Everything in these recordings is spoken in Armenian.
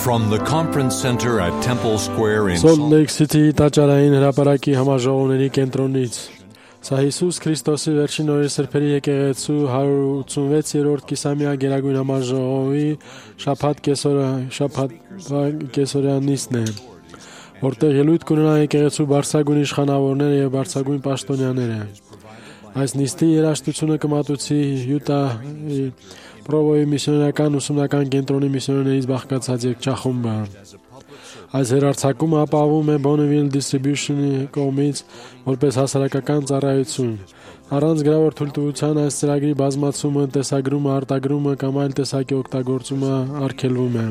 From the conference center at Temple Square in Salt Lake City տաճարային հրապարակի համաժողովների կենտրոնից Սա Հիսուս Քրիստոսի վերջին օրերի սրբերի եկեղեցու 186-րդ կիսամյա գերագույն համաժողովի շաբաթ կեսօրյանիցն է, որտեղ ելույթ կունենա եկեղեցու բարձրագույն իշխանավորները եւ բարձրագույն պաշտոնյաները։ Այս նիստի երաժշտությունը կմատուցի Յուտա Պրովոյի միսիոներական ուսումնական կենտրոնի միսիոներներից բաղկացած երգչախումբը։ Այս հեռարձակումը ապահովում է Bonneville Distribution-ի կողմից որպես հասարակական ծառայություն։ Առանց գրավոր թույլտվության այս ծրագրի բազմացումը, տեսագրումը, արտագրումը կամ այլ տեսակի օգտագործումը արգելվում է։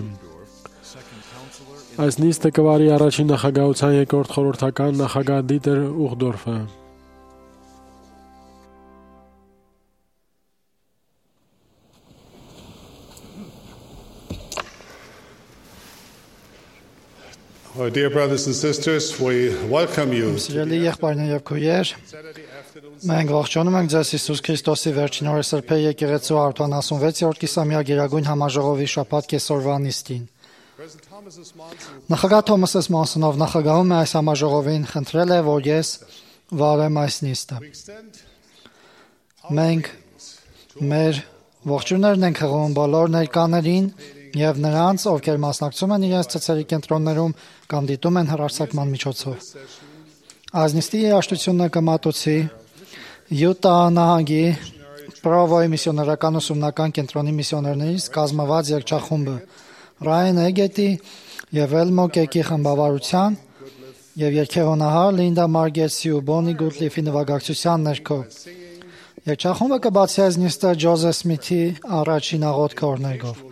Այս նիստը կվարի առաջին նախագահության երկրորդ խորհրդական նախագահ Դիտեր Ուխդորֆը։ Our dear brothers and sisters, we welcome you. Սիրելի եղբայրներ եւ քույրեր, մենք ողջունում ենք ձեզ Հիսուս Քրիստոսի վերջին օրերի սրբերի եկեղեցու 186-րդ կիսամյա գերագույն համաժողովի շաբաթ կեսօրվա նիստին։ Նախագահ Թոմաս Ս. Մոնսոնով նախագահում է այս համաժողովին, խնդրել է, որ ես վարեմ այս նիստը։ Մենք մեր ողջույններն ենք հղում բոլոր ներկաներին եւ նրանց, ովքեր մասնակցում են իրենց ցուցերի կենտրոններում կամ դիտում են հեռարձակման միջոցով։ Այս նիստի երաժշտությունը կմատուցի Յուտա նահանգի Պրովոյի միսիոներական ուսումնական կենտրոնի միսիոներներից կազմված երգչախումբը Ռայան Էգետի եւ Էլմո Կեկի խմբավարության եւ երգեհոնահար Լինդա Մարգերսի ու Բոնի Գուտլիֆի նվագակցության ներքո։ Երգչախումբը կբացի այս նիստը Ջոզեֆ Սմիթի առաջին աղոթքը օրներգով։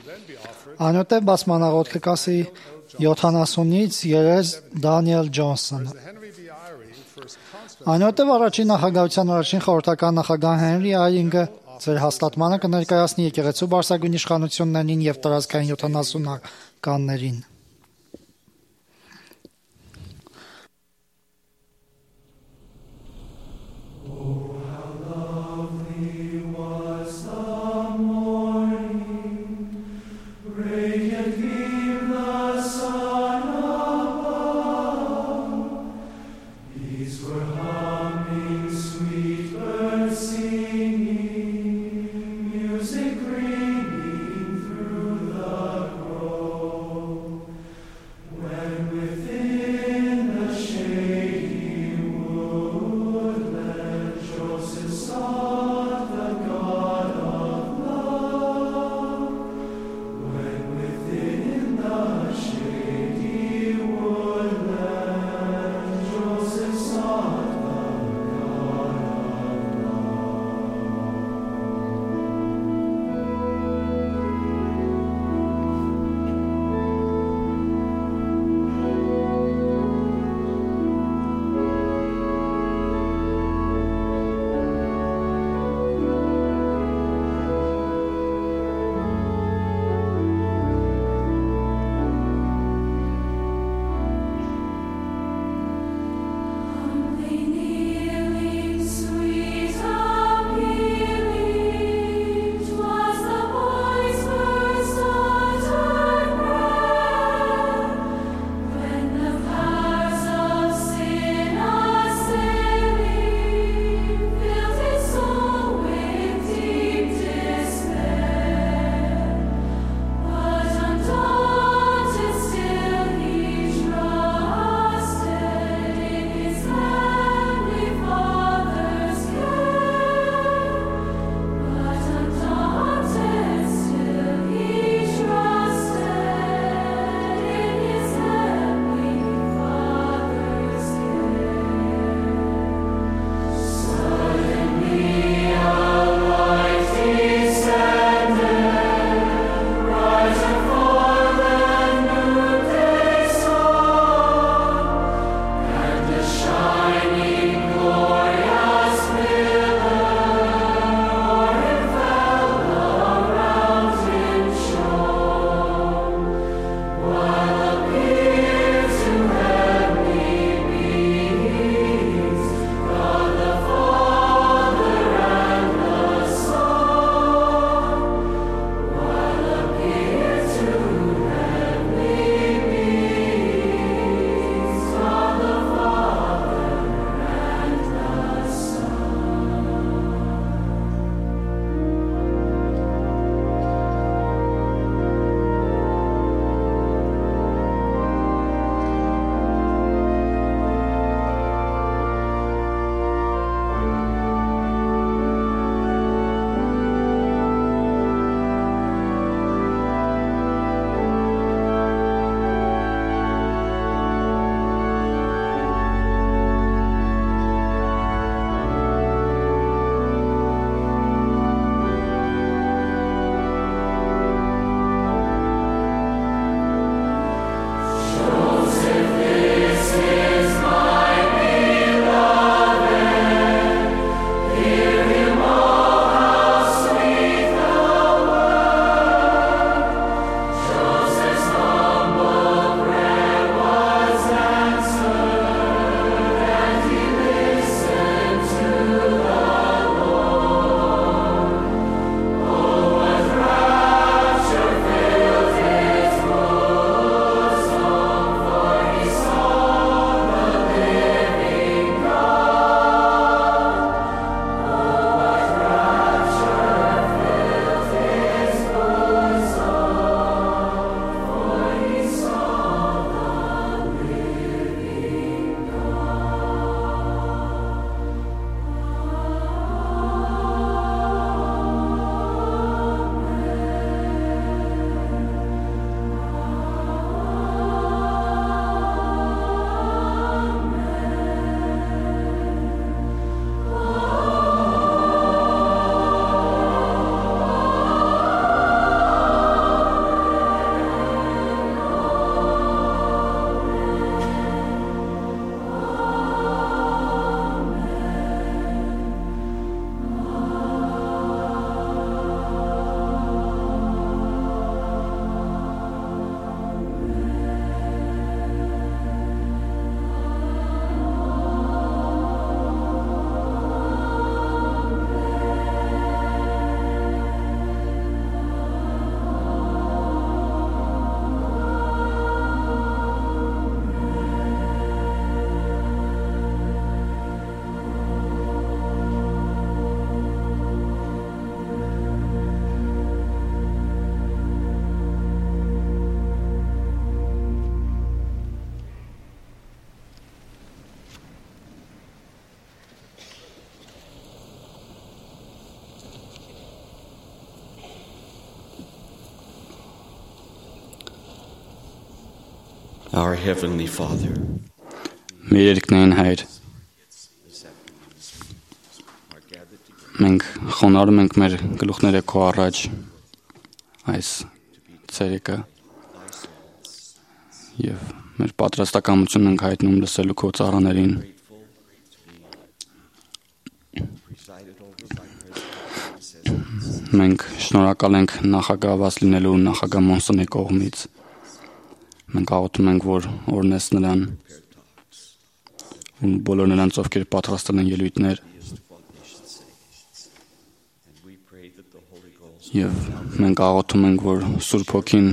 Այնուհետև բացմանաղոթքը կասի 70-ից երես Դանիել Ջոնսոնը։ Այնուհետև առաջին նախագահության առաջին խորհրդական նախագահ Հենրի Այինգը ձեր հաստատմանը կներկայացնի եկեղեցու բարձրագույն իշխանություններին եւ տարածքային 70-ականներին։ Our Heavenly Father, Մեր երկնային Հայր, մենք խոնարհում ենք մեր գլուխները քո առաջ այս ցերեկը եւ մեր պատրաստակամությունն ենք հայտնում լսելու քո ծառաներին մենք շնորհակալ ենք նախագահված լինելու նախագահ Մոնսոնի կողմից մենք աղոթում ենք որ օրհնես նրան ու բոլոր նրանց ովքեր պատրաստել են ելույթներ եւ մենք աղոթում ենք որ Սուրբ Հոգին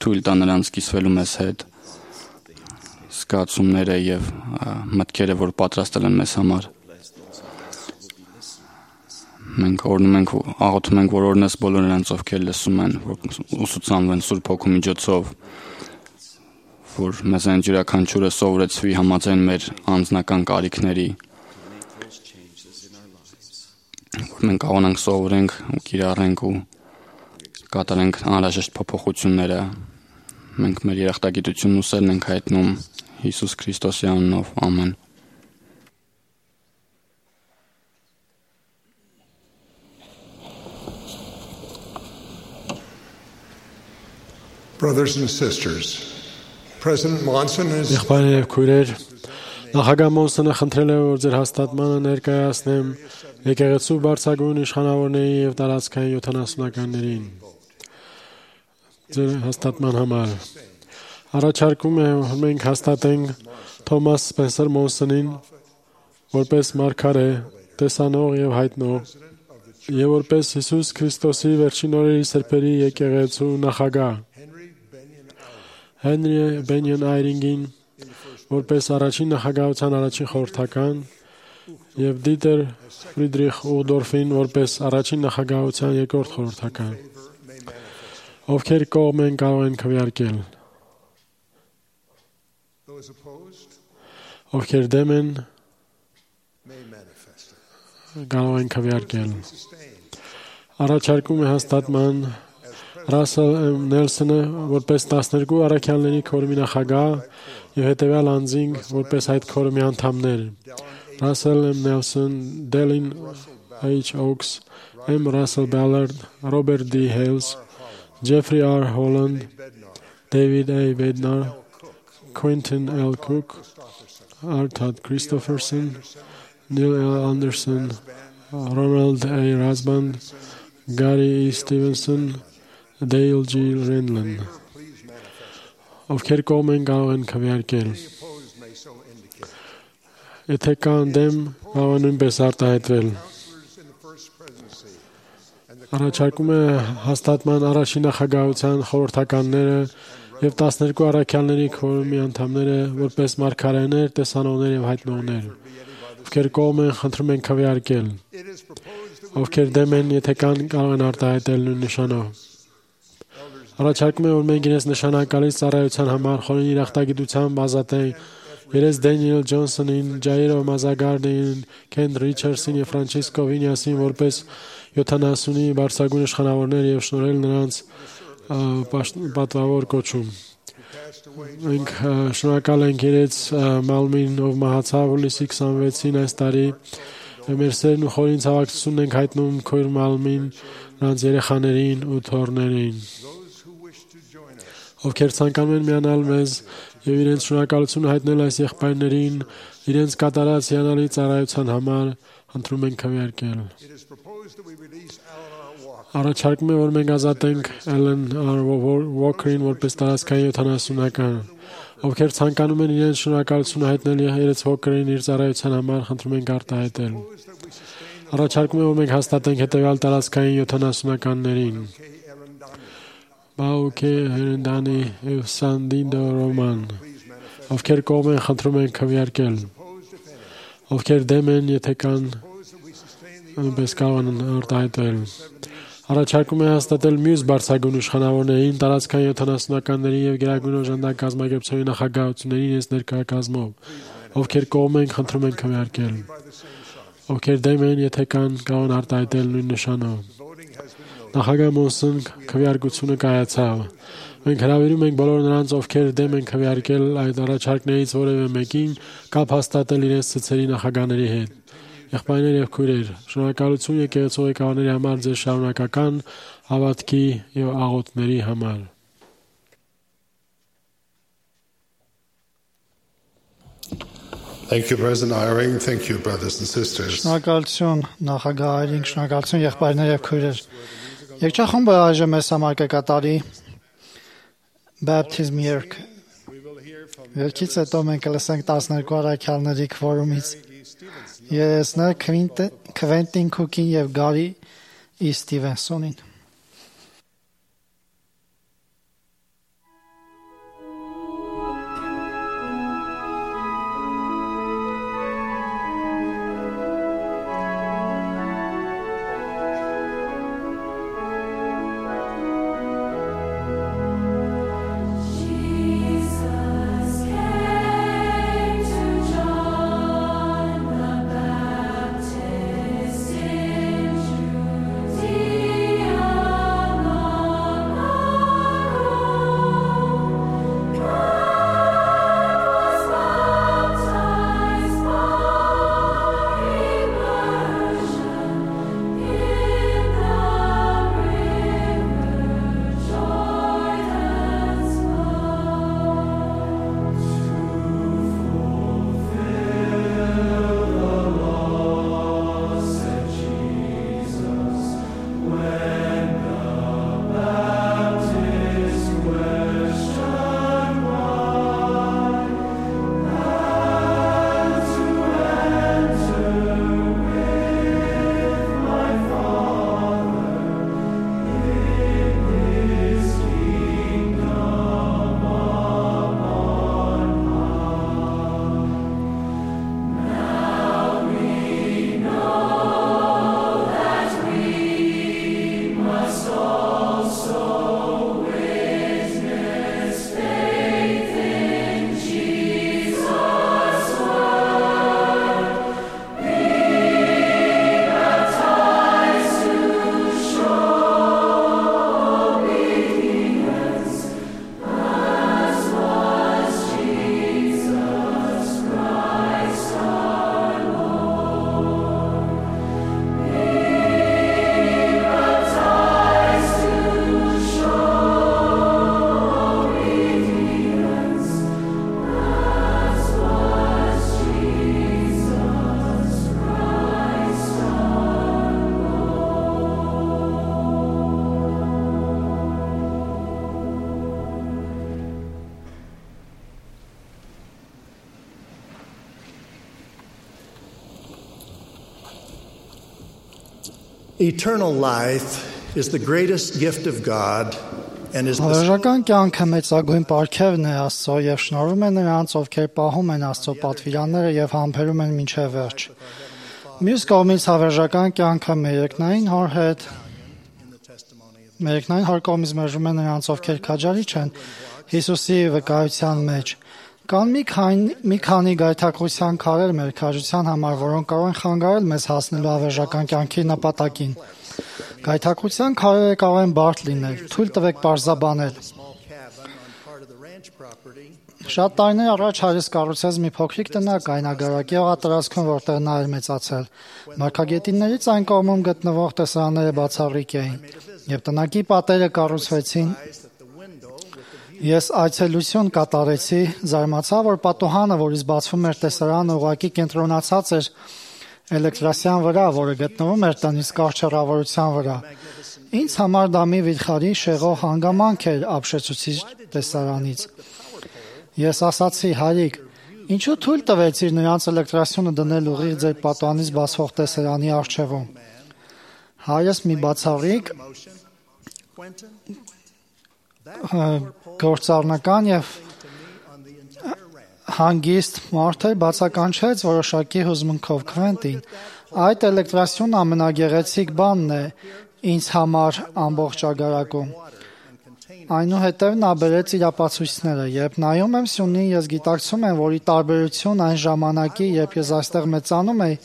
թույլ տա նրանց կիսվելու մեզ հետ զգացումները եւ մտքերը որ պատրաստել են մեզ համար մենք օրհնում ենք աղոթում ենք որ օրհնես բոլոր նրանց ովքեր լսում են որ ուսուցանվեն Սուրբ Հոգու միջոցով որ մեզ այն յուրաքանչյուրը սովորեցվի համաձայն մեր անձնական կարիքների որ մենք կարողանանք սովորենք ու կիրառենք ու կատարենք անհրաժեշտ փոփոխությունները մենք մեր երախտագիտությունն ու սերն ենք հայտնում Հիսուս Քրիստոսի անունով ամեն Brothers and sisters, President Monson is Եղբայրներ եւ քույրեր, նախագահ Մոնսոնը խնդրել է որ ձեր հաստատմանը ներկայացնեմ եկեղեցու բարձրագույն իշխանավորների եւ տարածքային 70-ականներին ձեր հաստատման համար առաջարկում է որ մենք հաստատենք Թոմաս Սպենսեր Մոնսոնին որպես մարգարե, տեսանող եւ հայտնող եւ որպես Հիսուս Քրիստոսի վերջին օրերի սրբերի եկեղեցու նախագահ Հենրի Բենյան Այրինգին որպես առաջին նախագահության առաջին խորհրդական եւ Դիտեր Ֆրիդրիխ Ուղդորֆին որպես առաջին նախագահության երկրորդ խորհրդական ովքեր կողմ են կարող են քվեարկել ովքեր դեմ են կարող են քվեարկել առաջարկում է հաստատման Ռասել Նելսոնը որպես 12 առաքյալների քորմի նախագահ եւ հետեւյալ անձինք որպես այդ քորմի անդամներ Ռասել Նելսոն, Դելին H. Oaks, M. Russell Ballard, Robert D. Hales, Jeffrey R. Holland, David A. Bednar, Quentin L. Cook, R. Todd Christopherson, Neil L. Anderson, Ronald A. Rasband, Gary E. Stevenson, Dale G. Renlund ովքեր կողմ են կարող են քվեարկել եթե կան դեմ կարող են նույնպես արտահայտվել առաջարկում է հաստատման առաջին նախագահության խորհրդականները եւ 12 առաքյալների քորմի անդամները որպես մարգարեներ, տեսանողներ եւ հայտնողներ ովքեր կողմ են խնդրում են քվեարկել ովքեր դեմ են եթե կան կարող են արտահայտել նույն նշանով Առաջարկում է որ մենք իրենց նշանակալից ծառայության համար խորին երախտագիտությամբ ազատենք Երես Դենիել Ջոնսոնին, Ջայրո Մազագարդին, Քեն Ռիչարդսին եւ Ֆրանցիսկո Վինյասին որպես 70-ի բարձրագույն իշխանավորներ եւ շնորհել նրանց պատվավոր կոչում Մենք շնորհակալ ենք իրենց Մալմին ով մահացավ հուլիսի 26-ին այս տարի մեր սերն ու խորին ցավակցությունն ենք հայտնում քույր Մալմին նրանց երեխաներին ու թոռներին ովքեր ցանկանում են միանալ մեզ եւ իրենց շնորհակալությունը հայտնել այս եղբայրներին իրենց կատարած հիանալի ծառայության համար խնդրում ենք քվեարկել Առաջարկում է որ մենք ազատենք Ellen R. Walker-ին որպես տարածքային 70-ական ովքեր ցանկանում են իրենց շնորհակալությունը հայտնել իրենց Walker-ին իր ծառայության համար խնդրում ենք արտահայտել Առաջարկում է որ մենք հաստատենք հետեւյալ տարածքային 70-ականներին Բաուկե Հերնդանի եւ Սանդինդո Ռոման ովքեր կողմ են խնդրում են քվեարկել ովքեր դեմ են եթե կան նույնպես կարող են արտահայտվել Առաջարկում է հաստատել մյուս բարձրագույն իշխանավորներին տարածքային 70-ականների եւ գերագույն օժանդակ կազմակերպությունների նախագահությունների իրենց ներկայացմով ովքեր կողմ են խնդրում են քվեարկել ովքեր դեմ են եթե կան կարող են արտահայտել նույն նշանով Նախագահ Մոնսն քվեարկությունը կայացավ։ Մենք հրավիրում ենք բոլոր նրանց, ովքեր դեմ են քվեարկել այդ առաջարկներից որևէ մեկին, կապ հաստատել իրենց ցցերի նախագահների հետ։ Եղբայրներ եւ քույրեր, շնորհակալություն եկեղեցու ղեկավարների համար ձեր շարունակական հավատքի եւ աղոթների համար։ Thank you, President Eyring. Thank you, brothers and sisters. Շնորհակալություն նախագահ Այրինգ, շնորհակալություն եղբայրներ եւ քույրեր։ Եկեղեցախումբը այժմ մեզ համար կկատարի Baptism երգ։ Երգից հետո մենք կլսենք 12 առաքյալների քվորումից երեսներ Քվենտին Քուքին եւ Գարի Ստիվենսոնին։ Eternal life is the greatest gift of God and is Հավերժական կյանքը մեծագույն պարգևն է Աստծո եւ շնորհում է նրանց, ովքեր պահում են Աստծո պատվիրանները եւ համբերում են մինչեւ վերջ։ Մյուս կողմից հավերժական կյանքը մերեկնային հոր հետ մերեկնային հոր կողմից մերժում է նրանց, ովքեր քաջարի չեն Հիսուսի վկայության մեջ։ Կան մի քանի գայթակղության քարեր մեր քաջության համար, որոնք կարող են խանգարել մեզ հասնելու հավերժական կյանքի նպատակին։ Գայթակղության քարերը կարող են բարդ լինել, թույլ տվեք պարզաբանել։ Շատ տարիներ առաջ հայրս կառուցեց մի փոքրիկ տնակ այնագարակի օղատարածքում, որտեղ նա էր մեծացել։ Մարգագետիններից այն կողմում գտնվող տեսարանները բացառիկ էին, եւ տնակի պատերը կառուցվեցին։ Ես այցելություն կատարեցի, զարմացա, որ պատուհանը, որից բացվում էր տեսարանը, ուղղակի կենտրոնացած էր էլեկտրասյան վրա, որը գտնվում էր տնից կարճ հեռավորության վրա։ Ինձ համար դա մի վիթխարի շեղող հանգամանք էր ապշեցուցիչ տեսարանից։ Ես ասացի, հայրիկ, ինչու թույլ տվեցիր նրանց էլեկտրասյունը դնել ուղիղ ձեր պատուհանից բացվող տեսարանի առջևում։ Հայրս մի բացառիկ գործառնական եւ հանգիստ մարդ էր, բացականչեց որոշակի հուզմունքով Քվենտին։ Այդ էլեկտրասյունը ամենագեղեցիկ բանն է ինձ համար ամբողջ ագարակում։ Այնուհետև նա բերեց իր ապացույցները։ Երբ նայում եմ սյունին, ես գիտակցում եմ, որ ի տարբերություն այն ժամանակի, երբ ես այստեղ մեծանում էի,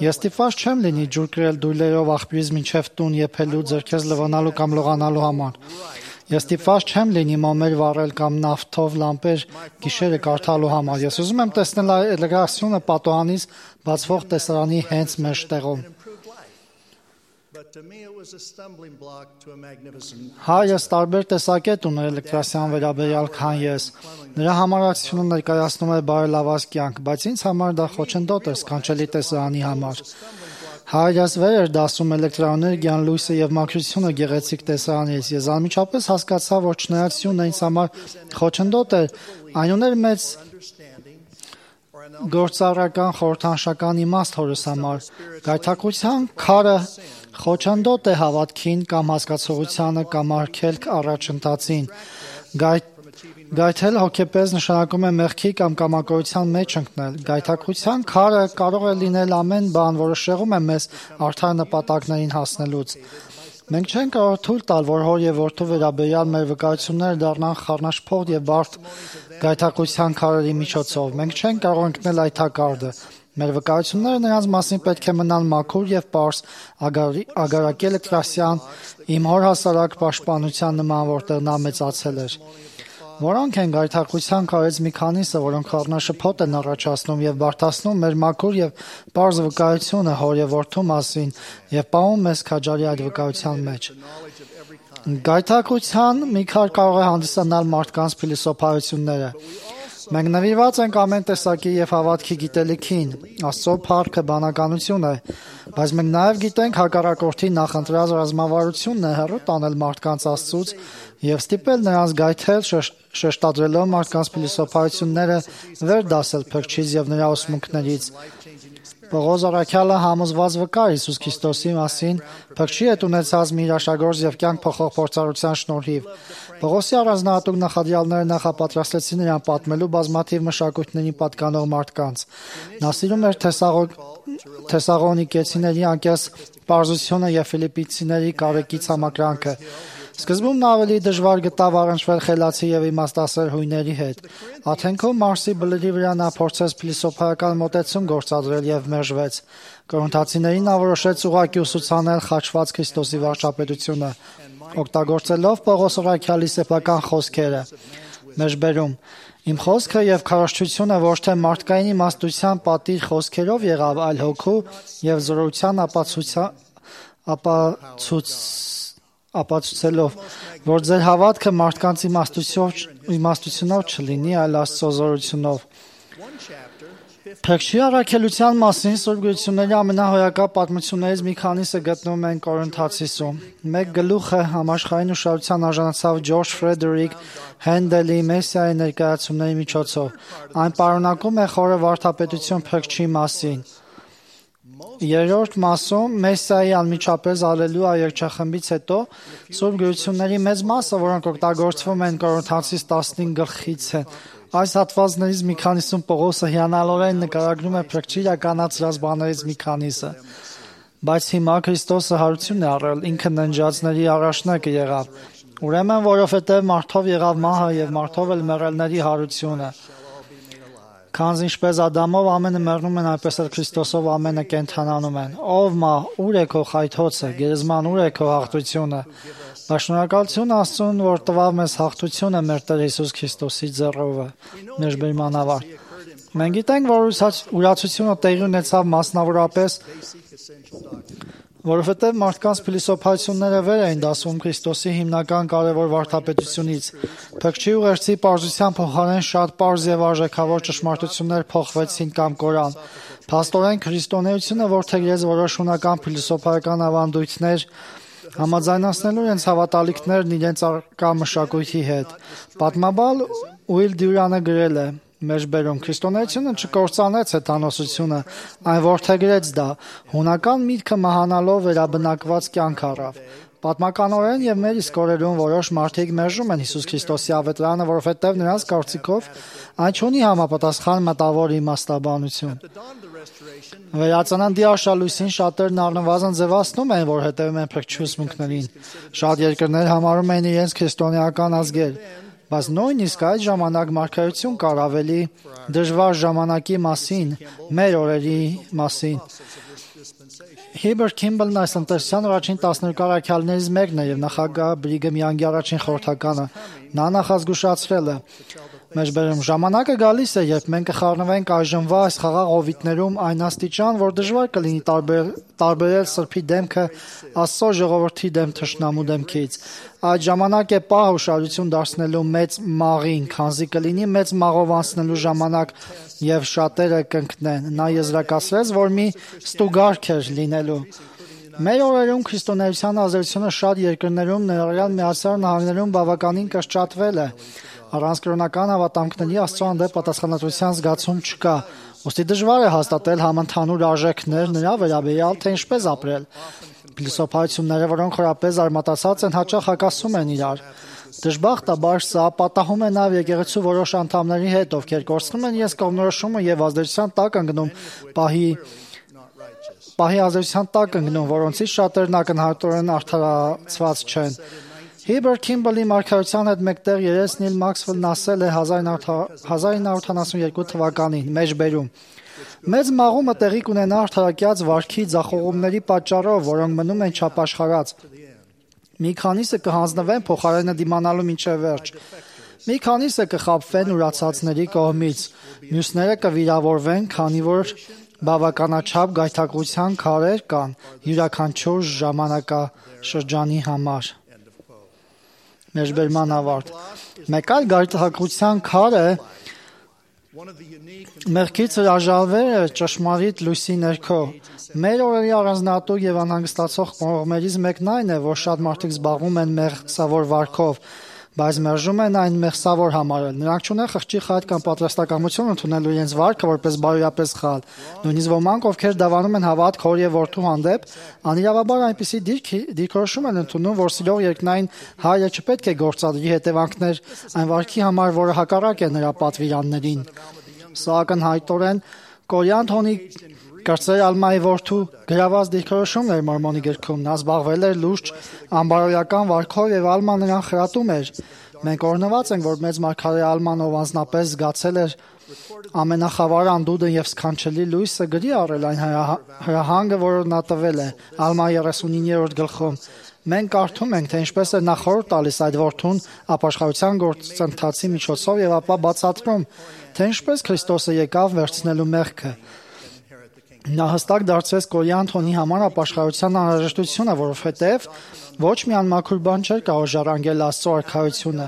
Ես ստիպված չեմ լինի ջուր կրել դույլերով աղբյուրից մինչև տուն եփելու, ձեռքերս լվանալու կամ լողանալու համար։ Ես ստիպված չեմ լինի մոմեր վառել կամ նավթով լամպեր գիշերը կարդալու համար։ Ես ուզում եմ տեսնել էլեկտրացիոնը պատուհանից բացվող տեսարանի հենց մեջտեղում։ Հայրս տարբեր տեսակետ ուներ էլեկտրացիան վերաբերյալ, քան ես։ Նրա համարացությունը ներկայացնում էր բարելաված կյանք, բայց ինձ համար դա խոչընդոտ էր սքանչելի տեսարանի համար։ Հայրս վեր էր դասում էլեկտրաէներգիան, լույսը եւ մաքրությունը գեղեցիկ տեսարանից։ Ես անմիջապես հասկացա, որ չնայածությունը ինձ համար խոչընդոտ էր, այն ուներ մեծ գործառական խորհրդանշական իմաստ հորս համար։ Գայթակղության քարը խոչընդոտ է հավատքին կամ հասկացողությանը կամ արգելք առաջընթացին։ Գայթել հոգեպես նշանակում է մեղքի կամ կամակորության մեջ ընկնել։ Գայթակղության քարը կարող է լինել ամեն բան, որը շեղում է մեզ արդար նպատակներին հասնելուց։ Մենք չենք կարող թույլ տալ, որ հոր եւ որդու վերաբերյալ մեր վկայությունները դառնան խառնաշփոթ եւ բարդ գայթակղության քարերի միջոցով։ Մենք չենք կարող ընկնել այդ հակարդը։ Մեր վկայությունները նրանց մասին պետք է մնան մաքուր եւ պարզ, ագարակի էլեկտրասյան, իմ հոր հասարակ պաշտպանության նման, որտեղ նա մեծացել էր։ Որոնք են գայթակղության քարերից մի քանիսը, որոնք խառնաշփոթ են առաջացնում եւ բարդացնում մեր մաքուր եւ պարզ վկայությունը հոր եւ որդու մասին եւ պահում մեզ քաջարի այդ վկայության մեջ։ Գայթակղության մի քար կարող է հանդիսանալ մարդկանց փիլիսոփայությունները։ Մենք նվիրված ենք ամեն տեսակի եւ հավատքի գիտելիքին, Աստծո փառքը բանականություն է, բայց մենք նաեւ գիտենք հակառակորդի նախընտրած ռազմավարությունն է հեռու տանել մարդկանց Աստծուց եւ ստիպել նրանց գայթել, շեշտադրելով մարդկանց փիլիսոփայությունները վեր դասել փրկչից եւ նրա ուսմունքներից։ Պողոս առաքյալը համոզված վկար Հիսուս Քրիստոսի մասին, փրկչի հետ ունեցած մի հրաշագործ եւ կյանք փոխող փորձառության շնորհիվ։ Պողոսի առանձնահատուկ նախադրյալները նախապատրաստեցին նրան պատմելու բազմաթիվ մշակույթների պատկանող մարդկանց։ Նա սիրում էր Թեսաղոնիկեցիների անկես պարզությունը եւ Ֆիլիպպիցիների կարեկից համակրանքը։ Սկզբում նա ավելի դժվար գտավ առնչվել խելացի եւ իմաստասեր հույների հետ։ Աթենքում Մարսի բլրի վրա նա փորձեց փիլիսոփայական մոտեցում գործադրել եւ մերժվեց։ Կորինթացիներին նա որոշեց ուղղակի ուսուցանել խաչված Քրիստոսի վարչապետությունը, օգտագործելով Պողոս առաքյալի սեփական խոսքերը։ Մեջբերում Իմ խոսքը եւ քարոզչությունը ոչ թե մարդկային իմաստության պատիժ խոսքերով եղավ, այլ հոգու եւ զորության ապացուցելով, որ ձեր հավատքը մարդկանց իմաստությունով չլինի, այլ Աստծո զորությունով։ Փրկչի առաքելության մասին Սուրբ Գրությունների ամենահոյակապ պատմություններից մի քանիսը գտնվում են Կորինթացիսում։ Մեկ գլուխը համաշխարհային ուշադրության արժանացավ Ջորջ Ֆրեդերիկ Հենդելի Մեսիայի ներկայացումների միջոցով։ Այն պարունակում է խորը վարդապետություն փրկչի մասին։ Երրորդ մասում Մեսիայի անմիջապես ալելույա երգչախմբից հետո Սուրբ Գրությունների մեծ մասը, որոնք օգտագործվում են Կորինթացիս 15 գլխից են։ Այս հատվածներից մի քանիսում Պողոսը հիանալորեն նկարագրում է փրկչի իրականացրած բաներից մի քանիսը։ Բայց հիմա Քրիստոսը հարություն է առել, ինքը ննջածների առաջնակը եղավ։ Ուրեմն, որովհետև մարդով եղավ մահը եւ մարդով էլ մեռելների հարությունը։ Քանզի ինչպես Ադամով ամենը մեռնում են, այնպես էլ Քրիստոսով ամենը կենդանանում են։ Ով մահ, ուր է քո խայթոցը, գերեզման ուր է քո հաղթությունը։ Բայց շնորհակալություն Աստծուն, որ տվավ մեզ հաղթությունը մեր Տեր Հիսուս Քրիստոսի ձեռովը։ Մեջբերման ավարտ։ Մենք գիտենք, որ ուրացությունը տեղի ունեցավ մասնավորապես, որովհետև մարդկանց փիլիսոփայությունները վեր էին դասում Քրիստոսի հիմնական կարևոր վարդապետությունից։ Փրկչի ուղերձի պարզության փոխարեն շատ պարզ եւ արժեքավոր ճշմարտություններ փոխվեցին կամ կորան։ Փաստորեն քրիստոնեությունը որդեգրեց որոշ հունական փիլիսոփայական ավանդույթներ, համաձայնացնելու իրենց հավատալիքներն իրենց առկա մշակույթի հետ։ Պատմաբան Ուիլ Դյուրանը գրել է. Մեջբերում քրիստոնեությունը չկործանեց հեթանոսությունը, այն որդեգրեց դա, հունական միտքը մահանալով վերաբնակված կյանք առավ։ Պատմականորեն եւ մեր իսկ օրերում որոշ մարդիկ մերժում են Հիսուս Քրիստոսի ավետարանը, որովհետեւ նրանց կարծիքով այն չունի համապատասխան մտավոր իմաստաբանություն։ Վերածննդի արշալույսին շատերն առնվազն ձևացնում են, որ հետևում են փրկչի ուսմունքներին։ Շատ երկրներ համարում են իրենց քրիստոնեական ազգեր, բայց նույնիսկ այդ ժամանակ մարգարեություն կար ավելի դժվար ժամանակի մասին, մեր օրերի մասին։ Հիբեր Քիմբելն այս ընտեսության առաջին 12 առաքյալներից մեկն է եւ նախագահ Բրիգեմ Յանգի առաջին խորհրդականը։ Նա նախազգուշացրել է. Մեջբերում ժամանակը գալիս է, երբ մենք կխառնվենք այժմվա այս խաղաղ հովիտներում այն աստիճան, որ դժվար կլինի տարբերել սրբի դեմքը Աստծո ժողովրդի դեմ թշնամու դեմքից։ Այդ ժամանակ է պահ ուշադրություն դարձնելու մեծ մաղին, քանզի կլինի մեծ մաղով անցնելու ժամանակ եւ շատերը կընկնեն։ Նա եզրակացրեց, որ մի ստուգարք էր լինելու։ Մեր օրերում քրիստոնեության ազդեցությունը շատ երկրներում, ներառյալ Միացյալ Նահանգներում բավականին կրճատվել է։ Առանց կրոնական հավատամքների Աստծո հանդեպ պատասխանատվության զգացում չկա։ Ոստի դժվար է հաստատել համընդհանուր արժեքներ նրա վերաբերյալ, թե ինչպես ապրել։ Փիլիսոփայությունները, որոնք խորապես արմատացած են, հաճախ հակասում են իրար։ Դժբախտաբար սա պատահում է նաև եկեղեցու որոշ անդամների հետ, ովքեր կորցնում են իրենց կողմնորոշումը եւ ազդեցության տակ ընկնում պահի ազդեցության տակ ընկնում, որոնցից շատերն ակնհայտորեն արդարացված չեն։ Հիբեր Քիմբելի մարգարեության հետ մեկտեղ երես Նիլ Մաքսվելն ասել է 1972 թվականին մեջբերում. Մեծ մաղումը տեղի կունենա արդարակյաց վարքի ձախողումների պատճառով, որոնք մնում են չապաշխարած։ Մի քանիսը կհանձնվեն փոխարենը դիմանալու մինչև վերջ։ Մի քանիսը կխաբվեն ուրացածների կողմից։ Մյուսները կվիրավորվեն, քանի որ բավականաչափ գայթակղության քարեր կան յուրաքանչյուր ժամանակաշրջանի համար։ Մեջբերման ավարտ։ Մեկ այլ գայթակղության քարը մեղքից հրաժարվելը ճշմարիտ լույսի ներքո։ Մեր օրերի առանձնահատուկ եւ անհանգստացող կողմերից մեկն այն է, որ շատ մարդիկ զբաղվում են մեղսավոր վարքով, բայց մերժում են այն մեղսավոր համարել։ Նրանք չունեն խղճի խայտ կամ պատրաստակամություն ընդունելու իրենց վարքը որպես բարոյապես սխալ։ Նույնիսկ ոմանք, ովքեր դավանում են հավատք հոր եւ որդու հանդեպ, անիրավաբար այնպիսի դիրքորոշում են ընդունում, որ սիրող երկնային հայրը չպետք է գործադրի հետևանքներ այն վարքի համար, որը հակառակ է նրա պատվիրաններին։ Սա ակնհայտորեն Կորյան Թոնի Կրծեր Ալմայի որդու գրաված դիրքորոշումն էր Մորմոնի գրքում։ Նա զբաղվել էր լուրջ անբարոյական վարքով եւ Ալման նրան խրատում էր։ Մենք օրհնված ենք, որ մեծ մարգարե Ալման, ով անձնապես զգացել էր ամենախավար անդունդը եւ սքանչելի լույսը, գրի առել այն հրահանգը, որը նա տվել է Ալմայի 39-րդ գլխում։ Մենք կարդում ենք, թե ինչպես է նա խորհուրդ տալիս այդ որդուն ապաշխարության գործընթացի միջոցով եւ ապա բացատրում, թե ինչպես Քրիստոսը եկավ վերցնելու մեղքը։ Նա հստակ դարձրեց Կորյան Թոնի համար ապաշխարության անհրաժեշտությունը, որովհետև ոչ մի անմաքուր բան չէր կարող ժառանգել Աստծո արքայությունը։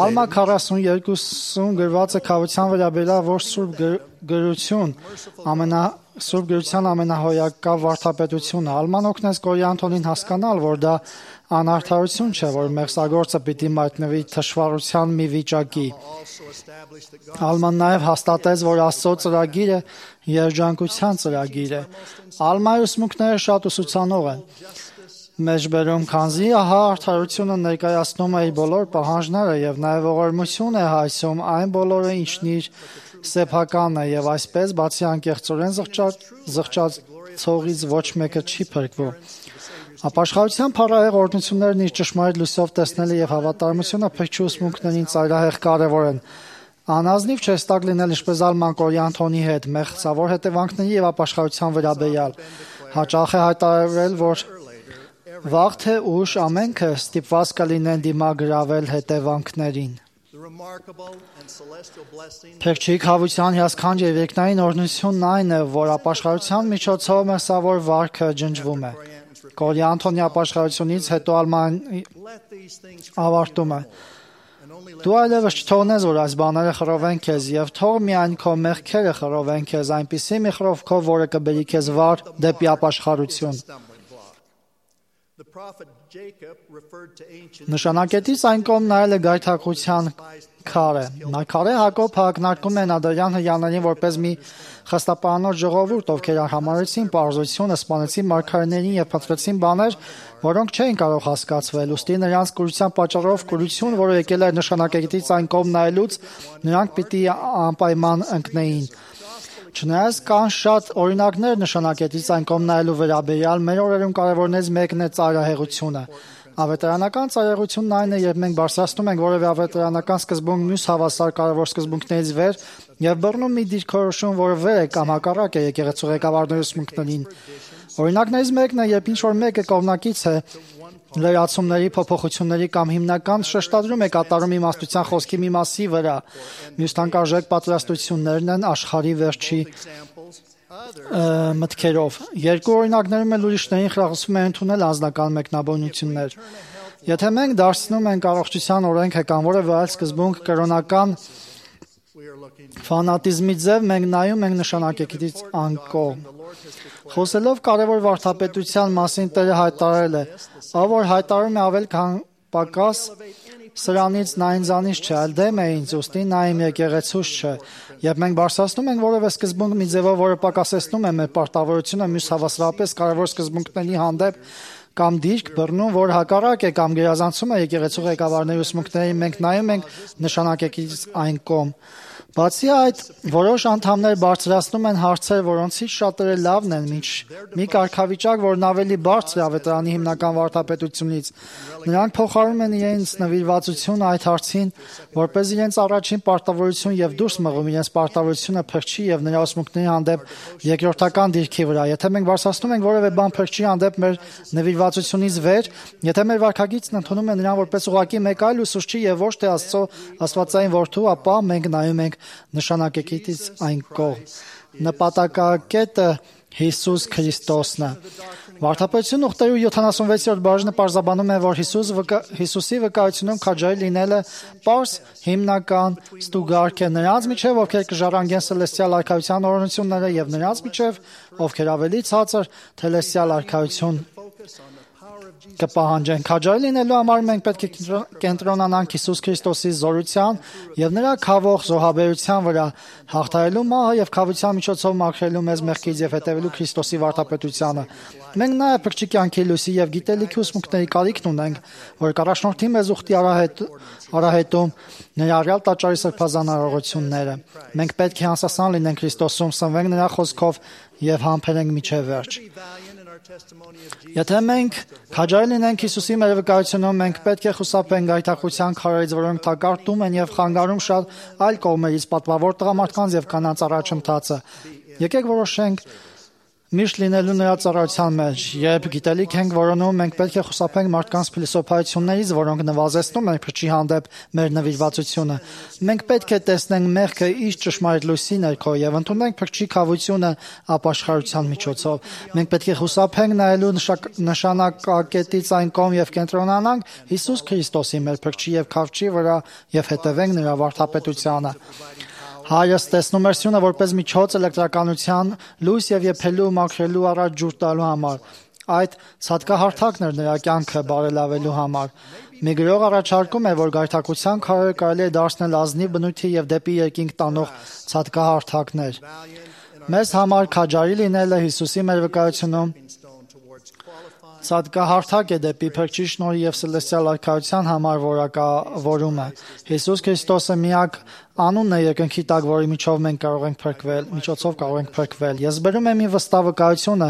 Ալմա 42-ում գրված է քավության վերաբերյալ ոչ սուրբ գրություն, սուրբ գրության ամենահոյակավ վարդապետությունը։ Ալման օգնեց Կորյան Թոնին հասկանալ, որ դա անարդարություն չէ, որ մեղսագործը պիտի մատնվի թշվառության մի վիճակի։ Ալման նաև հաստատեց, որ Աստծո ծրագիրը երջանկության ծրագիր է։ Ալմայի ուսմունքները շատ ուսուցանող են։ Մեջբերում քանզի ահա արդարությունը ներկայացնում է իր բոլոր պահանջները եւ նաեւ ողորմություն է հայցում այն բոլորը, ինչն իր սեփական է եւ այսպես բացի անկեղծորեն զղջացողից ոչ մեկը չի փրկվում։ Ապաշխարության փառահեղ օրհնություններն իր ճշմարիտ լույսով տեսնելը եւ հավատարմությունը փրկչի ուսմունքներին ծայրահեղ կարեւոր են։ Անազնիվ չէ ստակ լինել ինչպես Ալման Կորյան Թոնի հետ մեղսավոր հետևանքների եւ ապաշխարության վերաբերյալ։ Հաճախ է հայտարարվել, որ վաղ թե ուշ ամենքը ստիպված կլինեն դիմագրավել հետևանքներին։ Փրկչի խավության հիասքանչ եւ երկնային օրհնությունն այն է, որ ապաշխարության միջոցով մեղսավոր վարքը ջնջվում է։ Կորյան Թոնի ապաշխարությունից հետո Ալման ավարտում է. Դու այլևս չթողնես, որ այս բաները խռովեն քեզ եւ թող միայն քո մեղքերը խռովեն քեզ այնպիսի մի խռովքով, որը կբերի քեզ վար դեպի ապաշխարություն։ Նշանակետից այն կողմ նայելը գայթակղության քարը։ Մարգարե Հակոբ հակնարկում է Նադարյան հրեաներին որպես մի խստապարանոց ժողովուրդ, ովքեր համարեցին պարզությունը, սպանեցին մարգարեներին եւ փնտրեցին բաներ, որոնք չէին կարող հասկացվել։ Ուստի նրանց կուրության պատճառով կուրություն, որը եկել էր նշանակետից այն կողմ նայելուց, նրանք պիտի անպայման ընկնեին։ Չնայած կան շատ օրինակներ նշանակետից այն կողմ նայելու վերաբերյալ, մեր օրերում կարևորներից մեկն է ծայրահեղությունը։ Ավետարանական ծայրահեղությունն այն է, երբ մենք բարձրացնում ենք որևէ ավետարանական սկզբունք մյուս հավասար կարևոր սկզբունքներից վեր եւ բռնում մի դիրքորոշում, որը վեր է կամ հակառակ է եկեղեցու ղեկավարների ուսմունքներին։ Օրինակներից մեկն է, երբ ինչ-որ մեկը կողմնակից է լրացումների, փոփոխությունների կամ հիմնական շեշտադրում է կատարում իմաստության խոսքի մի մասի վրա։ Մյուս թանկարժեք պատրաստություններն են աշխարհի վերջի մտքերով։ Երկու օրինակներում էլ ուրիշներին խրախուսում է ընդունել անձնական մեկնաբանություններ։ Եթե մենք դարձնում ենք առողջության օրենքը կամ որևէ այլ սկզբունք կրոնական ֆանատիզմի ձև, մենք նայում ենք նշանակակից անկողմ։ Խոսելով կարևոր վարդապետության մասին Տերը հայտարարել է. «Ով որ հայտարարում է ավել քան պակաս, սրանից նա ինձանից չէ, այլ դեմ է ինձ, ուստի նա իմ եկեղեցուց չէ»։ Երբ մենք բարձրացնում ենք որևէ սկզբունք մի ձևով, որը պակասեցնում է մեր պարտավորությունը մյուս հավասարապես կարևոր սկզբունքների հանդեպ, կամ դիրք բռնում, որ հակառակ է կամ գերազանցում է եկեղեցու ղեկավարների ուսմունքներին, մենք նայում ենք նշանակակից այն կողմ։ Բացի այդ, որոշ անդամներ բարձրացնում են հարցեր, որոնցից շատերը լավն են, մի կարգավիճակ, որն ավելի բարձր է ավետարանի հիմնական վարդապետությունից։ Նրանք փոխարում են իրենց նվիրվածությունը այդ հարցին, որպես իրենց առաջին պարտավորություն եւ դուրս մղում իրենց պարտավորությունը փրկչի եւ նրա ուսմունքների հանդեպ երկրորդական դիրքի վրա։ Եթե մենք բարձրացնում ենք որևէ բան փրկչի հանդեպ մեր նվիրվածությունից վեր, եթե մեր վարքագիծն ընդունում է նրան որպես ուղղակի մեկ այլ ուսուցչի եւ ոչ թե Աստծո աստվածային որդու, ապա մենք նայում ենք նշանակակից այն կողմ։ Նպատակակետը Հիսուս Քրիստոսն է։ Վարդապետություն ուխտերու 76-րդ բաժինը պարզաբանում է, որ Հիսուսի վկայությունում քաջարի լինելը պարզ հիմնական ստուգարք է նրանց միջև, ովքեր կժառանգեն սելեստիալ արքայության օրհնությունները եւ նրանց միջև, ովքեր ավելի ցածր թելեսիալ արքայություն կպահանջեն։ Քաջարի լինելու համար մենք պետք է կենտրոնանանք Հիսուս Քրիստոսի զորության եւ նրա քավող զոհաբերության վրա, հաղթահարելու մահը եւ քավության միջոցով մաքրելու մեզ մեղքից եւ հետեւելու Քրիստոսի վարդապետությանը։ Մենք նաեւ փրկչի կյանքի լույսի եւ գիտելիքի ուսմունքների կարիքն ունենք, որ կառաջնորդի մեզ ուխտի արահետում ներառյալ տաճարի սրբազան արարողությունները։ Մենք պետք է անսասան լինենք Քրիստոսում, սնվենք նրա խոսքով եւ համբերենք միջև վերջ։ Եթե մենք քաջարի լինենք Հիսուսի մեր վկայությունում, մենք պետք է խուսափենք գայթակղության քարերից, որոնք թակարդում են եւ խանգարում շատ այլ կողմերից պատվավոր տղամարդկանց եւ կանանց առաջընթացը։ Եկեք որոշենք միշտ լինելու նրա ծառայության մեջ։ Երբ գիտելիք ենք որոնում, մենք պետք է խուսափենք մարդկանց փիլիսոփայություններից, որոնք նվազեցնում են փրկչի հանդեպ մեր նվիրվածությունը։ Մենք պետք է տեսնենք մեղքը իր ճշմարիտ լույսի ներքո եւ ընդունենք փրկչի քավությունը ապաշխարության միջոցով։ Մենք պետք է խուսափենք նայելու նշանակակետից այն կողմ եւ կենտրոնանանք Հիսուս Քրիստոսի մեր փրկչի եւ քավչի վրա եւ հետևենք նրա վարդապետությանը։ Հայրս տեսնում էր սյունը որպես միջոց էլեկտրականության լույս եւ եփելու մաքրելու առաջ ջուր տալու համար։ Այդ ցածկահարթակն էր նրա կյանքը բարելավելու համար։ Մի գրող առաջարկում է, որ գայթակղության քարերը կարելի է դարձնել ազնիվ բնույթի եւ դեպի երկինք տանող ցածկահարթակներ։ Մեզ համար քաջարի լինելը Հիսուսի մեր վկայությունում ցածկահարթակ է դեպի փրկչի շնորհի եւ սելեստիալ արքայության համար որակավորումը։ Հիսուս Քրիստոսը միակ անունն է երկնքի տակ, որի միջոցով մենք կարող ենք փրկվել։ Ես բերում եմ մի վստահ վկայությունը,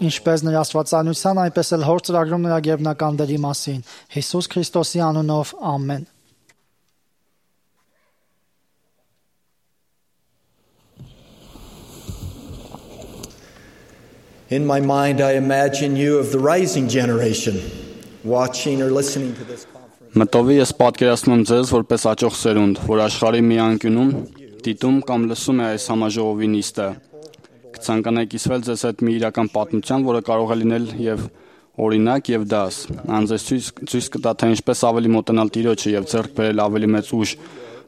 ինչպես նրա աստվածանության, այնպես էլ հոր ծրագրում նրա գերբնական դերի մասին։ Հիսուս Քրիստոսի անունով, ամեն։ In my mind, I imagine you of the rising generation watching or listening to this conference. Մտովի ես պատկերացնում եմ ձեզ որպես աճող սերունդ, որ աշխարհի մի անկյունում դիտում կամ լսում է այս համաժողովի նիստը։ Կցանկանայի կիսվել ձեզ հետ մի իրական պատմության, որը կարող է լինել եւ օրինակ եւ դաս։ Անձես ցույց կտա, թե ինչպես ավելի մոտենալ Տիրոջը եւ ձեռք բերել ավելի մեծ ուժ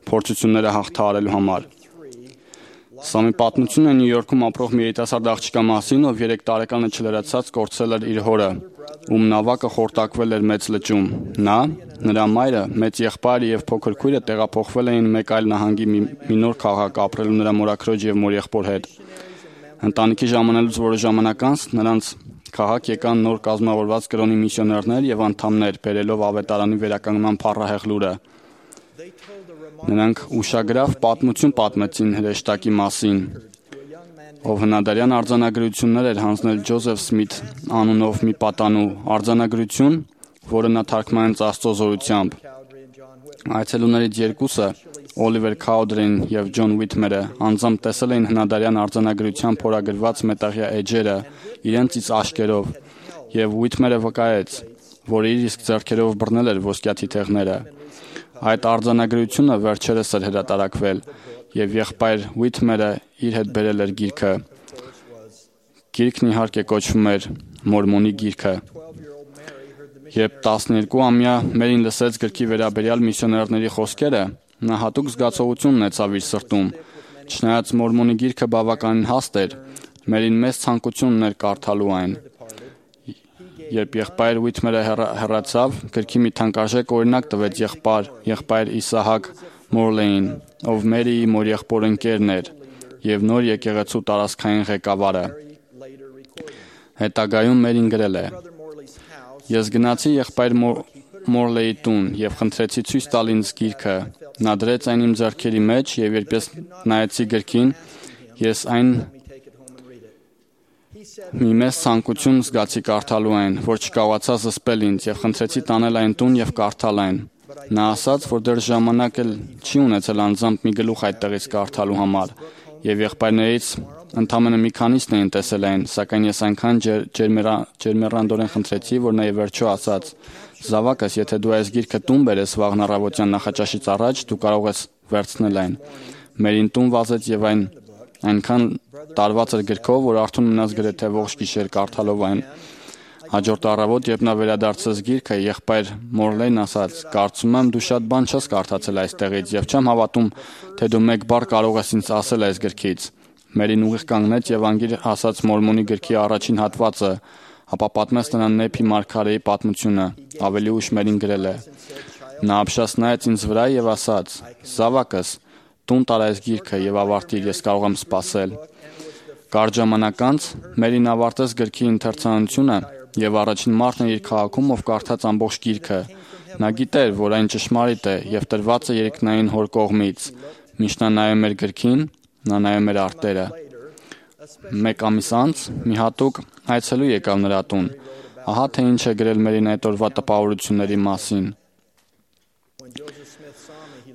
փորձությունները հաղթահարելու համար։ Սա մի պատմություն է Նյու Յորքում ապրող մի երիտասարդ աղջկա մասին, ով 3 տարեկանը չլրացած կորցրել էր իր հորը, ում նավակը խորտակվել էր մեծ լճում։ Նա, նրա մայրը, մեծ եղբայրը եւ փոքր քույրը տեղափոխվել էին մեկ այլ նահանգի մի նոր քաղաք ապրելու նրա մորաքրոջ եւ մորեղբոր հետ։ Ընտանիքի ժամանելուց որոշ ժամանակ անց նրանց քաղաք եկան նոր կազմավորված կրոնի միսիոներներ եւ անդամներ, բերելով ավետարանի վերականգնման փառահեղ լուրը։ Նրանք ուշագրավ պատմություն պատմեցին հրեշտակի մասին, ով հնադարյան արձանագրություններ էր հանձնել Ջոզեֆ Սմիթ անունով մի պատանու, արձանագրություն, որը նա թարգմանեց Աստծո զորությամբ։ Այցելուներից երկուսը, Օլիվեր Քաուդերին եւ Ջոն Ուիթմերը, անձամբ տեսել էին հնադարյան արձանագրությամբ փորագրված մետաղյա էջերը իրենցից աշկերով, եւ Ուիթմերը վկայեց, որ իր իսկ ձեռքերով բռնել էր ոսկյա թիթեղները։ Այդ արձանագրությունը վերջերս էր հրատարակվել, եւ եղբայր Ուիթմերը իր հետ բերել էր գիրքը։ Գիրքն իհարկե կոչվում էր Մորմոնի գիրքը։ Երբ 12-ամյա Մերին լսեց գրքի վերաբերյալ միսիոներների խոսքերը, նա հատուկ զգացողություն ունեցավ իր սրտում։ Չնայած Մորմոնի գիրքը բավականին հաստ էր, Մերին մեծ ցանկություն ուներ կարդալու այն։ Երբ եղբայր Ուիթմերը հեռացավ, գրքի մի թանկարժեք օրինակ տվեց եղբայր Իսահակ Մորլեին, ով Մերիի մորեղբոր ընկերն էր եւ նոր եկեղեցու տարածքային ղեկավարը։ Հետագայում Մերին գրել է. «Ես գնացի եղբայր Մորլեի տուն եւ խնդրեցի ցույց տալ ինձ գիրքը։ Նա դրեց այն իմ ձեռքերի մեջ եւ երբ ես նայեցի գրքին, ես այն մի մեծ ցանկություն զգացի կարդալու այն, որ չկարողացա զսպել ինձ եւ խնդրեցի տանել այն տուն եւ կարդալ այն։ Նա ասաց, որ դեռ ժամանակ էլ չի ունեցել անձամբ մի գլուխ այդտեղից կարդալու համար, եւ եղբայրներից ընդամենը մի քանիսն էին տեսել այն, սակայն ես այնքան ջերմեռանդորեն խնդրեցի, որ նա ի վերջո ասաց. «Զավակս, եթե դու այս գիրքը տուն բերես վաղն առավոտյան նախաճաշից առաջ, դու կարող ես վերցնել այն»։ Մերին տուն վազեց եւ այնքան տարված էր գրքով, որ արթուն մնաց գրեթե ողջ գիշեր կարդալով այն։ Հաջորդ առավոտ, երբ նա վերադարձեց գիրքը, եղբայր Մորլեյն ասաց. «Կարծում եմ, դու շատ բան չես կարդացել այստեղից եւ չեմ հավատում, թե դու մեկ բառ կարող ես ինձ ասել այս գրքից»։ Մերին ուղիղ կանգնեց եւ անգիր ասաց Մորմոնի գրքի առաջին հատվածը, ապա պատմեց նրան Նեփի մարգարեի պատմությունը։ Ավելի ուշ Մերին գրել է. «Նա ապշած նայեց ինձ վրա եւ ասաց. «Զավակս, տուն տար այս գիրքը եւ ավարտիր, ես կարող եմ սպասել»։ Կարճ ժամանակ անց Մերին ավարտեց գրքի ընթերցանությունը եւ առաջին մարդն էր իր քաղաքում, ով կարդաց ամբողջ գիրքը։ Նա գիտեր, որ այն ճշմարիտ է եւ տրված է երկնային հոր կողմից։ Միշտ նա նայում էր գրքին, նա նայում էր արտերը։ Մեկ ամիս անց մի հատուկ այցելու եկավ նրա տուն։ Ահա թե ինչ է գրել Մերին այդ օրվա տպավորությունների մասին։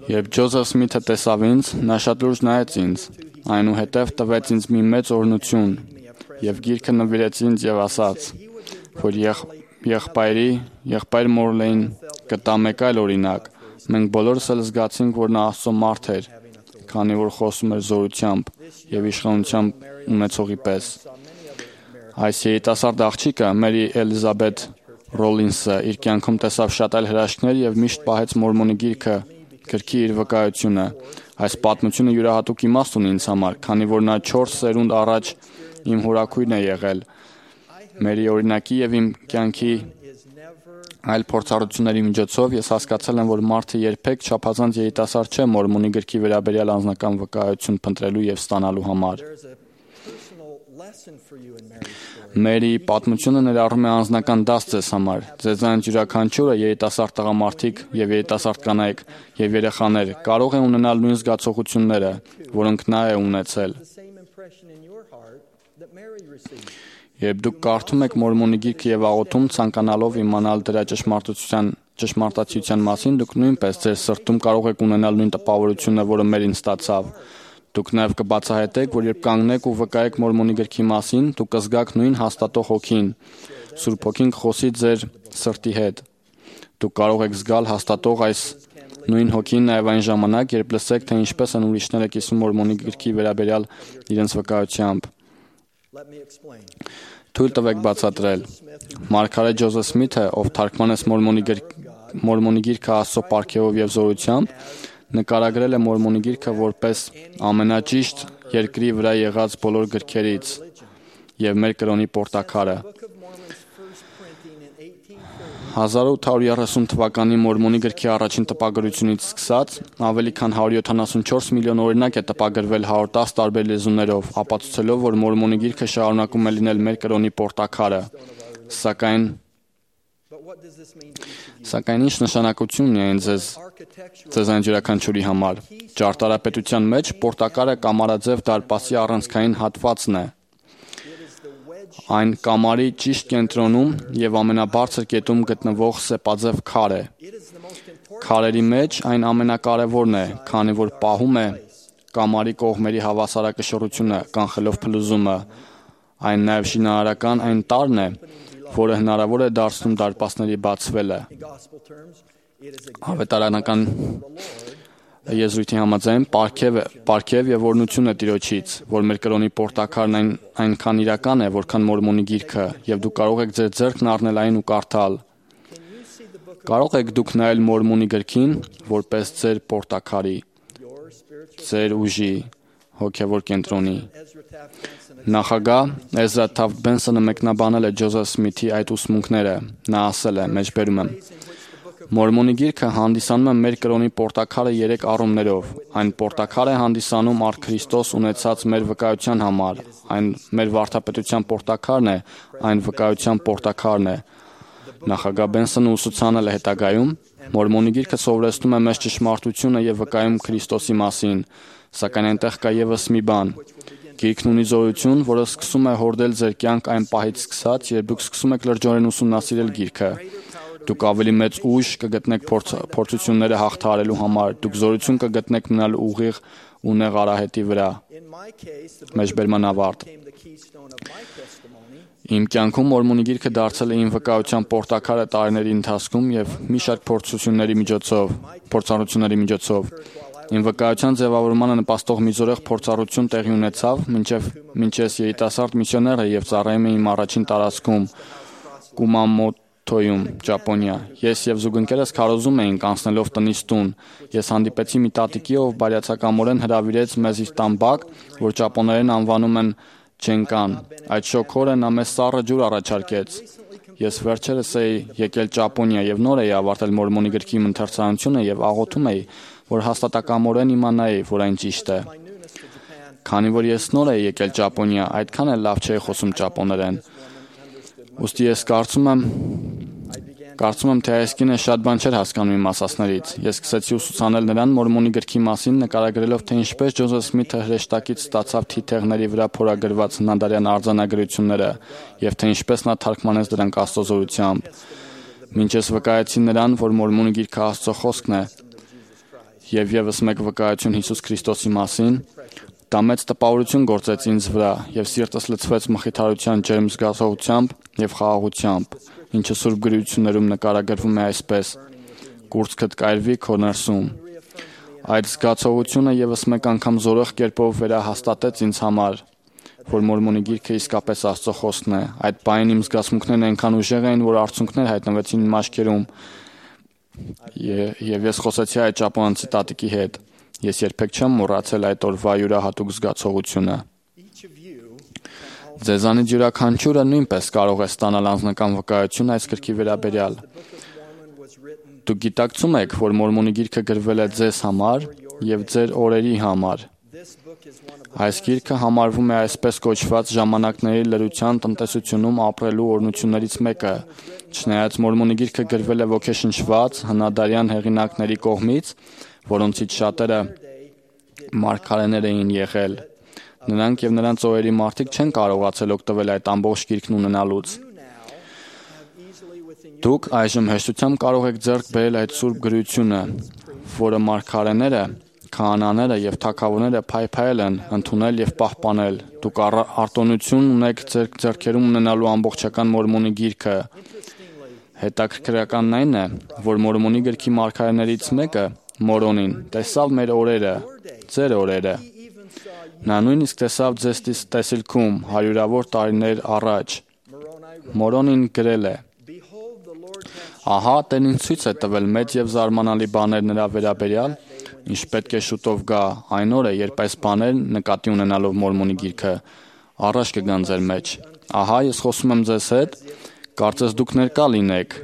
Երբ Ջոզեֆ Սմիթը տեսավ ինձ, նա շատ լուրջ նայեց ինձ, այնուհետև տվեց ինձ մի մեծ օրհնություն եւ գիրքը նվիրեց ինձ եւ ասաց, որ եղբայր Մորլեին կտա մեկ այլ օրինակ։ Մենք բոլորս էլ զգացինք, որ նա Աստծո մարդ էր, քանի որ խոսում էր զորությամբ եւ իշխանությամբ ունեցողի պես։ Այս երիտասարդ աղջիկը Մերի Էլիզաբեթ Ռոլինսը իր կյանքում տեսավ շատ այլ հրաշքներ եւ միշտ պահեց Մորմոնի գրքի իր վկայությունը։ Այս պատմությունը յուրահատուկ իմաստ ունի ինձ համար, քանի որ նա 4 սերունդ առաջ իմ հորաքույրն է եղել։ Մերի օրինակի եւ իմ կյանքի այլ փորձառությունների միջոցով ես հասկացել եմ, որ մարդը երբեք չափազանց երիտասարդ չէ Մորմոնի գրքի վերաբերյալ անձնական վկայություն փնտրելու եւ ստանալու համար։ Մերի պատմությունը ներառում է անձնական դաս ձեզ համար։ Ձեզանից յուրաքանչյուրը երիտասարդ տղամարդիկ եւ երիտասարդ կանայք եւ երեխաներ կարող է ունենալ նույն զգացողությունները, որոնք նա է ունեցել։ Երբ դուք կարդում եք Մորմոնի գիրքը եւ աղոթում ցանկանալով իմանալ դրա ճշմարտացիության մասին, դուք նույնպես ձեր սրտում կարող եք ունենալ նույն տպավորությունը, որը Մերին ստացավ։ Դուք նաև կբացահայտեք, որ երբ կանգնեք ու վկայեք Մորմոնի գրքի մասին, դուք կզգաք նույն հաստատող հոգին։ Սուրբ Հոգին կխոսի ձեր սրտի հետ։ Դուք կարող եք զգալ հաստատող այս նույն հոգին նաև այն ժամանակ, երբ լսեք, թե ինչպես են ուրիշները կիսում Մորմոնի գրքի վերաբերյալ իրենց վկայությամբ։ Թույլ տվեք բացատրել։ Մարգարե Ջոզեֆ Սմիթը, ով թարգմանեց Մորմոնի գիրքը Աստծո պարգևով եւ զորությամբ, նկարագրել է Մորմոնի գիրքը որպես ամենաճիշտ երկրի վրա եղած բոլոր գրքերից եւ մեր կրոնի պորտակարը։ 1830 թվականի Մորմոնի գրքի առաջին տպագրությունից սկսած ավելի քան 174 միլիոն օրինակ է տպագրվել 110 տարբեր լեզուներով, ապացուցելով, որ Մորմոնի գիրքը շարունակում է լինել մեր կրոնի պորտակարը։ Սակայն ինչ նշանակություն ունի այն ձեզանից յուրաքանչյուրի համար։ Ճարտարապետության մեջ պորտակարը կամարաձև դարպասի առանցքային հատվածն է։ Այն կամարի ճիշտ կենտրոնում եւ ամենաբարձր կետում գտնվող սեպաձև քար է։ Քարերի մեջ այն ամենակարևորն է, քանի որ պահում է կամարի կողմերի հավասարակշռությունը, կանխելով փլուզումը։ Այն նաև շինարարական այն տարրն է, որը հնարավոր է դարձնում դարպասների բացվելը։ Ավետարանական եզրույթի համաձայն պարգև եւ օրհնություն է Տիրոջից, որ մեր կրոնի պորտակարն այնքան իրական է, որքան Մորմոնի գիրքը, եւ դուք կարող եք ձեր ձեռքն առնել այն ու կարդալ։ Կարող եք դուք նայել Մորմոնի գրքին, որպես ձեր պորտակարի, ձեր ուժի, հոգևոր կենտրոնի։ Նախագահ Էզրա Թաֆթ Բենսոնը մեկնաբանել է Ջոզեֆ Սմիթի այդ ուսմունքները։ Նա ասել է. մեջբերում եմ. Մորմոնի գիրքը հանդիսանում է մեր կրոնի պորտակարը 3 առումներով։ Այն պորտակար է հանդիսանում առ Քրիստոս ունեցած մեր վկայության համար։ Այն մեր վարդապետության պորտակարն է, այն վկայության պորտակարն է։ Նախագահ Բենսոնը ուսուցանել է հետագայում. Մորմոնի գիրքը սովորեցնում է մեզ ճշմարտությունը եւ վկայում Քրիստոսի մասին, սակայն այնտեղ կա եւս մի բան։ Գիրքն ունի զորություն, որը սկսում է հորդել ձեր կյանք այն պահից սկսած, երբ դուք սկսում եք լրջորեն ուսումնասիրել գիրքը։ Դուք ավելի մեծ ուժ կգտնեք փորձությունները հաղթահարելու համար, դուք զորություն կգտնեք մնալ ուղիղ ու նեղ արահետի վրա։ Մեջբերման ավարտ։ Իմ կյանքում Մորմոնի գիրքը դարձել է իմ վկայության պորտակարը տարիների ընթացքում եւ մի շարք փորձառությունների միջոցով։ Իմ վկայության ձևավորմանը նպաստող մի զորեղ փորձառություն տեղի ունեցավ, մինչև երիտասարդ միսիոները եւ ծառայում էին իմ առաջին տարածքում Կումամոտոյում, Ճապոնիա։ Ես եւ զուգընկերս քարոզում էինք անցնելով տնից տուն։ Ես հանդիպեցի մի տատիկի, ով բարյացակամորեն հրավիրեց մեզ իր տան բակ, որ ճապոներեն անվանում են Չենկան։ Այդ շոքորը նա մեզ սառը ջուր առաջարկեց։ Ես վերջերս էի եկել Ճապոնիա եւ նոր էի ավարտել Մորմոնի գրքի ընթերցանությունը եւ աղոթում էի, որ հաստատակամորեն իմանայի, որ այն ճիշտ է։ Քանի որ ես նոր էի եկել Ճապոնիա, այդքան էլ լավ չէի խոսում ճապոներեն։ Ուստի ես կարծում եմ, թե այս կինը շատ բան չէր հասկանում իմ ասածներից։ Ես սկսեցի ուսուցանել նրան Մորմոնի գրքի մասին, նկարագրելով, թե ինչպես Ջոզեֆ Սմիթը հրեշտակից ստացավ թիթեղների վրա փորագրված հնադարյան արձանագրությունները, եւ թե ինչպես նա թարգմանեց դրանք Աստծո զորությամբ։ Մինչ ես վկայեցի նրան, որ Մորմոնի գիրքը Աստծո խոսքն է, եւ եւս մեկ վկայություն Հիսուս Քրիստոսի մասին, դա մեծ տպավորություն գործեց ինձ վրա, եւ սիրտս լցվեց մխիթարության ջերմ զգացողությամբ եւ խաղաղությամբ, ինչը Սուրբ գրություններում նկարագրվում է այսպես. «Կուրծքդ կայրվի քո ներսում»։ Այդ զգացողությունը եւս մեկ անգամ զորեղ կերպով վերահաստատեց ինձ համար, որ Մորմոնի գիրքը իսկապես Աստծո խոսքն է։ Այդ պահին իմ զգացմունքներն այնքան ուժեղ էին, որ արցունքներ հայտնվեցին իմ աչքերում, եւ ես խոսեցի այդ ճապոնացի տատիկի հետ։ Ես երբեք չեմ մոռացել այդ օրվա յուրահատուկ զգացողությունը։ Ձեզանից յուրաքանչյուրը նույնպես կարող է ստանալ անձնական վկայություն այս գրքի վերաբերյալ։ Դուք գիտակցում եք, որ Մորմոնի գիրքը գրվել է ձեզ համար եւ ձեր օրերի համար։ Այս գիրքը համարվում է այսպես կոչված ժամանակների լրության տնտեսությունում ապրելու օրհնություններից մեկը։ Չնայած Մորմոնի գիրքը գրվել է ոգեշնչված հնադարյան հեղինակների կողմից, որոնցից շատերը մարգարեներ էին եղել, նրանք եւ նրանց օրերի մարդիկ չեն կարողացել օգտվել այդ ամբողջ գիրքն ունենալուց։ Դուք այժմ հեշտությամբ կարող եք ձեռք բերել այդ սուրբ գրությունը, որը մարգարեները, քահանաները եւ թագավորները փայփայել են, ընդունել եւ պահպանել։ Դուք արտոնություն ունեք ձեր ձեռքերում ունենալու ամբողջական Մորմոնի գիրքը։ Հետաքրքրականն այն է, որ Մորմոնի գրքի մարգարեներից մեկը, Մորոնին, տեսավ մեր օրերը, ձեր օրերը։ Նա նույնիսկ տեսավ ձեզ տեսիլքում հարյուրավոր տարիներ առաջ։ Մորոնին գրել է. Ահա Տերն ինձ ցույց է տվել մեծ եւ զարմանալի բաներ նրա վերաբերյալ, ինչ պետք է շուտով գա այն օրը, երբ այս բաներն նկատի ունենալով Մորմոնի գիրքը առաջ կգան ձեր մեջ։ Ահա ես խոսում եմ ձեզ հետ, կարծես դուք ներկա լինեք,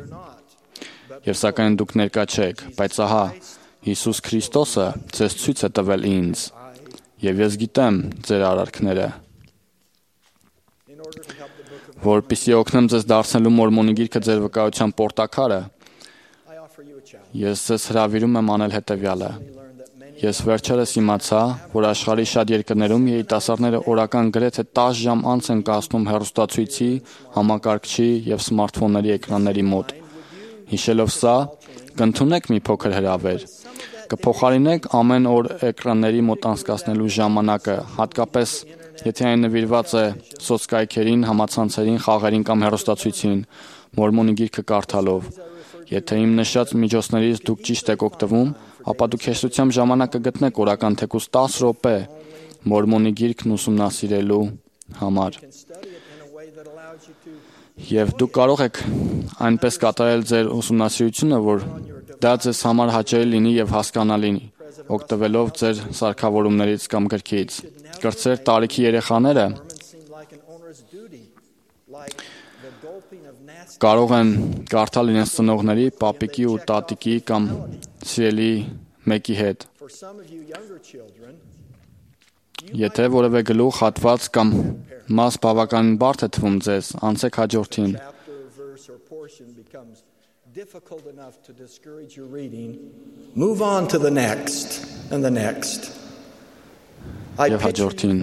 եւ սակայն դուք ներկա չեք, բայց ահա Հիսուս Քրիստոսը ձեզ ցույց է տվել ինձ, եւ ես գիտեմ ձեր արարքները։ Որպեսզի օգնեմ ձեզ դարձնելու Մորմոնի գիրքը ձեր վկայության պորտակարը, ես ձեզ հրավիրում եմ անել հետևյալը։ Ես վերջերս իմացա, որ աշխարհի շատ երկրներում երիտասարդները օրական գրեթե 10 ժամ անց են կացնում հեռուստացույցի, համակարգչի եւ սմարթֆոնների էկրանների մոտ։ Հիշելով սա, կընդունեք մի փոքր հրավեր։ Կփոխարինեք ամեն օր էկրանների մոտ անցկացնելու ժամանակը, հատկապես եթե այն նվիրված է սոցկայքերին, համացանցերին, խաղերին կամ հեռուստացույցին, Մորմոնի գիրքը կարդալով։ Եթե իմ նշած միջոցներից դուք ճիշտ եք օգտվում, ապա դուք հեշտությամբ ժամանակ կգտնեք օրական թեկուզ 10 րոպե Մորմոնի գիրքն ուսումնասիրելու համար։ Եվ դուք կարող եք այնպես կատարել ձեր ուսումնասիրությունը, որ դա ձեզ համար հաճելի լինի եւ հասկանալի, օգտվելով ձեր սարքավորումներից կամ գրքից։ Կրտսեր տարիքի երեխաները կարող են կարդալ իրենց ծնողների, պապիկի ու տատիկի կամ սիրելի մեկի հետ։ Եթե որևէ գլուխ, հատված կամ մաս բավականին բարդ է թվում ձեզ, անցեք հաջորդին։ Move on to the next and the next. Եվ հաջորդին։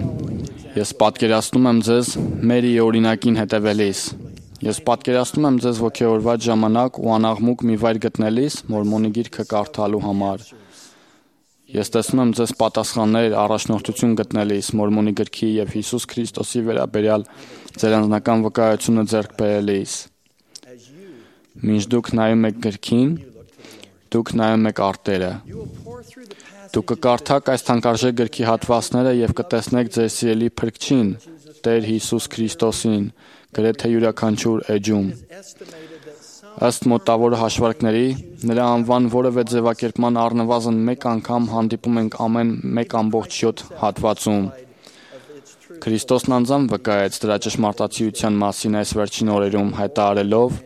Ես պատկերացնում եմ ձեզ Մերիի օրինակին հետևելիս։ Ես պատկերացնում եմ ձեզ ոգևորված ժամանակ ու անաղմուկ մի վայր գտնելիս Մորմոնի գիրքը կարդալու համար։ Ես տեսնում եմ ձեզ պատասխաններ, առաջնորդություն գտնելիս Մորմոնի գրքի եւ Հիսուս Քրիստոսի վերաբերյալ ձեր անձնական վկայությունը ձեռք բերելիս։ Մինչ դուք նայում եք գրքին, դուք նայում եք արտերը։ Դուք կկարդաք այս թանկարժեք գրքի հատվածները եւ կտեսնեք ձեր սիրելի Փրկչին, Տեր Հիսուս Քրիստոսին, գրեթե յուրաքանչյուր էջում։ Ըստ մոտավոր հաշվարկների, նրա անվան որևէ ձևակերպման առնվազն մեկ անգամ հանդիպում ենք ամեն 1.7 հատվածում։ Քրիստոսն անձամբ վկայեց դրա ճշմարտացիության մասին այս վերջին օրերում, հայտարարելով,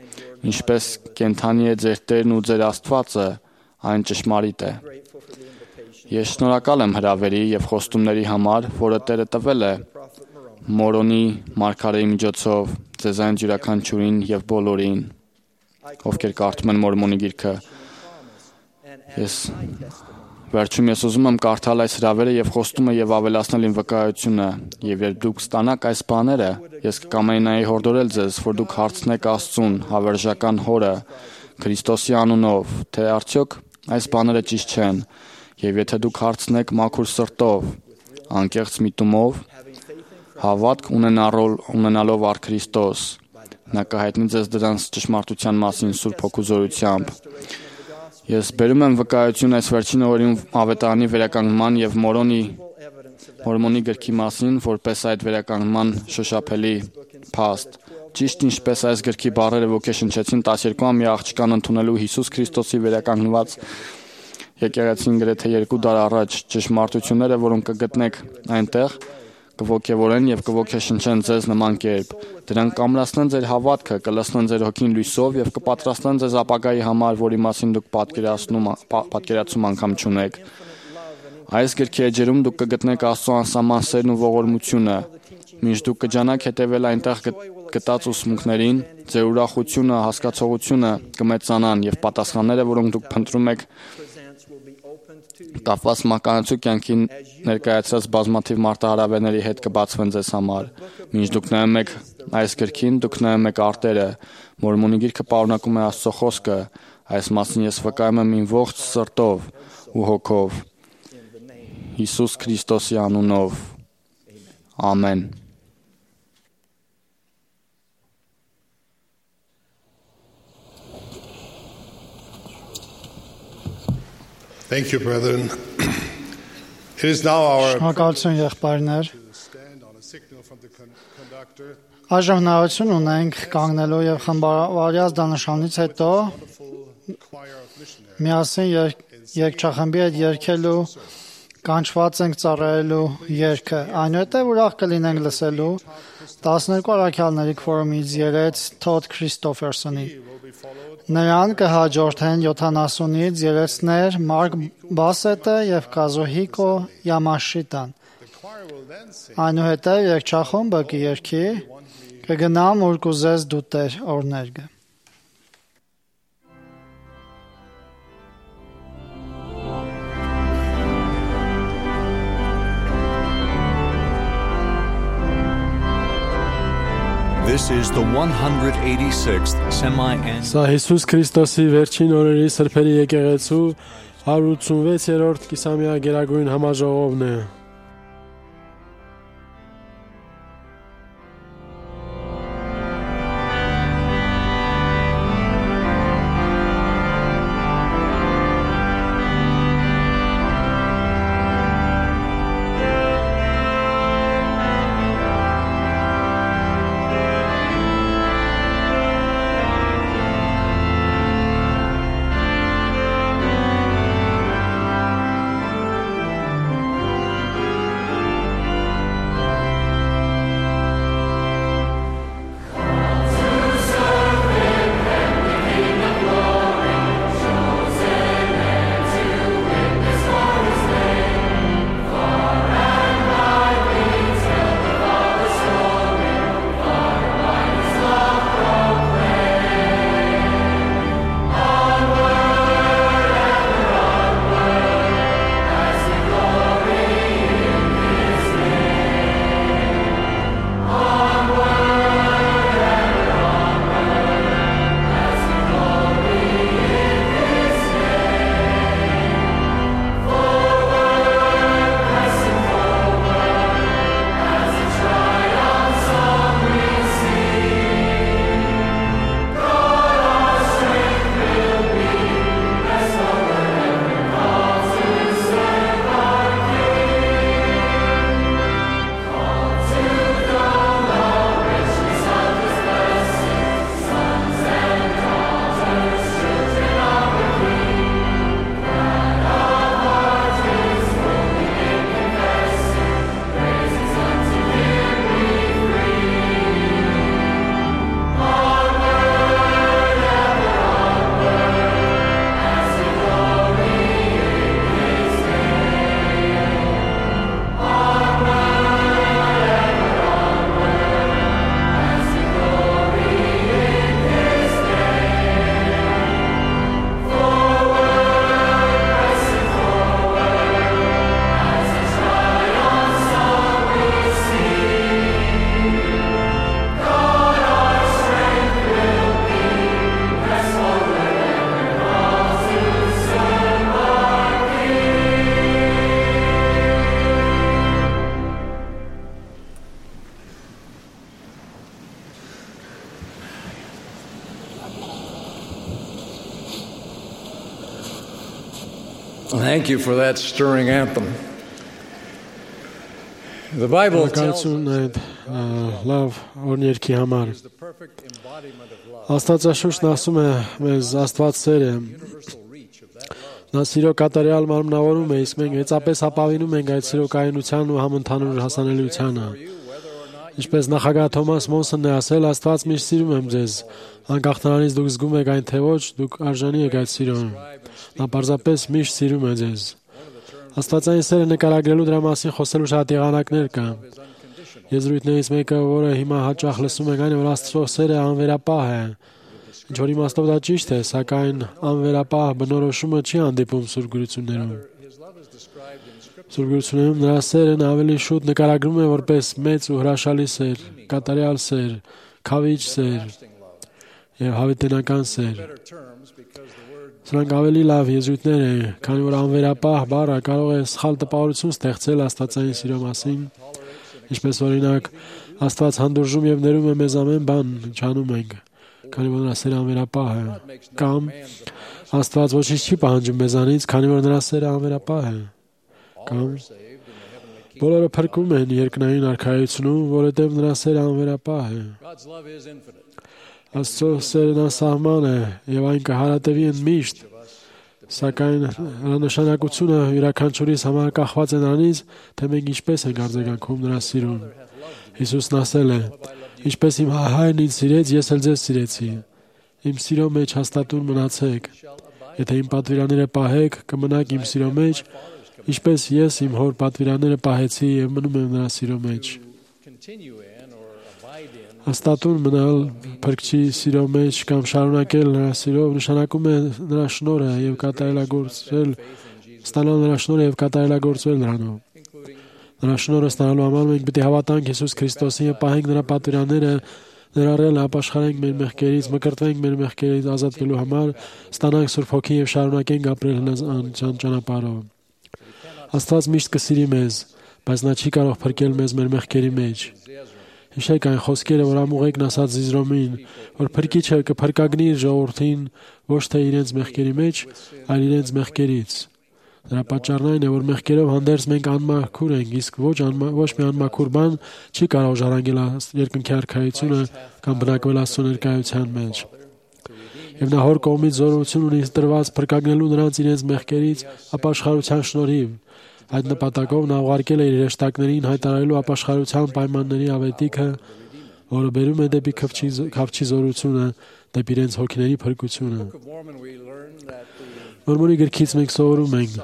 ինչպես կենդանի է ձեր Տերն ու ձեր Աստվածը, այն ճշմարիտ է։ Ես շնորհակալ եմ հրավերի եւ խոստումների համար, որը Տերը տվել է Մորոնի մարգարեի միջոցով ձեզ այն յուրաքանչյուրին եւ բոլորին, ովքեր կարդում են Մորմոնի գիրքը։ Վերջում ես ուզում եմ կարդալ այս հրավերը եւ խոստումը եւ ավելացնել իմ վկայությունը, եւ երբ դուք ստանաք այս բաները, ես կկամենայի հորդորել ձեզ, որ դուք հարցնեք Աստծուն, հավերժական Հորը, Քրիստոսի անունով, թե արդյոք այս բաները ճիշտ չեն, եւ եթե դուք հարցնեք մաքուր սրտով, անկեղծ միտումով, հավատք ունենալով առ Քրիստոս, նա կհայտնի ձեզ դրանց ճշմարտության մասին Սուրբ Հոգու զորությամբ։ Ես բերում եմ վկայություն այս վերջին օրերին ավետարանի վերականգնման եւ Մորմոնի գրքի մասին, որպես այդ վերականգնման շոշափելի փաստ։ Ճիշտ ինչպես այս գրքի բառերը ոգեշնչեցին 12-ամյա աղջկան ընդունելու Հիսուս Քրիստոսի վերականգնված եկեղեցին գրեթե 2 դար առաջ, ճշմարտությունները, որոնք կգտնեք այնտեղ, կոգևորեն եւ կոգեշնչեն ձեզ նման կերպ։ Դրանք կամրացնեն ձեր հավատքը, կլցնեն ձեր հոգին լույսով եւ կպատրաստեն ձեզ ապագայի համար, որի մասին դուք պատկերացում անգամ չունեք։ Այս գրքի էջերում դուք կգտնեք Աստծո անսահման սերն ու ողորմությունը։ Մինչ դուք կջանաք հետևել այնտեղ գտած ուսմունքներին, ձեր ուրախությունը, հասկացողությունը կմեծանան եւ պատասխանները, որոնք դուք փնտրում եք, կապված մականացու կյանքի ներկայացրած բազմաթիվ մարտահրավերների հետ կբացվեն ձեզ համար։ Մինչ դուք նայում եք այս գրքին, դուք նայում եք արտերը։ Մորմոնի գիրքը պարունակում է Աստծո խոսքը։ Այս մասին ես վկայում եմ իմ ողջ սրտով ու հոգով։ Հիսուս Քրիստոսի անունով։ Ամեն։ Thank you, brethren. It is now our Շնորհակալություն եղբայրներ։ stand on a signal from the conductor. Այժմ հնարավորություն ունենք կանգնելու եւ խմբավորյալ դանշանից հետո Choir of missionaries. միասին երգչախմբի հետ երգելու կանչված ենք ծառայելու երգը։ Այնուհետև ուրախ կլինենք լսելու 12 առաքյալների քվորումից երեց Թոդ Քրիստոֆերսոնի։ Նրան կհաջորդեն 70-ից երեցներ Մարկ Բասետը եւ Կազոհիկո Յամաշիտան։ Այնուհետև երգչախումբը կերգի կգնամ ուր կուզես դու Տեր օրներգը։ This is the 186th semi-annual. Սա Հիսուս Քրիստոսի վերջին օրերի սրբերի եկեղեցու 186-րդ կիսամյա գերագույն համաժողովն է։ Thank you for that stirring anthem. The Bible tells us լավ օրներքի համար։ Աստվածաշունչն ասում է մեզ Աստված սեր է։ Նա սիրո կատարյալ մարմնավորում է, իսկ մենք մեծապես ապավինում ենք այդ սիրո կայունության ու համընդհանուր հասանելիությանը։ Ինչպես նախագահ Թոմաս Մոնսոնն է ասել, Աստված միշտ սիրում եմ ձեզ, անկախ նրանից դուք զգում եք այն թե ոչ, դուք արժանի եք այդ սիրուն։ Նա պարզապես միշտ սիրում է ձեզ։ Աստվածային սերը նկարագրելու դրա մասին խոսելու շատ եղանակներ կան։ Եզրույթներից մեկը, որը հիմա հաճախ լսում ենք, այն է, որ Աստծո սերը անվերապահ է։ Ինչ որ իմաստով դա ճիշտ է, սակայն անվերապահ բնորոշումը չի հանդիպում Սուրբ Գրություններում։ Սուրբ Գրություններում նրա սերն ավելի շուտ նկարագրում է որպես մեծ ու հրաշալի սեր, կատարյալ սեր, քավիճ սեր եւ հավիտենական սեր։ Սրանք ավելի լավ եզրույթներ են, քանի որ անվերապահ բառը կարող է սխալ տպավորություն ստեղծել աստվածային սիրո մասին, ինչպես օրինակ Աստված հանդուրժում եւ ներում է մեզ ամեն բան, ինչ անում ենք, քանի որ նրա սերը անվերապահ է, կամ Աստված ոչինչ չի պահանջում մեզանից, քանի որ նրա սերը անվերապահ է, կամ բոլորը փրկում են երկնային արքայությունում, որովհետեւ նրա սերը անվերապահ է։ Աստծո սերն անսահման է եւ այն կհարատևի ընդմիշտ, սակայն նրա նշանակությունը յուրաքանչյուրիս համար կախված է նրանից, թե մենք ինչպես ենք արձագանքում նրա սիրուն։ Հիսուսն ասել է. «Ինչպես իմ հայրն ինձ սիրեց, ես էլ ձեզ սիրեցի։ Իմ սիրո մեջ հաստատուն մնացեք։ Եթե իմ պատվիրանները պահեք, կմնաք իմ սիրո մեջ, ինչպես ես իմ հոր պատվիրանները պահեցի եւ մնում եմ նրա սիրո մեջ»։ Հաստատուն մնալ Փրկչի սիրո մեջ կամ շարունակել նրա սիրով նշանակում է նրա շնորհը եւ կատարելագործել, ստանալ նրա շնորհը եւ կատարելագործել նրանով։ Նրա շնորհը ստանալու համար մենք պետք է հավատանք Հիսուս Քրիստոսին եւ պահենք նրա պատվիրանները, ներառյալ ապաշխարենք մեր մեղքերից, մկրտվենք մեր մեղքերից ազատվելու համար, ստանանք Սուրբ Հոգին եւ շարունակենք ապրել հնազանդության ճանապարհով։ Աստված միշտ կսիրի մեզ, բայց նա չի կարող փրկել մեզ մեր մեղքերի մեջ։ Հիշեք այն խոսքերը, որ ամուղեկն ասաց Զիզրոմին, որ փրկիչը կփրկագնի իր ժողովրդին ոչ թե իրենց մեղքերի մեջ, այլ իրենց մեղքերից։ Դրա պատճառն այն է, որ մեղքերով հանդերձ մենք անմաքուր ենք, իսկ ոչ մի անմաքուր բան չի կարող ժառանգել երկնքի արքայությունը կամ բնակվել Աստծո ներկայության մեջ։ Եվ նա հոր կողմից զորություն ունի տրված փրկագնելու նրանց իրենց մեղքերից ապաշխարության շնորհիվ։ Այդ նպատակով նա ուղարկել է իր հրեշտակներին հայտարարելու ապաշխարության պայմանների ավետիքը, որը բերում է դեպի քավչի զորությունը, դեպի իրենց հոգիների փրկությունը։ Մորմոնի գրքից մենք սովորում ենք,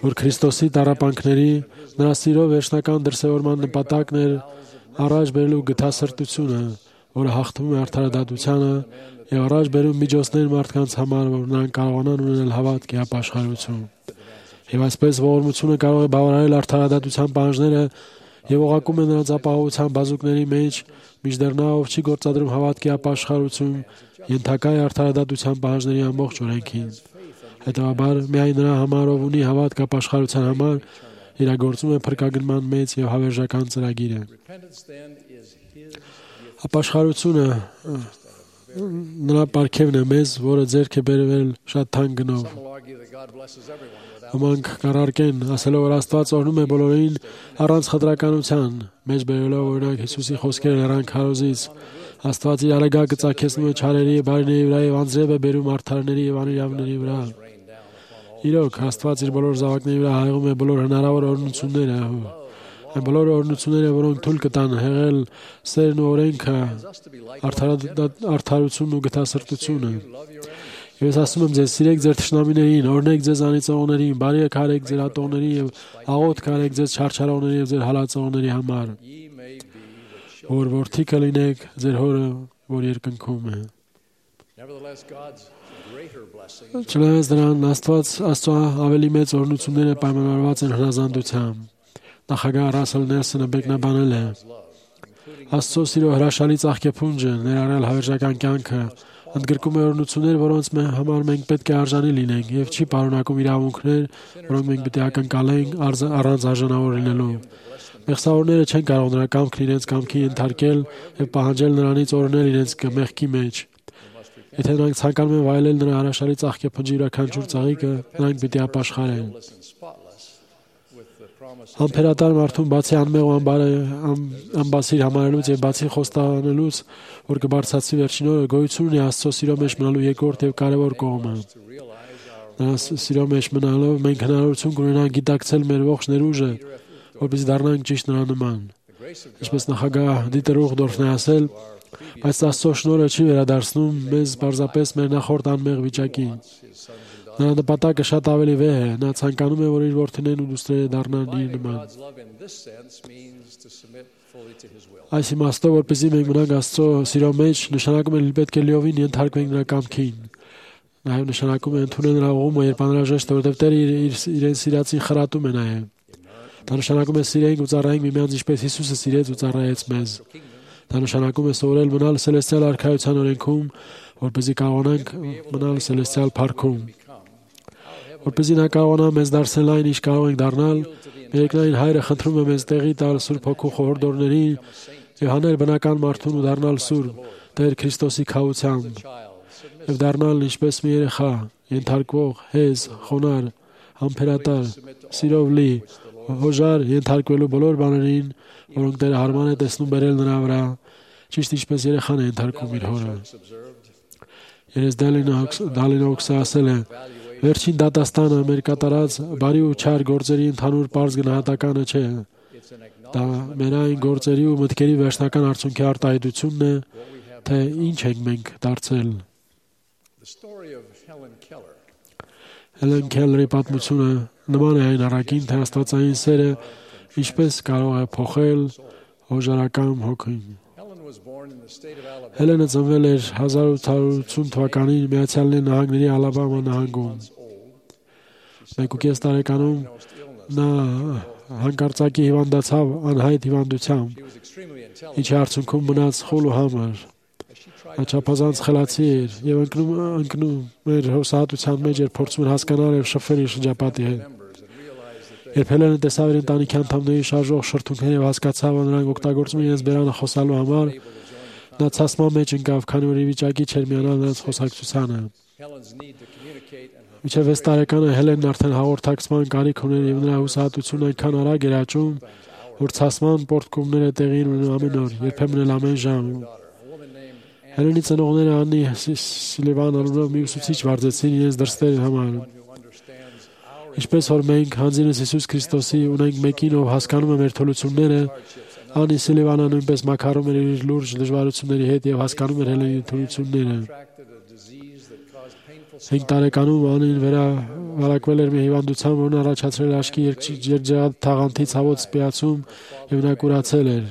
որ Քրիստոսի տառապանքների, նրա սիրո վերջնական դրսևորման նպատակն էր առաջ բերելու գթասրտությունը, որը հաղթում է արդարադատությանը եւ առաջ բերում միջոցներ մարդկանց համար, որ նրանք կարողանան ունենալ հավատքի ապաշխարություն։ Եվ այսպես ողորմությունը կարող է բավարարել արդարադատության պահանջները եւ ուղարկում է նրանց ապահովության բազուկների մեջ, մինչդեռ նա, ով չի գործադրում հավատքի ապաշխարություն, ենթակա է արդարադատության պահանջների ամբողջ օրենքին։ Հետևաբար, միայն նրա համար, ով ունի հավատք ապաշխարության համար, իրագործում է փրկագնման մեծ եւ հավերժական ծրագիրը։ Ապաշխարությունը նրա պարգևն է մեզ, որը ձեռք է բերվել շատ թանկ գնով։ Ոմանք կառարկեն, ասելով, որ Աստված օրհնում է բոլորին առանց խտրականության, մեջ բերելով օրինակ Հիսուսի խոսքերը լեռան քարոզից։ Աստված իր արեգակը ծագեցնում է չարերի եւ բարիների վրա եւ անձրև է բերում արդարների եւ անիրավների վրա։ Իրոք, Աստված իր բոլոր զավակների վրա հայղում է բոլոր հնարավոր օրհնությունները, այն բոլոր օրհնությունները, որոնք թույլ կտան հեղել սերն ու օրենքը, արդարությունն ու գթասրտությունը։ Եվ ես ասում եմ ձեզ, սիրեք ձեր թշնամիներին, օրհնեք ձեզ անիծողներին, բարիք արեք ձեր ատողների եւ աղոթք արեք ձեզ չարչարողների եւ ձեր հալածողների համար, որ որդի կլինեք ձեր հորը, որ երկնքում է։ Չնայած դրան, Աստծո ավելի մեծ օրհնությունները պայմանավորված են հնազանդությամբ։ Նախագահ Ռասել Նելսոնը մեկնաբանել է. Աստծո սիրո հրաշալի ծաղկեփունջը, ներառյալ հավերժական կյանքը, ընդգրկում է օրհնություններ, որոնց համար մենք պետք է արժանի լինենք, եւ չի պարունակում իրավունքներ, որոնք մենք պետք է ակնկալենք առանց արժանավոր լինելու։ Մեղսավորները չեն կարող նրա կամքն իրենց կամքի ենթարկել եւ պահանջել նրանից օրհնել իրենց մեղքի մեջ։ Եթե նրանք ցանկանում են վայելել նրա հրաշալի ծաղկեփնջի յուրաքանչյուր ծաղիկը, նրանք պիտի ապաշխարեն։ Համբերատար մարդուն բացի անմեղ ու անբասիր համարելուց եւ բացի խոստանելուց, որ կբարձրացվի վերջին օրը, գոյություն ունի Աստծո սիրո մեջ մնալու երկրորդ եւ կարեւոր կողմը։ Նրա սիրո մեջ մնալով մենք հնարավորություն կունենանք գիտակցել մեր ողջ ներուժը, որպեսզի դառնանք ճիշտ նրա նման։ Ինչպես նախագահ Դիտեր Ուխդորֆն է ասել, բայց Աստծո շնորհը չի վերադարձնում մեզ պարզապես մեր նախորդ անմեղ վիճակին։ Նրա նպատակը շատ ավելի վեհ է, նա ցանկանում է, որ իր որդիներն ու դուստրերը դառնան իր նման։ Այս իմաստով, որպեսզի մենք մնանք Աստծո սիրո մեջ, նշանակում է պետք է լիովին ենթարկվենք նրա կամքին։ Նաև նշանակում է ընդունել նրա ուղումը, երբ անհրաժեշտ է, որովհետև Տերը իրեն սիրածին խրատում է նաև։ Դա նշանակում է սիրենք ու ծառայենք միմյանց, ինչպես Հիսուսը սիրեց ու ծառայեց մեզ։ Դա նշանակում է սովորել մնալ սելեստիալ արքայության օրենքում, որպեսզի կարողանանք մնալ սելեստիալ փառքում։ Որպեսզի նա կարողանա մեզ դարձնել այն, ինչ կարող ենք դառնալ, Երկնային Հայրը խնդրում է մեզ տեղի տալ Սուրբ Հոգու խորհրդորներին եւ հանել բնական մարդուն ու դառնալ սուրբ Տեր Քրիստոսի քավությամբ եւ դառնալ ինչպես մի երեխա, ենթարկվող, հեզ, խոնար, համբերատար, սիրով լի, հոժար, ենթարկվելու բոլոր բաներին, որոնք Տերը հարմար է տեսնում բերել նրա վրա, ճիշտ ինչպես երեխան է ենթարկում իր հորը։ Երես Դալինոքսը ասել է. Վերջին դատաստանը մեր կատարած բարի ու չար գործերի ընդհանուր պարզ գնահատականը չէ։ Դա մեր այն գործերի ու մտքերի վերջնական արդյունքի արտահայտությունն է, թե ինչ ենք մենք դարձել։ Հելեն Քելլերի պատմությունը նման է այն առաքին, թե աստվածային սերը ինչպես կարող է փոխել հոժարական հոգին։ Հելենը ծնվել էր 1880 թվականին Միացյալ Նահանգների Ալաբամա նահանգում։ 1.5 տարեկանում նա հանկարծակի հիվանդացավ անհայտ հիվանդությամբ, ինչի արդյունքում մնաց խուլ ու համր։ Նա չափազանց խելացի էր եւ ընկնում էր հուսահատության մեջ, երբ փորձում էր հասկանալ եւ շփվել իր շրջապատի հետ։ Երբ Հելենը տեսավ իր ընտանիքի անդամների շարժող շրթունքները եւ հասկացավ, որ նրանք օգտագործում են իրենց բերանը խոսալու համար, նա ցասման մեջ ընկավ, քանի որ ի վիճակի չէր միանալ նրանց խոսակցությանը։ Մինչև 6 տարեկանը Հելենն արդեն հաղորդակցման կարիք ուներ եւ նրա հուսահատությունն այնքան արագ էր աճում, որ ցասման պոռթկումները տեղի ունենում ամեն օր, երբեմն էլ ամեն ժամ։ Հելենի ծնողները Աննի Սիլիվան անունով մի ուսուցիչ վարձեցին իրենց դրսերի համար։ Ինչպես որ մենք հանձինս Հիսուս Քրիստոսի ունենք մեկին, ով հասկանում է մեր թուլությունները, Աննի Սիլիվանը նույնպես մաքարում էր իր լուրջ դժվարությունների հետ եւ հասկանում էր Հելենի թուլությունները։ 5 տարեկանում Անին վերակվել էր մի հիվանդությամբ, որն առաջացրել աչքի երջեղաթաղանթի ցավոտ սպիացում եւ նա կուրացել էր։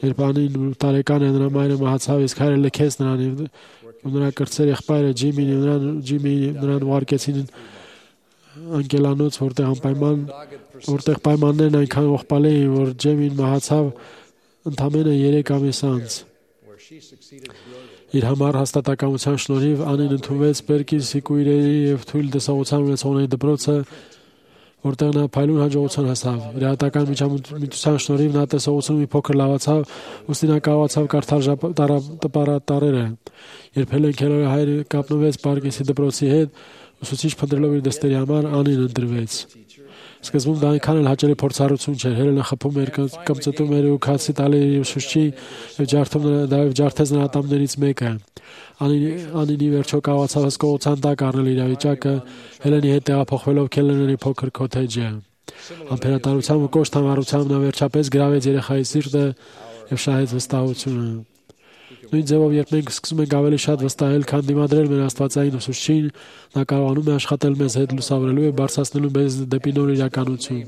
Երբ Անին 8 տարեկան էր, նրա մայրը մահացավ, իսկ հայրը լքեց նրան եւ նրա կրտսեր եղբայրը Ջիմին նրան ուղարկեցին անկելանոց, որտեղ պայմաններն այնքան ողբալի էին, որ Ջեմին մահացավ ընդամենը 3 ամիս անց։ Իր համար հաստատակամության շնորհիվ Անին ընդունվեց Պերկի Սիկուիրերի եւ թույլ տեսողության ունեցողների դպրոցը, որտեղ նա փայլուն հաջողության հասավ։ Իր հատական միջամտության շնորհիվ նա տեսողությունը մի փոքր լավացավ, ուստի նա կարողացավ կարդալ տպարատարերը։ Երբ Հելեն Քելլերի հայրը կապնվեց Պարկեսի դպրոցի հետ, ուսուցիչ փնտրելով իր դստերի համար, Անին ընտրվեց։ Սկզբում դա այնքան էլ հաճելի փորձառություն չէր։ Հելենը խփում էր, կմծտում էր ու քացի տալի իր ուսուցչի եւ ջարդեց նրա ատամներից մեկը։ Անինի վերջո կարողացավ հսկողության տակ առնել իրավիճակը, Հելենի հետ տեղափոխվելով Քելլերների փոքր քոթեջը։ Համբերատարությամբ ու կոշտ համառությամբ նա վերջապես գրավեց երեխայի սիրտը եւ շահեց վստահությունը։ Նույն ձևով, երբ մենք սկսում ենք ավելի շատ վստահել, քան դիմադրել մեր աստվածային ուսուցչին, նա կարողանում է աշխատել մեզ հետ լուսավորելու եւ բարձրացնելու մեզ դեպի նոր իրականություն։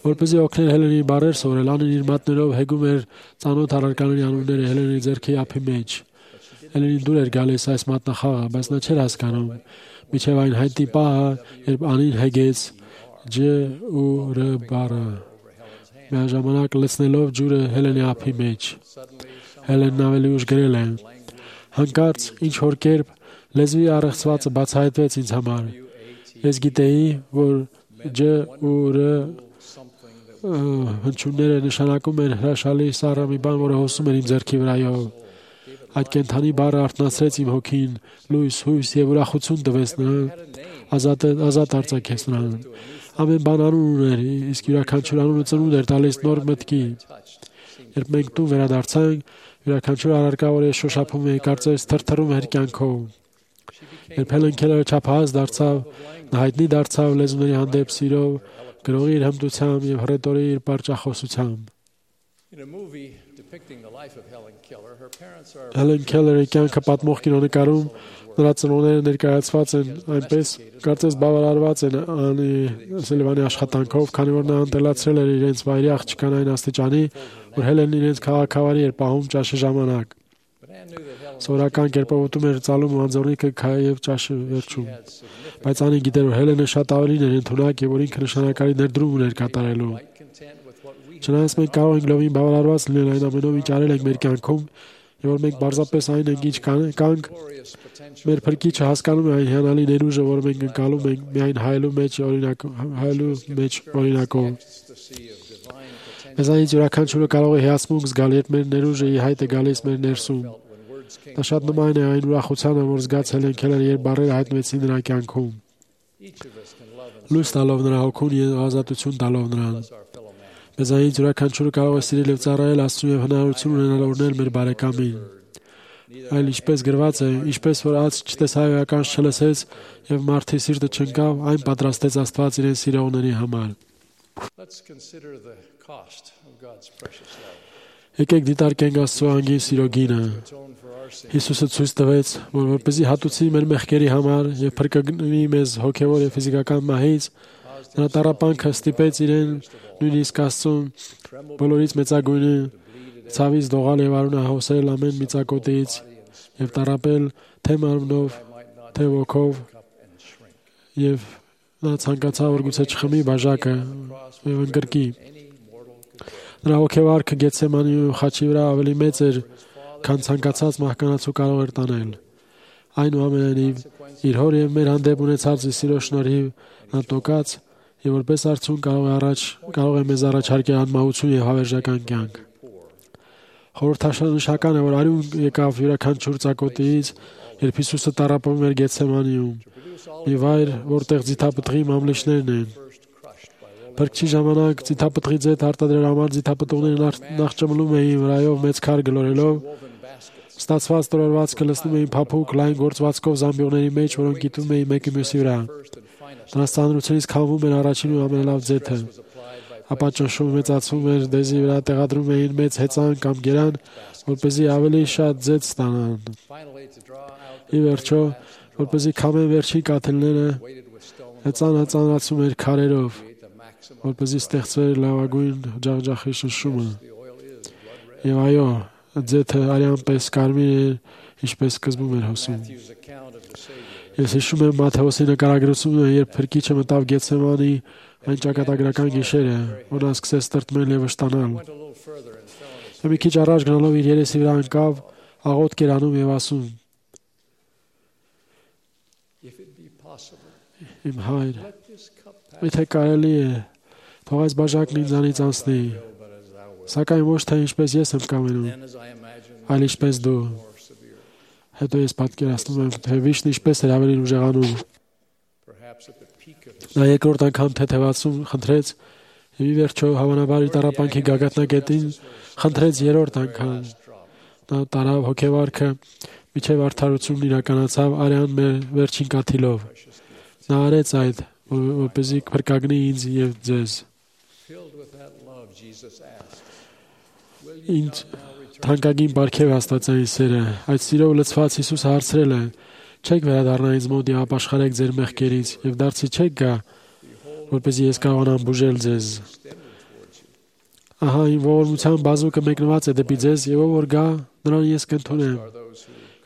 Որպեսզի օգներ Հելենի բառեր սովորել, Անին իր մատներով հեգում էր ծանոթ առարկաների անունները Հելենի ձեռքի ափի մեջ։ Հելենին դուր էր գալիս այս մատնախաղը, բայց նա չէր հասկանում, մինչև այն հայտնի պահը, երբ Անին հեգեց Ջ ու Ր բառը, միաժամանակ լցնելով ջուրը Հելենի ափի մեջ։ Հելենն ավելի ուշ գրել է. հանկարծ ինչ-որ կերպ լեզվի առեղծվածը բացահայտվեց ինձ համար։ Ես գիտեի, որ Ջ ու Ր հնչյունները նշանակում են հրաշալի սառը մի բան, որը հոսում էր իմ ձեռքի վրայով։ Այդ կենդանի բառը արթնացրեց իմ հոգին, լույս, հույս եւ ուրախություն տվեց նրան, ազատ արձակեց նրան։ Ամեն բան անուն ուներ, իսկ յուրաքանչյուր անունը ծնունդ էր տալիս նոր մտքի։ Երբ մենք տուն վերադարձանք, յուրաքանչյուր առարկա, որ ես շոշափում էի, կարծես թրթռում էր կյանքով։ Երբ Հելեն Քելլերը չափահաս դարձավ, նա հայտնի դարձավ լեզուների հանդեպ սիրով, գրողի իր հմտությամբ եւ հռետորի իր պարճախոսությամբ։ Հելեն Քելլերի կյանքը պատմող կինոնկարում նրա ծնողները ներկայացված են այնպես, կարծես բավարարված են Աննի Սիլիվանի աշխատանքով, քանի որ նա ընտելացրել էր իրենց վայրի աղջկան այն աստիճանի, որ Հելենն իրենց քաղաքավարի էր պահում ճաշի ժամանակ։ Սովորական կերպով ուտում էր ծալում ու անձորնիկը եւ ճաշը վերջում։ Բայց Անին գիտեր, որ Հելենը շատ ավելին էր ընդունակ եւ որ ինքը նշանակալի ներդրում ուներ կատարելու։ Չնայած մենք կարող ենք լովին բավարարված լինել այն ամենով, ինչ արել ենք մեր կյանքում, եւ որ մենք պարզապես այն ենք, ինչ կանք, մեր փրկիչը հասկանում է այն հիանալի ներուժը, որ մենք ընկալում ենք միայն հայելու մեջ օրինակով։ Մեզանից յուրաքանչյուրը կարող է հիացմունք զգալ, երբ մեր ներուժը ի հայտ է գալիս մեր ներսում։ Դա շատ նման է այն ուրախությանը, որ զգաց Հելեն Քելլերը, երբ բառերը հայտնվեցին նրա կյանքում։ Լույս տալով նրա հոգուն եւ ազատություն տալով նրան։ Մեզանից յուրաքանչյուրը կարող է սիրել եւ ծառայել Աստծուն եւ հնարավորություն ունենալ օրհնել մեր բարեկամին։ Այլ ինչպես գրված է, ինչպես որ ած չտեսավ եւ ականջ չլսեց եւ մարդի սիրտը չընկավ, այն պատրաստեց Աստված իրեն սիրողների համար։ Եկեք դիտարկենք Աստծո անգին սիրո գինը։ Հիսուսը ցույց տվեց, որ որպեսզի հատուցի մեր մեղքերի համար եւ փրկի մեզ հոգեվոր եւ ֆիզիկական մահից, նրա տառապանքը ստիպեց իրեն նույնիսկ Աստծուն բոլորից մեծագույնը ցավից դողալ եւ արունահոսել ամեն միծակոտից եւ տառապել թե մարմնով, թե ոգով եւ նա ցանկացավ որ գուցե չխմի բաժակը եւ ընկրկի։ Նրա հոգեվարքը Գեթսեմանի խաչի վրա ավելի մեծ էր, քան ցանկացած մահկանացու կարող էր տանել։ Այնուամենայնիվ, իր հոր եւ մեր հանդեպ ունեցած սիրո շնորհիվ նա տոկած եւ որպես արդյունք կարող է մեզ առաջարկել անմահություն եւ հավերժական կյանք։ Խորհրդանշական է, որ արյուն եկավ յուրաքանչյուր ծակոտից, երբ Հիսուսը տառապում էր Գեթսեմանիում, մի վայր, որտեղ ձիթապտղի մամլիչներն են։ Փրկչի ժամանակ ձիթապտղի ձեթ արտադրել համար ձիթապտուղները նախ ճմլում էին վրայով մեծ քար գլորելով, ստացված տրորվածքը լցնում էին փափուկ լայն գործվածքով զամբյուղների մեջ, որոնք գիտում էին մեկի մյուսի վրա։ Նրանց ծանրությունից քամվում էր առաջին ու ամենալավ ձեթը, ապա ճնշում մեծացվում էր, դեզի վրա տեղադրում էին մեծ հեծան կամ գերան, որպեսզի ավելի շատ ձեթ ստանան։ Ի վերջո, որպեսզի քամեն վերջին կաթիլները, հեծանը ծանրացում էր քարերով, որպեսզի ստեղծվեր լավագույն ջախջախի շնշումը։ Եվ այո, ձեթը արյան պես կարմիր էր, ինչպես սկզբում էր հոսում։ Ես հիշում եմ Մատթեոսի նկարագրությունը, երբ Փրկիչը մտավ Գեթսեմանի այն ճակատագրական գիշերը, որ նա սկսեց տրտմել եւ վշտանալ։ Եվ մի քիչ առաջ գնալով իր երեսի վրա ընկավ, աղոթք էր անում եւ ասում. Իմ հայր, եթե կարելի է, թող այս բաժակն ինձանից անցնի, սակայն ոչ թե ինչպես ես եմ կամենում, այլ ինչպես դու։ Հետո ես պատկերացնում եմ, թե վիշտն ինչպես էր ավելի ուժեղանում։ Նա երկրորդ անգամ թեթևացում խնդրեց եւ ի վերջո հավանաբար իր տառապանքի գագաթնակետին խնդրեց երրորդ անգամ։ Նա տարավ հոգեվարքը միջև արդարությունն իրականացավ արյան մեր վերջին կաթիլով։ Նա արեց այդ, որպեսզի փրկագնի ինձ եւ ձեզ։ Ինձ թանկագին բարքև Աստվածային սերը, այդ սիրով լցված Հիսուսը հարցրել է. չեք վերադառնա ինձ մոտ եւ ապաշխարեք ձեր մեղքերից եւ դարձի չեք գա, որպեսզի ես կարողանամ բուժել ձեզ։ Ահա իմ ողորմության բազուկը մեկնված է դեպի ձեզ եւ ով որ գա, նրան ես կընդունեմ։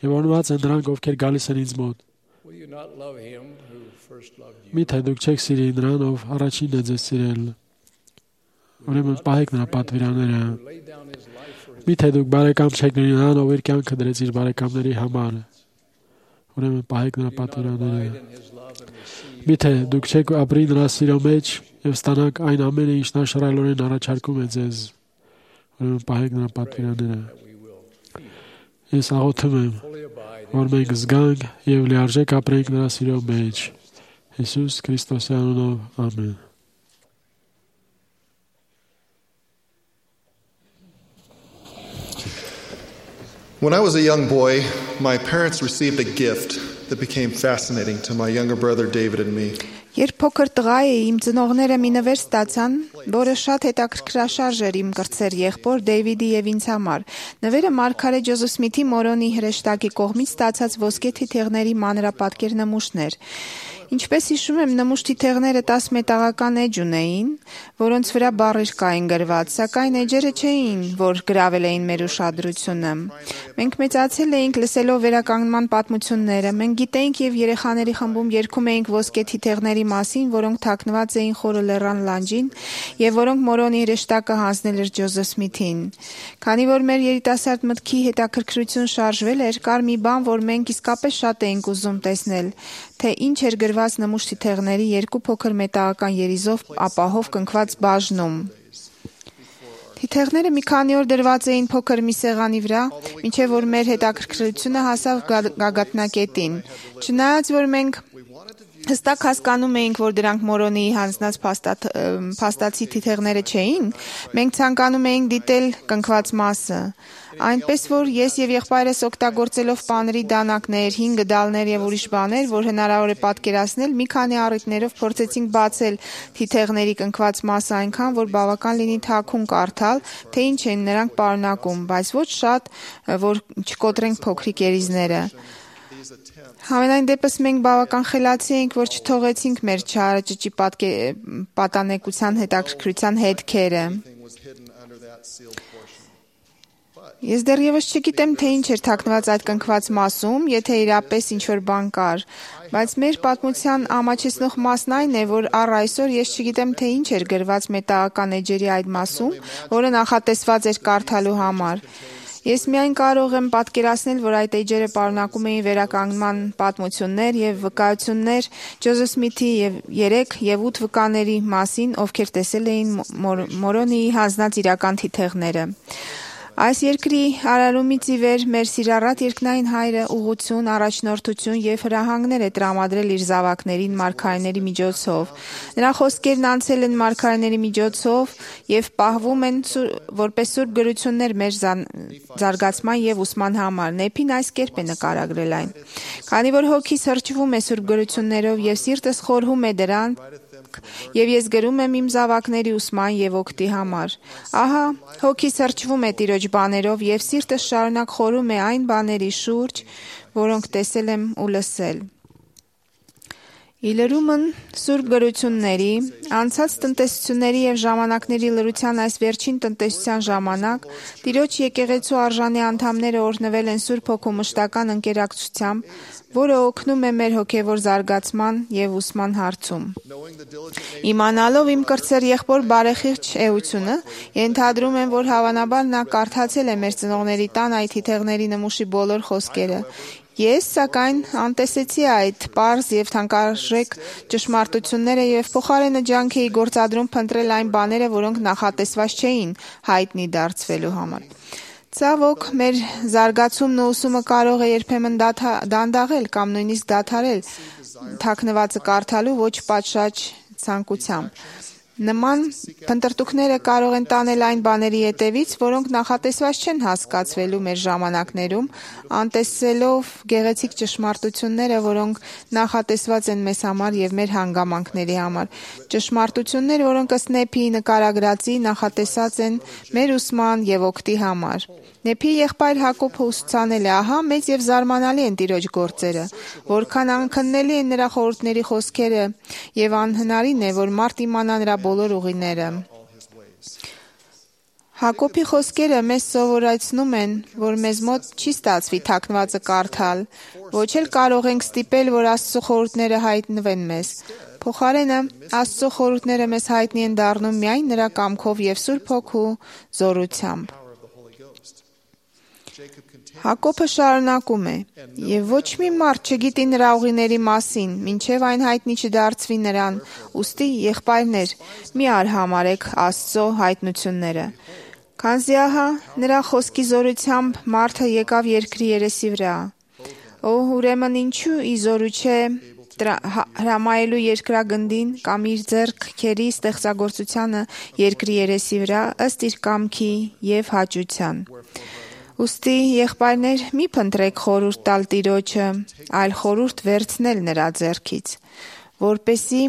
Եվ օրնված են նրանք, ովքեր գալիս են ինձ մոտ։ Միթե դուք չեք սիրի նրան, ով առաջինն է ձեզ սիրել։ Ուրեմն պահեք նրա պատվիրանները։ Միթե դուք բարեկամ չեք լինի նրան, ով իր կյանքը դրեց իր բարեկամների համար։ Ուրեմն պահեք նրա պատվիրանները։ Միթե դուք չեք ապրի նրա սիրո մեջ եւ ստանաք այն ամենը, ինչ նա շռայլորեն առաջարկում է ձեզ։ Ուրեմն պահեք նրա պատվիրանները։ Ես աղոթում եմ, որ մենք զգանք եւ լիարժեք ապրենք նրա սիրո մեջ։ Հիսուս Քրիստոսի անունով, ամեն։ When I was a young boy, my parents received a gift that became fascinating to my younger brother David and me. Երբ փոքր տղա էի, իմ ծնողները մի նվեր ստացան, որը շատ հետաքրքրաշարժ էր իմ կրտսեր եղբոր Դեյվիդի եւ ինձ համար։ Նվերը Մարգարե Ջոզեֆ Սմիթի Մորոնի հրեշտակի կողմից ստացած ոսկե թիթեղների մանրապատկեր նմուշն էր։ Ինչպես հիշում եմ, նմուշ թիթեղները 10 մետաղական էջ ունեին, որոնց վրա բառեր կային գրված, սակայն էջերը չէին, որ գրավել էին մեր ուշադրությունը։ Մենք մեծացել էինք լսելով վերականգնման պատմությունները, մենք գիտեինք եւ երեխաների խմբում երգում էինք ոսկե թիթեղների մասին, որոնք թաքնված էին Խորը լեռան լանջին եւ որոնք Մորոնի հրեշտակը հանձնել էր Ջոզեֆ Սմիթին։ Քանի որ մեր երիտասարդ մտքի հետաքրքրություն շարժվել էր, կար մի բան, որ մենք իսկապես շատ էինք ուզում տեսնել, թե ինչ էր գրված նմուշ թիթեղների երկու փոքր մետաղական երիզով ապահով կնքված բաժնում։ Թիթեղները մի քանի օր դրված էին փոքր մի սեղանի վրա, մինչև որ մեր հետաքրքրությունը հասավ գագաթնակետին։ Չնայած որ մենք հստակ հասկանում էինք, որ դրանք Մորոնի հանձնած փաստացի թիթեղները չէին, մենք ցանկանում էինք դիտել կնքված մասը։ Այնպես որ ես եւ եղբայրս օգտագործելով պաների դանակներ, 5 գդալներ եւ ուրիշ բաներ, որ հնարավոր է պատկերացնել, մի քանի առիթներով փորձեցինք բացել թիթեղների կնքված մասը այնքան, որ բավական լինի թաքուն կարդալ, թե ինչ են նրանք պարունակում, բայց ոչ շատ, որ չկոտրենք փոքրիկ երիզները։ Համենայն դեպս մենք բավական խելացի էինք, որ չթողեցինք մեր չարը ճճի պատանեկության հետաքրքրության հետքերը։ Ես դեռևս չգիտեմ, թե ինչ էր թաքնված այդ կնքված մասում, եթե իրապես ինչ-որ բան կար, բայց մեր պատմության ամաչեցնող մասն այն է, որ առ այսօր ես չգիտեմ, թե ինչ էր գրված մետաղական էջերի այդ մասում, որը նախատեսված էր կարդալու համար։ Ես միայն կարող եմ պատկերացնել, որ այդ էջերը պարունակում էին վերականգնման պատմություններ եւ վկայություններ Ջոզեֆ Սմիթի եւ 3 եւ 8 վկաների մասին, ովքեր տեսել էին Մորոնիի հանձնած իրական թիթեղները։ Այս երկրի արարումից ի վեր մեր սիրառատ երկնային հայրը ուղղություն, առաջնորդություն եւ հրահանգներ է տրամադրել իր զավակներին մարգարեների միջոցով։ Նրա խոսքերն անցել են մարգարեների միջոցով եւ պահվում են որպես սուրբ գրություններ մեր զարգացման եւ ուսման համար։ Նեփին այս կերպ է նկարագրել այն. Քանի որ հոգիս հրճվում է սուրբ գրություններով եւ սիրտս խորհում է դրան, եւ ես գրում եմ իմ զավակների ուսման եւ օգտի համար։ Ահա, հոգիս հրճվում է Տիրոջ բաներով եւ սիրտս շարունակ խորում է այն բաների շուրջ, որոնք տեսել եմ ու լսել։ Իլրումն սուրբ գրությունների, անցած տնտեսությունների եւ ժամանակների լրության այս վերջին տնտեսության ժամանակ Տիրոջ եկեղեցու արժանի անդամները օրհնվել են Սուրբ Հոգու մշտական ընկերակցությամբ, որը օգնում է մեր հոգևոր զարգացման եւ ուսման հարցում։ Իմանալով իմ կրտսեր եղբոր բարեխիղճ էությունը, ենթադրում եմ, որ հավանաբար նա կարդացել է մեր ծնողների տան այդ թիթեղների նմուշի բոլոր խոսքերը։ Ես, սակայն, անտեսեցի այդ պարզ եւ թանկարժեք ճշմարտությունները եւ փոխարենը ջանք էի գործադրում փնտրել այն բաները, որոնք նախատեսված չէին հայտնի դարձվելու համար։ Ցավոք, մեր զարգացումն ու ուսումը կարող է երբեմն դանդաղել կամ նույնիսկ դադարել թաքնվածը կարդալու ոչ պատշաճ ցանկությամբ։ Նման փնտրտուքները կարող են տանել այն բաների հետևից, որոնք նախատեսված չեն հասկացվելու մեր ժամանակներում, անտեսելով գեղեցիկ ճշմարտությունները, որոնք նախատեսված են մեզ համար եւ մեր հանգամանքների համար։ Ճշմարտություններ, որոնք ըստ Նեփի նկարագրածի նախատեսած են մեր ուսման եւ օգտի համար։ Նեփի եղբայր Հակոբը ուսուցանել է, ահա մեծ եւ զարմանալի են Տիրոջ գործերը, որքան անքննելի են նրա խորհուրդների խոսքերը եւ անհնարին է, որ մարդ իմանա նրա բոլոր ուղիները։ Հակոբի խոսքերը մեզ սովորեցնում են, որ մեզ մոտ չի ստացվի թաքնվածը կարդալ, ոչ էլ կարող ենք ստիպել, որ Աստծո խորհուրդները հայտնվեն մեզ։ Փոխարենը, Աստծո խորհուրդները մեզ հայտնի են դառնում միայն նրա կամքով եւ Սուրբ Հոգու զորությամբ։ Հակոբը շարունակում է. «Եվ ոչ մի մարդ չգիտի նրա ուղիների մասին, մինչև այն հայտնի չդարձվի նրան, ուստի եղբայրներ, մի արհամարեք Աստծո հայտնությունները։ Քանզի ահա նրա խոսքի զորությամբ մարդը եկավ երկրի երեսի վրա։ Օ, ուրեմն ինչու ի զորու չէ հրամայելու երկրագնդին կամ իր ձեռքերի ստեղծագործությանը երկրի երեսի վրա ըստ իր կամքի եւ հաճության։ Ուստի եղբայրներ, մի փնտրեք խորհուրդ տալ Տիրոջը, այլ խորհուրդ վերցնել նրա ձեռքից, որպեսզի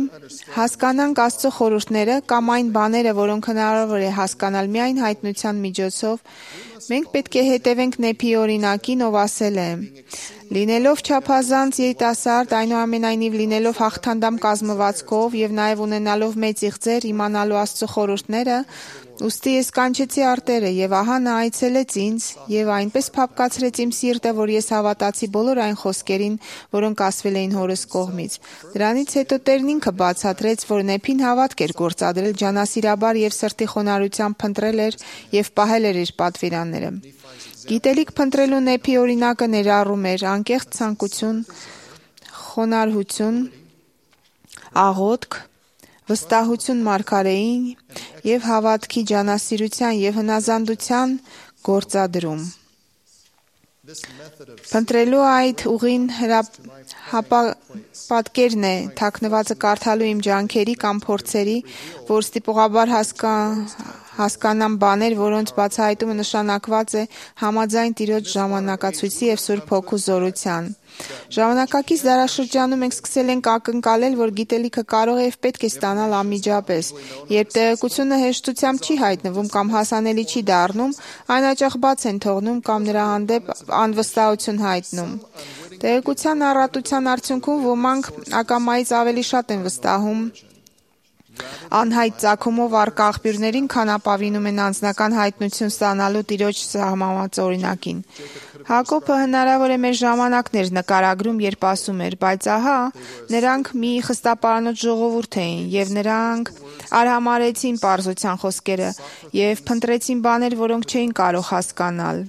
հասկանանք Աստծո խորհուրդները կամ այն բաները, որոնք հնարավոր է հասկանալ միայն հայտնության միջոցով, մենք պետք է հետևենք Նեփի օրինակին, ով ասել է. լինելով չափազանց երիտասարդ, այնուամենայնիվ լինելով հաղթանդամ կազմվածքով եւ նաեւ ունենալով մեծ իղձեր իմանալու Աստծո խորհուրդները, ուստի ես կանչեցի արտերը եւ ահա նա այցելեց ինձ եւ այնպես փափկացրեց իմ սիրտը, որ ես հավատացի բոլոր այն խոսքերին, որոնք ասվել էին հորս կողմից։ Դրանից հետո Տերն ինքը բացատրեց, որ Նեփին հավատք էր գործադրել ջանասիրաբար եւ սրտի խոնարհությամբ փնտրել էր եւ պահել էր իր պատվիրանները։ Գիտելիք փնտրելու Նեփի օրինակը ներառում էր անկեղծ ցանկություն, խոնարհություն, աղոթք, վստահություն մարգարեին եւ հավատքի ջանասիրության եւ հնազանդության գործադրում։ Փնտրելու այդ ուղին պատկերն է թաքնվածը կարդալու իմ ջանքերի կամ փորձերի, որ ստիպողաբար հասկանամ բաներ, որոնց բացահայտումը նշանակված է համաձայն Տիրոջ ժամանակացույցի եւ Սուրբ Հոգու զորության։ Ժամանակակից դարաշրջանում մենք սկսել ենք ակնկալել, որ գիտելիքը կարող է եւ պետք է ստանալ անմիջապես։ Երբ տեղեկությունը հեշտությամբ չի հայտնվում կամ հասանելի չի դառնում, այն հաճախ բաց են թողնում կամ նրա հանդեպ անվստահություն հայտնում։ Տեղեկության առատության արդյունքում ոմանք ակամայից ավելի շատ են վստահում անհայտ ծագումով առկա աղբյուրներին, քան ապավինում են անձնական հայտնություն ստանալու Տիրոջ սահմանված օրինակին։ Հակոբը հնարավոր է մեր ժամանակն էր նկարագրում, երբ ասում էր, բայց ահա նրանք մի խստապարանոց ժողովուրդ էին եւ նրանք արհամարեցին պարզության խոսքերը եւ փնտրեցին բաներ, որոնք չէին կարող հասկանալ։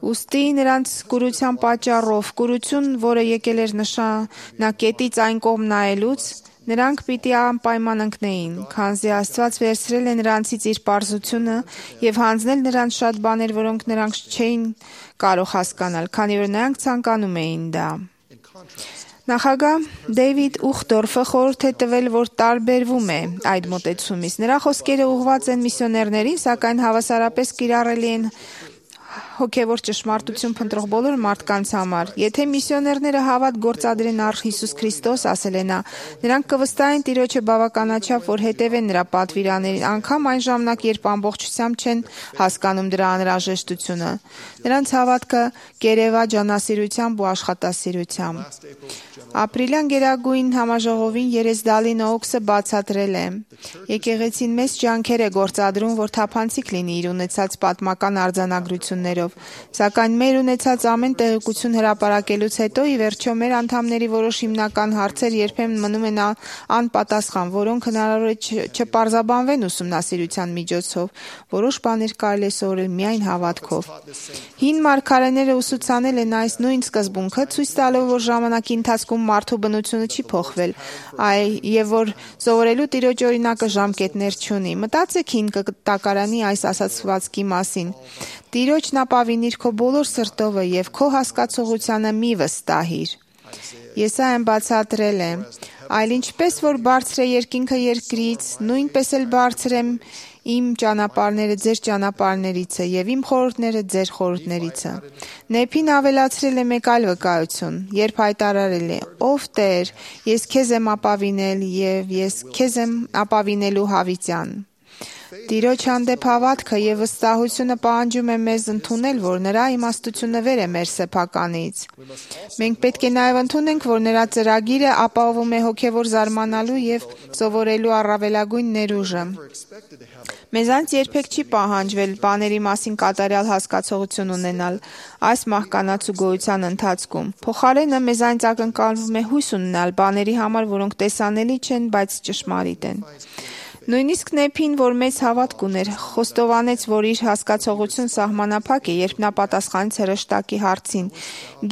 Ուստի նրանց կուրության պատճառով, կուրություն, որը եկել էր նշանակետից այն կողմ նայելուց, նրանք պիտի անպայման ընկնեին, քանզի Աստված վերցրել է նրանցից իր պարզությունը եւ հանձնել նրանց շատ բաներ, որոնք նրանք չէին կարող հասկանալ, քանի որ նրանք ցանկանում էին դա։ Նախագահ Դեյվիդ Ուխտորֆը խորհուրդ է տվել, որ տարբերվում է այդ մոտեցումից։ Նրա խոսքերը ուղղված են միսիոներներին, սակայն հավասարապես կիրառելի են հոգևոր ճշմարտություն փնտրող բոլոր մարդկանց համար։ Եթե միսիոներները հավատ գործադրեն առ Հիսուս Քրիստոս, ասել է նա, նրանք կվստահեն Տիրոջը բավականաչափ, որ հետևեն նրա պատվիրաններին, անգամ այն ժամանակ, երբ ամբողջությամբ չեն հասկանում դրա անհրաժեշտությունը։ Նրանց հավատքը կերևա ջանասիրությամբ ու աշխատասիրությամբ։ Ապրիլյան գերագույն համաժողովին Երեսդալի Նոուքսը բացատրել է. Եկեղեցին մեծ ջանքեր է գործադրում, որ թափանցիկ լինի իր ունեցած պատմական արձանագրություններով, սակայն մեր ունեցած ամեն տեղեկություն հրապարակելուց հետո ի վերջո մեր անդամների որոշ հիմնական հարցեր երբեմն մնում են անպատասխան, որոնք հնարավոր է չպարզաբանվեն ուսումնասիրության միջոցով, որոշ բաներ կարելի է սովորել միայն հավատքով։ Հին մարգարեները ուսուցանել են այս նույն սկզբունքը, ցույց տալով, որ ժամանակի ընթացքում մարդու բնությունը չի փոխվել, եւ որ սովորելու Տիրոջ օրինակը ժամկետներ չունի։ Մտածեք հին կտակարանի այս ասացվածքի մասին. Տիրոջն ապավինիր քո բոլոր սրտովը եւ քո հասկացողությանը մի վստահիր։ Եսայիան բացատրել է. այլ ինչպես որ բարձր է երկինքը երկրից, նույնպես էլ բարձր եմ իմ ճանապարհները ձեր ճանապարհներիցը եւ իմ խորհուրդները ձեր խորհուրդներիցը։ Նեփին ավելացրել է մեկ այլ վկայություն, երբ հայտարարել է. Ով Տեր, ես քեզ եմ ապավինել եւ ես քեզ եմ ապավինելու հավիտյան։ Տիրոջ հանդեպ հավատքը եւ վստահությունը պահանջում է մեզ ընդունել, որ նրա իմաստությունը վեր է մեր սեփականից։ Մենք պետք է նաեւ ընդունենք, որ նրա ծրագիրը ապահովում է հոգեվոր զարմանալու եւ սովորելու առավելագույն ներուժը։ Մեզանց երբեք չի պահանջվել բաների մասին կատարյալ հասկացողություն ունենալ այս մահկանացու գոյության ընթացքում։ Փոխարենը մեզանց ակնկալվում է հույս ունենալ բաների համար, որոնք տեսանելի չեն, բայց ճշմարիտ են։ Նույնիսկ Նեփին, որ մեծ հավատք ուներ, խոստովանեց, որ իր հասկացողություն սահմանափակ է, երբ նա պատասխանեց հրեշտակի հարցին.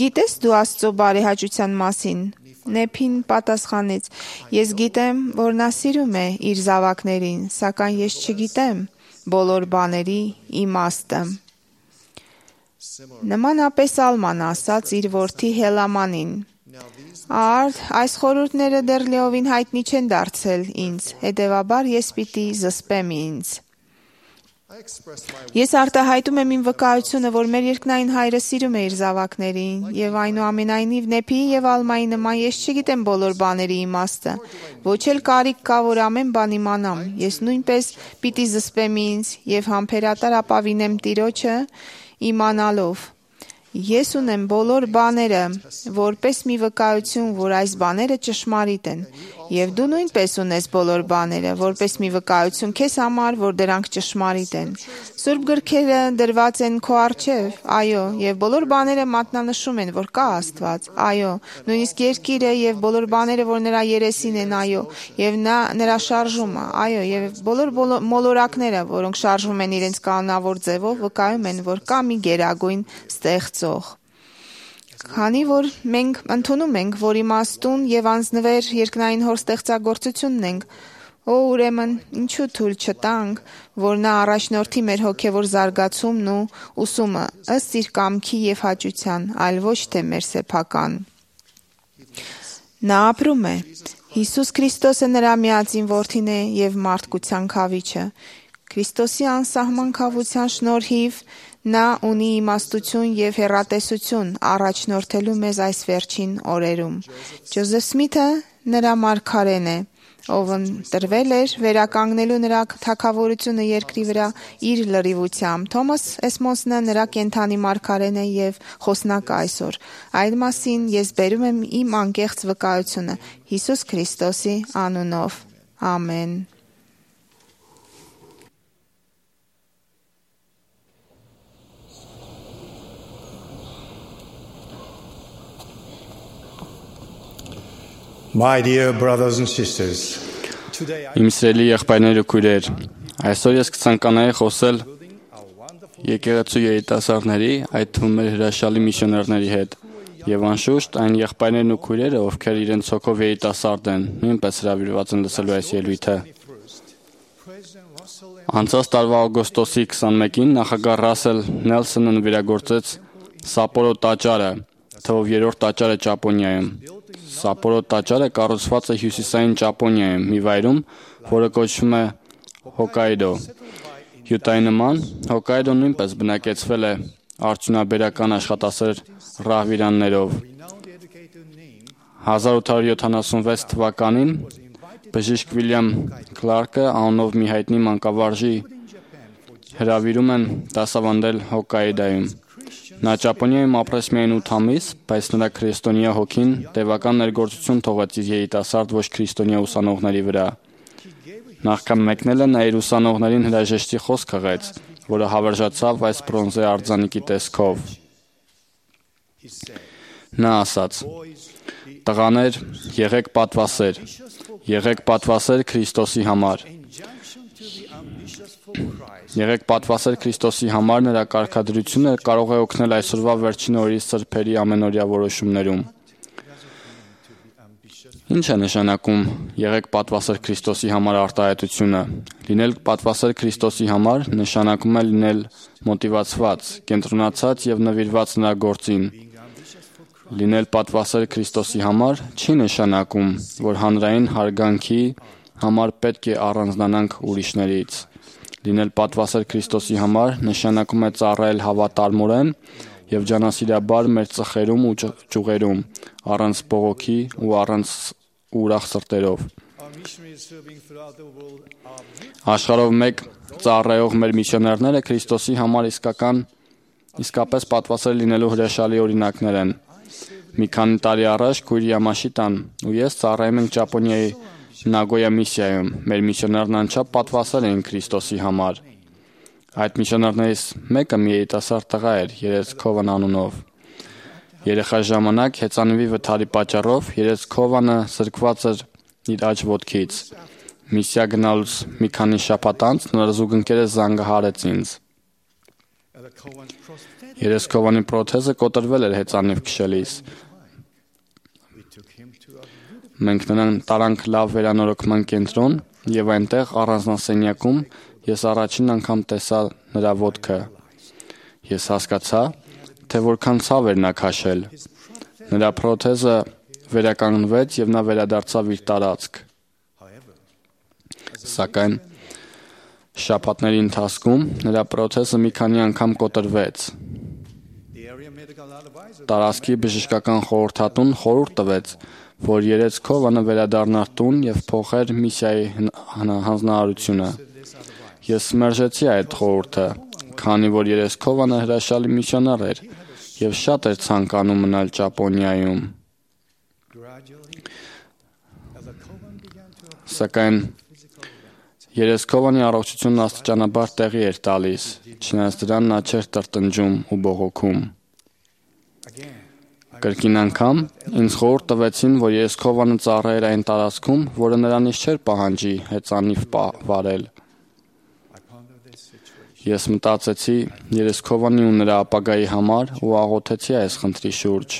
Գիտես դու Աստծո բարեհաճության մասին։ Նեփին պատասխանեց. Ես գիտեմ, որ նա սիրում է իր զավակներին, սակայն ես չգիտեմ բոլոր բաների իմաստը։ Նմանապես Ալման ասաց իր որդի Հելամանին. Արդ, այս խորհուրդները դեռ լիովին հայտնի չեն դարձել ինձ, հետևաբար ես պիտի զսպեմ ինձ։ Ես արտահայտում եմ իմ վկայությունը, որ մեր երկնային Հայրը սիրում է իր զավակներին, եւ այնուամենայնիվ Նեփիի եւ Ալմայի նման ես չգիտեմ բոլոր բաների իմաստը, ոչ էլ կարիք կա, որ ամեն բան իմանամ, ես նույնպես պիտի զսպեմ ինձ եւ համբերատար ապավինեմ Տիրոջը իմանալով։ Ես ունեմ բոլոր բաները, որպես մի վկայություն, որ այս բաները ճշմարիտ են, եւ դու նույնպես ունես բոլոր բաները, որպես մի վկայություն քեզ համար, որ դրանք ճշմարիտ են։ Սուրբ գրքերը դրված են քո առջև, այո, եւ բոլոր բաները մատնանշում են, որ կա Աստված, այո, նույնիսկ երկիրը եւ բոլոր բաները, որ նրա երեսին են, այո, եւ նրա շարժումը, այո, եւ բոլոր մոլորակները, որոնք շարժվում են իրենց կանոնավոր ձևով, վկայում են, որ կա մի գերագույն ստեղծող։ Քանի որ մենք ընդունում ենք, որ իմաստուն եւ անձնվեր երկնային հոր ստեղծագործությունն ենք, ուրեմն ինչու թույլ չտանք, որ նա առաջնորդի մեր հոգեվոր զարգացումն ու ուսումը ըստ իր կամքի եւ հաճության, այլ ոչ թե մեր սեփական։ Նա ապրում է։ Հիսուս Քրիստոսը նրա միածին որդին է եւ մարդկության քավիչը։ Քրիստոսի անսահման քավության շնորհիվ նա ունի իմաստություն եւ հեռատեսություն առաջնորդելու մեզ այս վերջին օրերում։ Ջոզեֆ Սմիթը նրա մարգարեն է, ով ընտրվել էր վերականգնելու նրա թագավորությունը երկրի վրա իր լրիվությամբ։ Թոմաս Էսմոնսը նրա կենթանի մարգարեն է եւ խոսնակը այսօր։ Այդ մասին ես բերում եմ իմ անկեղծ վկայությունը Հիսուս Քրիստոսի անունով։ Ամեն։ My dear brothers and sisters, Իմ սիրելի եղբայրներ ու քույրեր, այսօր ես կցանկանայի խոսել եկեղեցու երիտասարդների, այդ թվում մեր հրաշալի միսիոներների հետ։ Եվ անշուշտ այն եղբայրներն ու քույրերը, ովքեր իրենց հոգով երիտասարդ են, նույնպես հրավիրված են լսելու այս ելույթը։ Անցած տարվա օգոստոսի 21-ին նախագահ Ռասել Նելսոնը նվիրագործեց Սապորո տաճարը, թվով 3-րդ տաճարը Ճապոնիայում։ Սապորո տաճարը կառուցված է հյուսիսային Ճապոնիայում, մի վայրում, որը կոչվում է Հոկկայդո։ Յուտայի նման, Հոկկայդոն նույնպես բնակեցվել է արդյունաբերական աշխատասեր ռահվիրաններով։ 1876 թվականին բժիշկ Վիլյամ Քլարկը անունով մի հայտնի մանկավարժի հրավիրում են դասավանդել Հոկկայդոյում։ Նա Ճապոնիայում ապրեց միայն 8 ամիս, բայց նրա քրիստոնյա հոգին տևական ներգործություն թողեց իր երիտասարդ ոչ քրիստոնյա ուսանողների վրա։ Նախքան մեկնելը նա իր ուսանողներին հրաժեշտի խոսք հղեց, որը հավերժացավ այս բրոնզե արձանիկի տեսքով։ Նա ասաց. «Տղաներ, եղեք պատվասեր Քրիստոսի համար։ Եղեք պատվասեր Քրիստոսի համար, նրա կարգադրությունը կարող է օգնել այսօրվա վերջին օրերի սրբերի ամենօրյա որոշումներում»։ Ինչ է նշանակում եղեք պատվասեր Քրիստոսի համար արտահայտությունը։ Լինել պատվասեր Քրիստոսի համար նշանակում է լինել մոտիվացված, կենտրոնացած եւ նվիրված նրա գործին։ Լինել պատվասեր Քրիստոսի համար չի նշանակում, որ հանրային հարգանքի համար պետք է առանձնանանք ուրիշներից։ Լինել պատվասեր Քրիստոսի համար նշանակում է ծառայել հավատարմորեն եւ ջանասիրաբար մեր ծխերում ու ճյուղերում, առանց բողոքի ու առանց ուրախ սրտերով։ Աշխարհով մեկ ծառայող մեր միսիոներները Քրիստոսի համար իսկապես պատվասեր լինելու հրաշալի օրինակներ են։ Մի քանի տարի առաջ քույր Յամաշիտան ու ես ծառայում ենք Ճապոնիայի Նագոյա միսիայում։ Մեր միսիոներն անչափ պատվասեր էին Քրիստոսի համար։ Այդ միսիոներներից մեկը մի երիտասարդ տղա էր, Երեցկովան անունով։ Երեխա ժամանակ հեծանվի վթարի պատճառով Երեցկովանը զրկված էր իր աջ ոտքից։ Միսիա գնալուց մի քանի շաբաթ անց նրա զուգընկերը զանգահարեց ինձ։ Երեցկովանի պրոթեզը կոտրվել էր հեծանիվ քշելիս։ Մենք նրան տարանք լավ վերանորոգման կենտրոն եւ այնտեղ առանձնասենյակում ես առաջին անգամ տեսա նրա ոտքը։ Ես հասկացա, թե որքան ցավ էր նա քաշել։ Նրա պրոթեզը վերականգնվեց եւ նա վերադարձավ իր տարածք։ Սակայն շաբաթների ընթացքում նրա պրոթեզը մի քանի անգամ կոտրվեց։ Տարածքի բժշկական խորհրդատուն խորհուրդ տվեց, որ Երեցկովանը վերադառնար տուն եւ փոխեր միսիայի հանձնարարությունը։ Ես մերժեցի այդ խորհուրդը, քանի որ Երեցկովանը հրաշալի միսիոներ էր եւ շատ էր ցանկանում մնալ Ճապոնիայում։ Սակայն Երեցկովանի առողջությունն աստիճանաբար տեղի էր տալիս, չնայած դրան նա չէր տրտնջում ու բողոքում։ Կրկին անգամ ինձ խորհուրդ տվեցին, որ Երեցկովանը ծառայեր այն տարածքում, որը նրանից չէր պահանջի հեծանիվ վարել։ Ես մտածեցի Երեցկովանի ու նրա ապագայի համար ու աղոթեցի այս խնդրի շուրջ։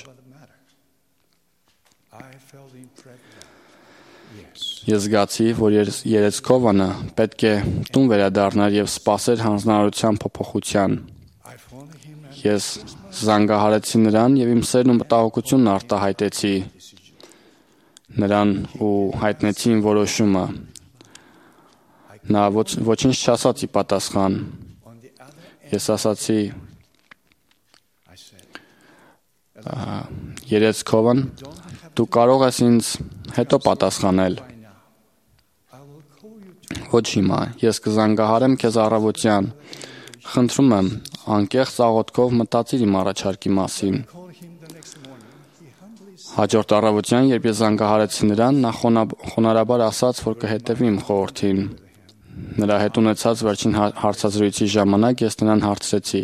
Ես զգացի, որ Երեցկովանը պետք է տուն վերադառնար եւ սպասեր հանձնարարության փոփոխության։ Ես զանգահարեցի նրան եւ իմ սերն ու մտահոգությունն արտահայտեցի նրան ու հայտնեցի իմ որոշումը։ Նա ոչինչ չասաց ի պատասխան։ Ես ասացի. Երեցկովան, դու կարող ես ինձ հետո պատասխանել։ Ոչ հիմա, ես կզանգահարեմ քեզ առավոտյան։ Խնդրում եմ, անկեղծ աղոթքով մտածիր իմ առաջարկի մասին։ Հաջորդ առավոտյան, երբ ես զանգահարեցի նրան, նա խոնարհաբար ասաց, որ կհետևի իմ խորհրդին։ Նրա հետ ունեցած վերջին հարցազրույցի ժամանակ ես նրան հարցրեցի.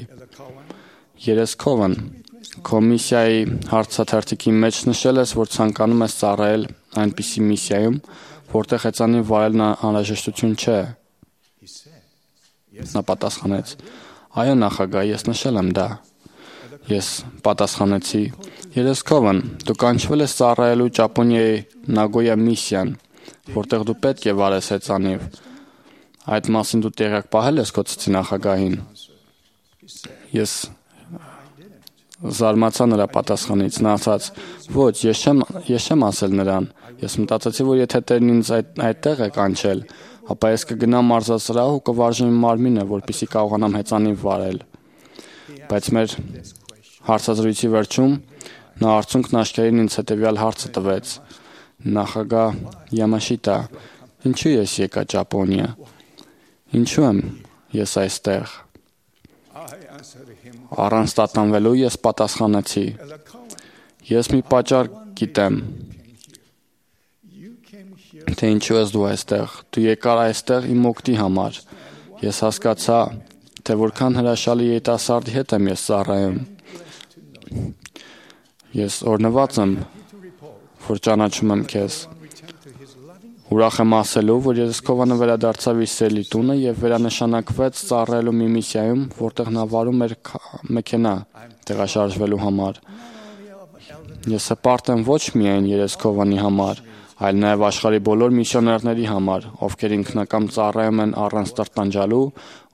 Երեցկովան, քո միսիայի հարցաթերթիկի մեջ նշել ես, որ ցանկանում ես ծառայել այնպիսի միսիայում, որտեղ հեծանիվ վարելն անհրաժեշտություն չէ։ Նա պատասխանեց. Այո, նախագահ, ես նշել եմ դա։ Ես պատասխանեցի. երեսքովն, դու կանչվել ես ծառայելու Ճապոնիայի Նագոյա միսիան, որտեղ դու պետք է վարես հեծանիվ։ Այդ մասին դու տեղյակ պահել ես քո ծծի նախագահին։ Ես զարմացա նրա պատասխանից, նա ասաց. ոչ, ես չեմ ասել նրան։ Ես մտածեցի, որ եթե Տերն ինձ այդտեղ է կանչել, ապա ես կգնամ մարզասրահ ու կվարժեմ իմ մարմինը, որպեսզի կարողանամ հեծանիվ վարել։ Բայց մեր հարցազրույցի վերջում նա արցունքն աչքերին ինձ հետևյալ հարցը տվեց. նախագահ Յամաշիտա, ինչու ես եկա Ճապոնիա։ Ինչու եմ ես այստեղ։ Առանց տատանվելու ես պատասխանեցի. ես մի պատճառ գիտեմ, թե ինչու ես դու այստեղ։ Դու եկար այստեղ իմ օգտի համար։ Ես հասկացա, թե որքան հրաշալի երիտասարդի հետ եմ ես ծառայում։ Ես օրհնված եմ, որ ճանաչում եմ քեզ։ Ուրախ եմ ասելու, որ Երեսկովանը վերադարձավ իր սիրելի տունը եւ վերանշանակվեց ծառայելու մի միսիայում, որտեղ նա վարում էր մեքենա տեղաշարժվելու համար։ Ես հպարտ եմ ոչ միայն Երեսկովանի համար, այլ նաեւ աշխարհի բոլոր միսիոներների համար, ովքեր ինքնակամ ծառայում են առանց տրտանջալու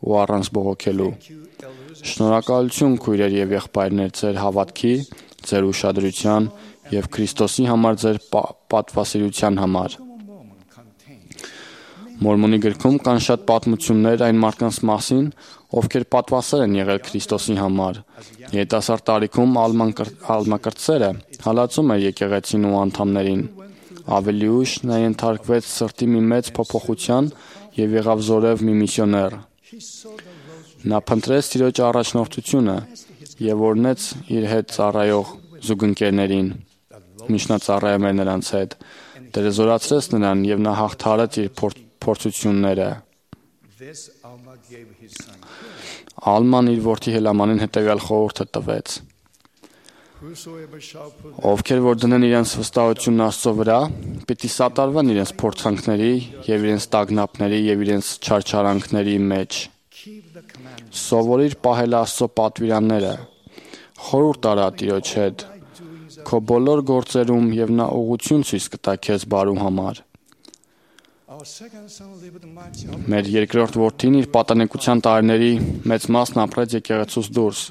ու առանց բողոքելու։ Շնորհակալություն քույրեր եւ եղբայրներ ձեր հավատքի, ձեր ուշադրության եւ Քրիստոսի համար ձեր պատվասիրության համար։ Մորմոնի գրքում կան շատ պատմություններ այն մարդկանց մասին, ովքեր պատվասեր են եղել Քրիստոսի համար։ Երիտասարդ տարիքում ալմակրտսերը հալածում էր եկեղեցին ու անդամներին։ Ավելի ուշ նա ենթարկվեց սրտի մի մեծ փոփոխության եւ եղավ զորև մի միսիոներ։ Նա փնտրեց Տիրոջ առաջնորդությունը եւ օրհնեց իր հետ ծառայող զուգընկերներին։ Միշտ նա ծառայում էր նրանց հետ։ Տերը զորացրեց նրան եւ նա հաղթարեց իր փորձությունները։ Ալման իր որդի Հելամանին հետևյալ խորհուրդը տվեց. ովքեր որ դնեն իրենց վստահությունն Աստծո վրա, պիտի սատարվեն իրենց փորձանքների եւ իրենց տագնապների եւ իրենց չարչարանքների մեջ։ Սովորիր պահել Աստծո պատվիրանները, խորհուրդ արա Տիրոջ հետ, քո բոլոր գործերում եւ նա ուղղություն ցույց կտա քեզ բարու համար։ Մեր երկրորդ որդին իր պատանեկության տարիների մեծ մասն ապրեց եկեղեցուց դուրս։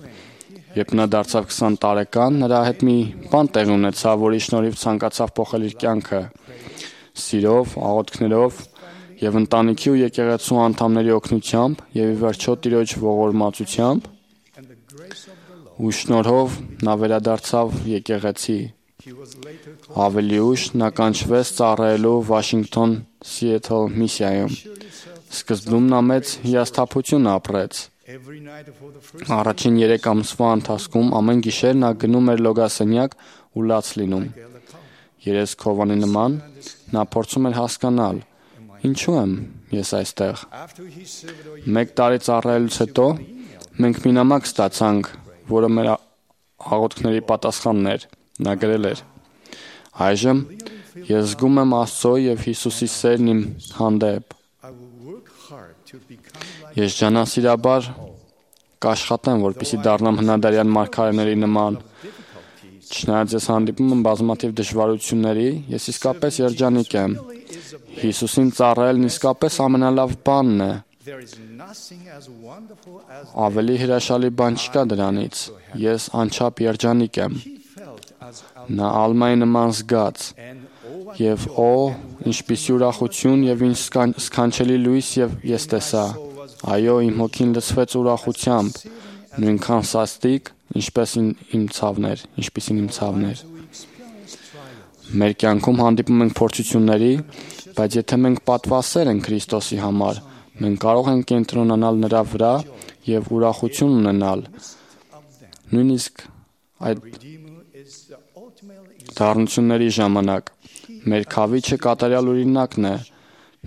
Երբ նա դարձավ 20 տարեկան, նրա հետ մի բան տեղի ունեցավ, որի շնորհիվ ցանկացավ փոխել իր կյանքը։ Սիրով, աղոթքներով եւ ընտանիքի ու եկեղեցու անդամների օգնությամբ եւ ի վերջո Տիրոջ ողորմածությամբ ու շնորհով նա վերադարձավ եկեղեցի։ Ավելի ուշ նա կանչվեց ծառայելու Վաշինգտոն Սիեթլ միսիայում։ Սկզբում նա մեծ հիասթափություն ապրեց։ Առաջին 3 ամսվա ընթացքում ամեն գիշեր նա գնում էր լոգասենյակ ու լաց լինում։ Երեսկովանի նման նա փորձում էր հասկանալ. ինչու եմ ես այստեղ։ 1 տարի ծառայելուց հետո մենք մի նամակ ստացանք, որը մեր աղոթքների պատասխանն էր։ Նա գրել էր. այժմ ես զգում եմ Աստծո եւ Հիսուսի սերն իմ հանդեպ։ Ես ջանասիրաբար կաշխատեմ, որպեսզի դառնամ հնադարյան մարգարեների նման։ Չնայած ես հանդիպում եմ բազմաթիվ դժվարությունների, ես իսկապես երջանիկ եմ։ Հիսուսին ծառայելն իսկապես ամենալավ բանն է։ Ավելի հրաշալի բան չկա դրանից։ Ես անչափ երջանիկ եմ։ Նա Ալմայի նման զգաց։ Եվ ինչպիսի ուրախություն եւ ինչ սքանչելի լույս եւ ես տեսա։ Այո, իմ հոգին լցվեց ուրախությամբ, նույնքան սաստիկ, ինչպիսին իմ ցավն էր։ Մեր կյանքում հանդիպում ենք փորձությունների, բայց եթե մենք պատվասեր ենք Քրիստոսի համար, մենք կարող ենք կենտրոնանալ նրա վրա եւ ուրախություն ունենալ։ Նույնիսկ այդ դառնությունների ժամանակ մեր քավիչը կատարյալ օրինակն է։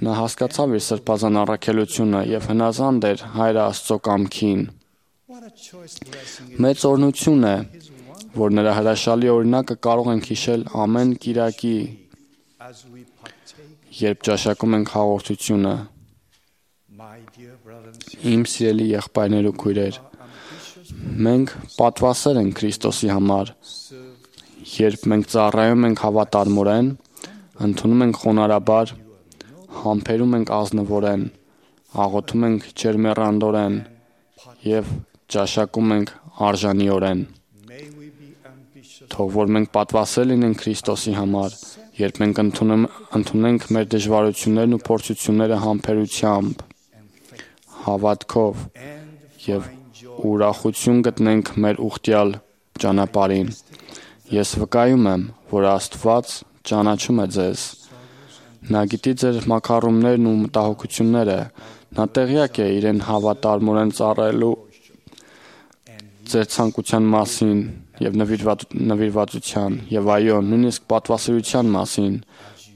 Նա հասկացավ իր սրբազան առաքելությունը եւ հնազանդ էր Հայր Աստծո կամքին։ Մեծ օրհնություն է, որ նրա հրաշալի օրինակը կարող ենք հիշել ամեն կիրակի, երբ ճաշակում ենք հաղորդությունը։ Իմ սիրելի եղբայրներ ու քույրեր, Մենք պատվասեր ենք Քրիստոսի համար, երբ մենք ծառայում ենք հավատարմորեն, ընդունում ենք խոնարհաբար, համբերում ենք ազնվորեն, աղոթում ենք ջերմեռանդորեն եւ ճաշակում ենք արժանիորեն։ Թող որ մենք պատվասեր լինենք Քրիստոսի համար, երբ մենք ընդունենք մեր դժվարություններն ու փորձությունները համբերությամբ, հավատքով եւ ուրախություն գտնենք մեր ուխտյալ ճանապարհին։ Ես վկայում եմ, որ Աստված ճանաչում է ձեզ։ Նա գիտի ձեր մաքարումներն ու մտահոգությունները, նա տեղյակ է իրեն հավատարմորեն ծառայելու ձեր ցանկության մասին եւ նվիրվածության եւ այո, նույնիսկ պատվասիրության մասին,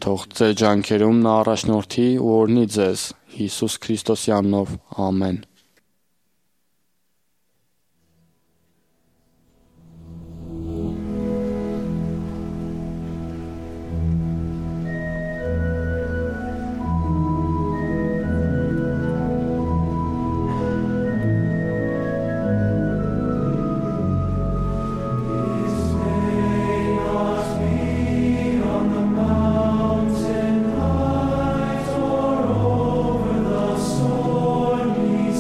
թող ձեր ջանքերում նա առաջնորդի ու օրհնի ձեզ Հիսուս Քրիստոսի անունով, ամեն։ Mountain heights or over the stormy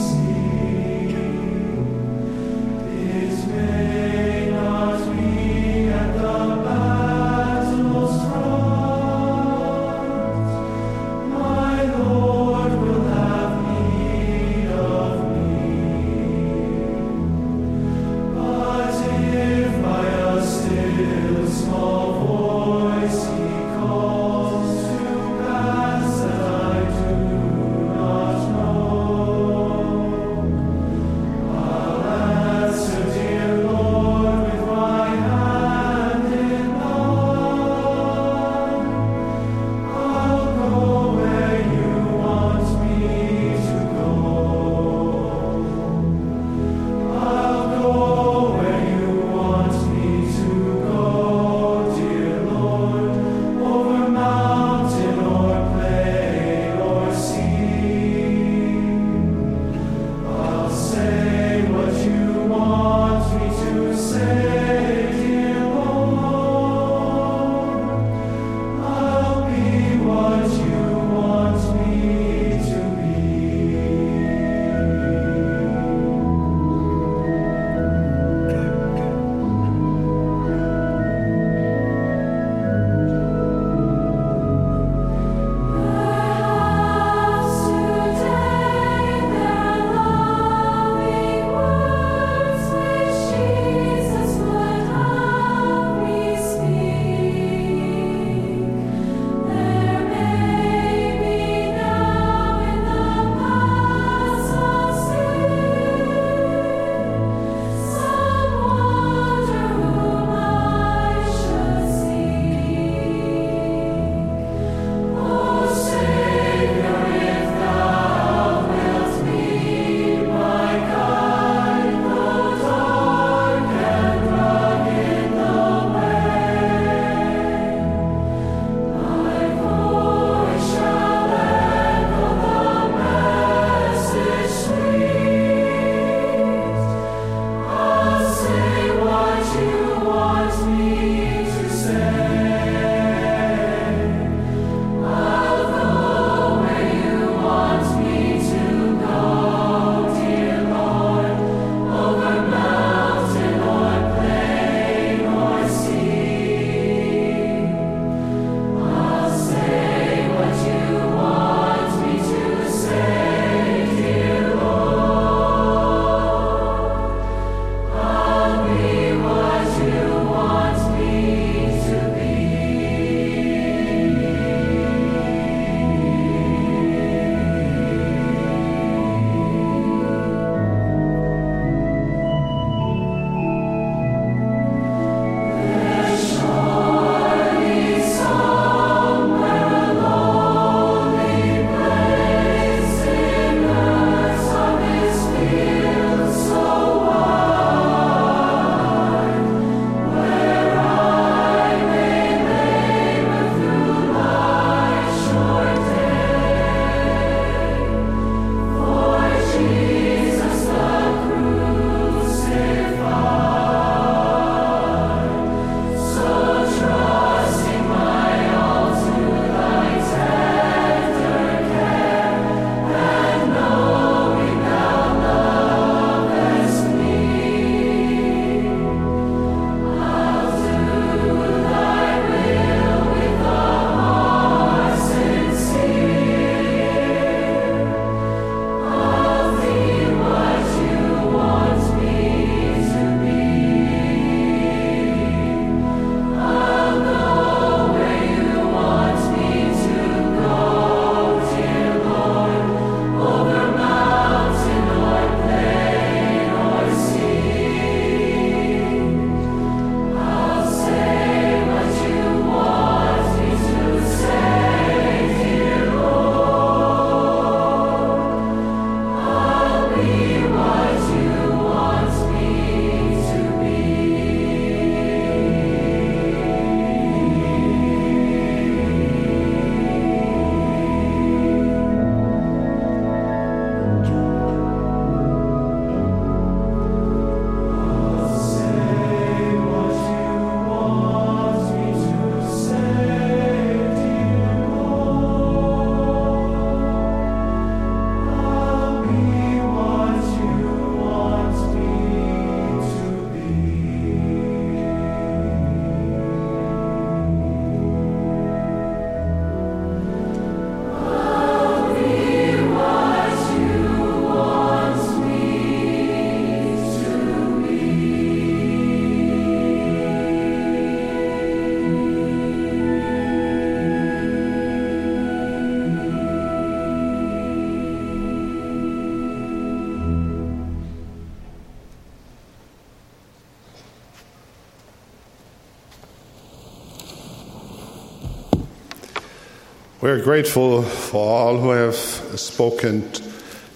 We're grateful for all who have spoken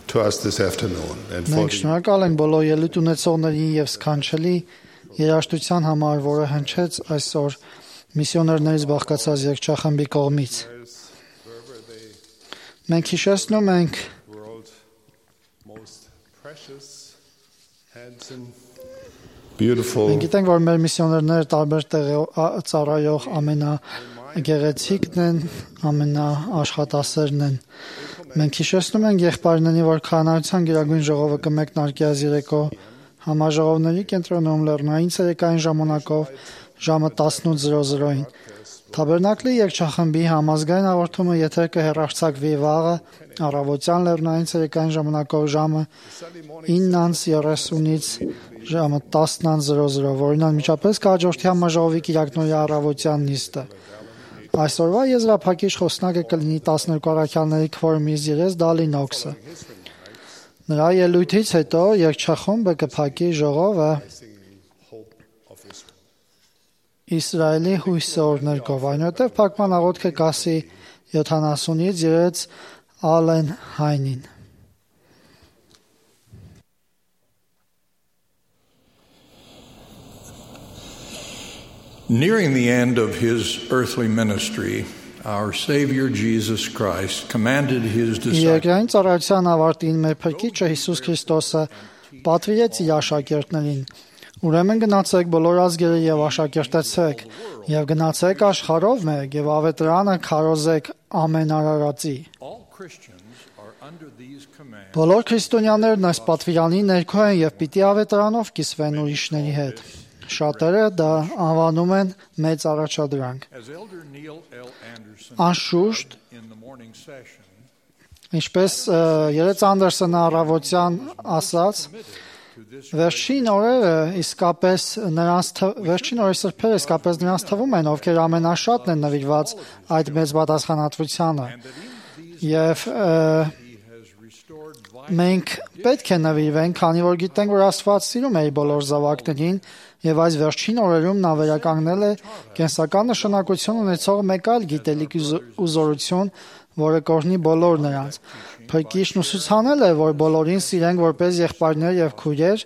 to us this afternoon and for Մենք շնորհակալ ենք բոլոր ելույթ ունեցողներին եւ սքանչելի երաժշտության համար, որը հնչեց այսօր միսիոներներից բաղկացած երգչախմբի կողմից։ Մենք հիշեցնում ենք beautiful. Մենք գիտենք, որ մեր միսիոներները տարբեր տեղերով ծառայող ամենագեղեցիկն են, ամենաաշխատասերն են։ Մենք հիշեցնում ենք եղբայրներին, որ քահանայության գերագույն ժողովը կմեկնարկի այս երեկո համաժողովների կենտրոնում լեռնային ցերեկային ժամանակով ժամը 18:00-ին։ Թաբերնակլի երգչախմբի համազգային հաղորդումը եթեր կհեռարձակվի վաղը առավոտյան լեռնային ցերեկային ժամանակով ժամը 9:30-ից ժամը 10:00, որին անմիջապես կհաջորդի համաժողովի կիրակնօրյա առավոտյան նիստը։ Այսօրվա եզրափակիչ խոսնակը կլինի 12 առաքյալների քվորումից Երես Դալինոքսը։ Նրա ելույթից հետո երգչախումբը կփակի ժողովը Իսրայելի հույսի օրներկով, այնուհետև փակման աղոթքը կասի 70-ից երեց Ալեն Հայնին։ Nearing the end of his earthly ministry, our Savior Jesus Christ commanded his disciples. Երկրային ծառայության ավարտին մեր Փրկիչը Հիսուս Քրիստոսը պատվիրեց իր աշակերտներին. Ուրեմն գնացեք բոլոր ազգերը եւ աշակերտեցեք, եւ գնացեք աշխարհով մեկ եւ ավետարանը քարոզեք ամեն արարածի։ Բոլոր քրիստոնյաներն այս պատվիրանի ներքո են եւ պիտի ավետարանով կիսվեն ուրիշների հետ։ Շատերը դա անվանում են մեծ առաջադրանք։ Անշուշտ, ինչպես Երեց Անդերսոնը առավոտյան ասաց, վերջին օրերը իսկապես վերջին օրերի սրբերը իսկապես նրանց թվում են, ովքեր ամենաշատն են նվիրված այդ մեծ պատասխանատվությանը։ Եվ մենք պետք է նվիրվենք, քանի որ գիտենք, որ Աստված սիրում է իր բոլոր զավակներին, եւ այս վերջին օրերում նա վերականգնել է կենսական նշանակություն ունեցող մեկ այլ գիտելիք ու զորություն, որը կօրհնի բոլոր նրանց։ Փրկիչն ուսուցանել է, որ բոլորին սիրենք որպես եղբայրներ եւ քույրեր,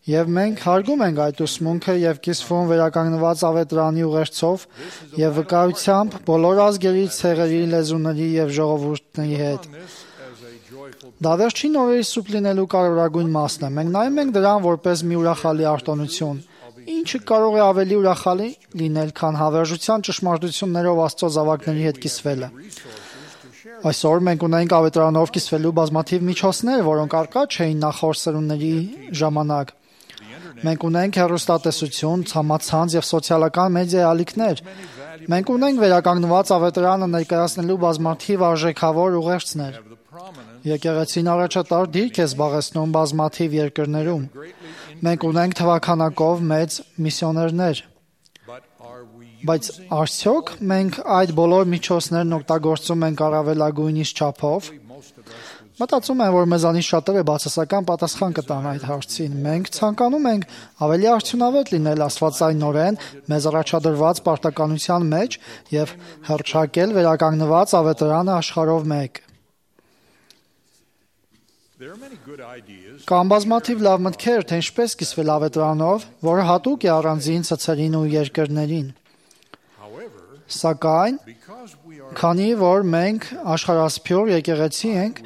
եւ մենք հարգում ենք այդ ուսմունքը եւ կիսվում վերականգնված ավետարանի ուղերձով եւ վկայությամբ բոլոր ազգերի, ցեղերի, լեզուների եւ ժողովուրդների հետ։ Դա վերջին օրերի սուրբ լինելու կարևորագույն մասն է։ Մենք նայում ենք դրան որպես մի ուրախալի արտոնություն, ինչը կարող է ավելի ուրախալի լինել, քան հավերժության ճշմարտություններով Աստծո զավակների հետ կիսվելը։ Այսօր մենք ունենք ավետարանով կիսվելու բազմաթիվ միջոցներ, որոնք առկա չէին նախորդ սերունդների ժամանակ։ Մենք ունենք հեռուստատեսություն, ցամաքցանց եւ սոցիալական մեդիա ալիքներ։ Մենք ունենք վերականգնված ավետարանը ներկայացնելու բազմաթիվ արժեքավոր ուղերձներ։ Եկեղեցին առաջատար դիրք է զբաղեցնում բազմաթիվ երկրներում։ Մենք ունենք թվականակով մեծ միսիոներներ։ Բայց արդյոք մենք այդ բոլոր միջոցներն օգտագործում ենք առավելագույնից չափով։ Մտածում եմ, որ մեզանից շատերը բացասական պատասխան կտան այդ հարցին։ Մենք ցանկանում ենք ավելի արդյունավետ լինել աստվածայնորեն մեզ առաջադրված պարտականության մեջ եւ հռչակել վերականգնված ավետարանը աշխարհով մեկ։ Կան բազմաթիվ լավ մտքեր, թե ինչպես կիսվել ավետարանով, որը հատուկ է առանձին ցցերին ու երկրներին։ Սակայն, քանի որ մենք աշխարհասփյուր եկեղեցի ենք,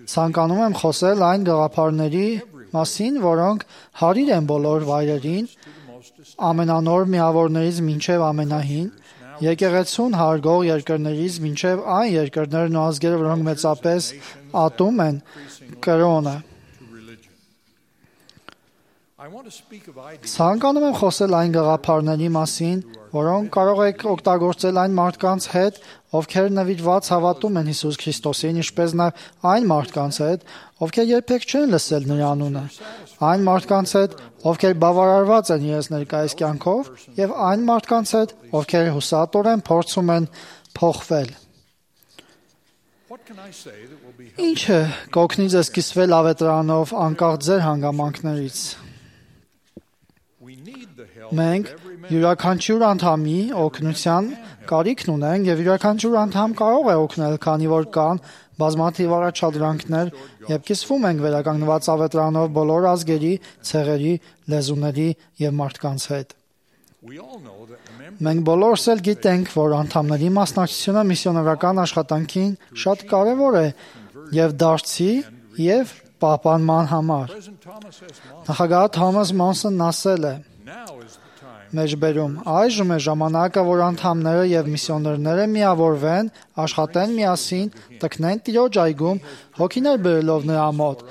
ցանկանում եմ խոսել այն գաղափարների մասին, որոնք հարիր են բոլոր վայրերին, ամենանոր միավորներից մինչև ամենահին, եկեղեցուն հարգող երկրներից մինչև այն երկրներն ու ազգերը, որոնք մեծապես ատում են կրոնը։ Ցանկանում եմ խոսել այն գաղափարների մասին, որոնք կարող եք օգտագործել այն մարդկանց հետ, ովքեր նվիրված հավատում են Հիսուս Քրիստոսին, ինչպես նաև այն մարդկանց հետ, ովքեր երբեք չեն լսել նրա անունը, այն մարդկանց հետ, ովքեր բավարարված են իրենց ներկայիս կյանքով, եւ այն մարդկանց հետ, ովքեր հուսատորեն փորձում են փոխվել։ Ինչը կօգնի ձեզ կիսվել ավետարանով անկախ ձեր հանգամանքներից։ Մենք յուրաքանչյուր անդամի օգնության կարիքն ունենք եւ յուրաքանչյուր անդամ կարող է օգնել, քանի որ կան բազմաթիվ առաջադրանքներ եւ կիսվում ենք վերականգնված ավետարանով բոլոր ազգերի, ցեղերի, լեզուների եւ մարդկանց հետ։ Մենք բոլորս էլ գիտենք, որ անդամների մասնակցությունը միսիոներական աշխատանքին շատ կարևոր է եւ դարձի եւ պահպանման համար։ Նախագահ Թոմաս Մոնսոնն ասել է. Մեջբերում այժմ է ժամանակը, որ անդամները եւ միսիոներները միավորվեն, աշխատեն միասին, տքնեն Տիրոջ այգում, հոգիներ բերելով նրա մոտ։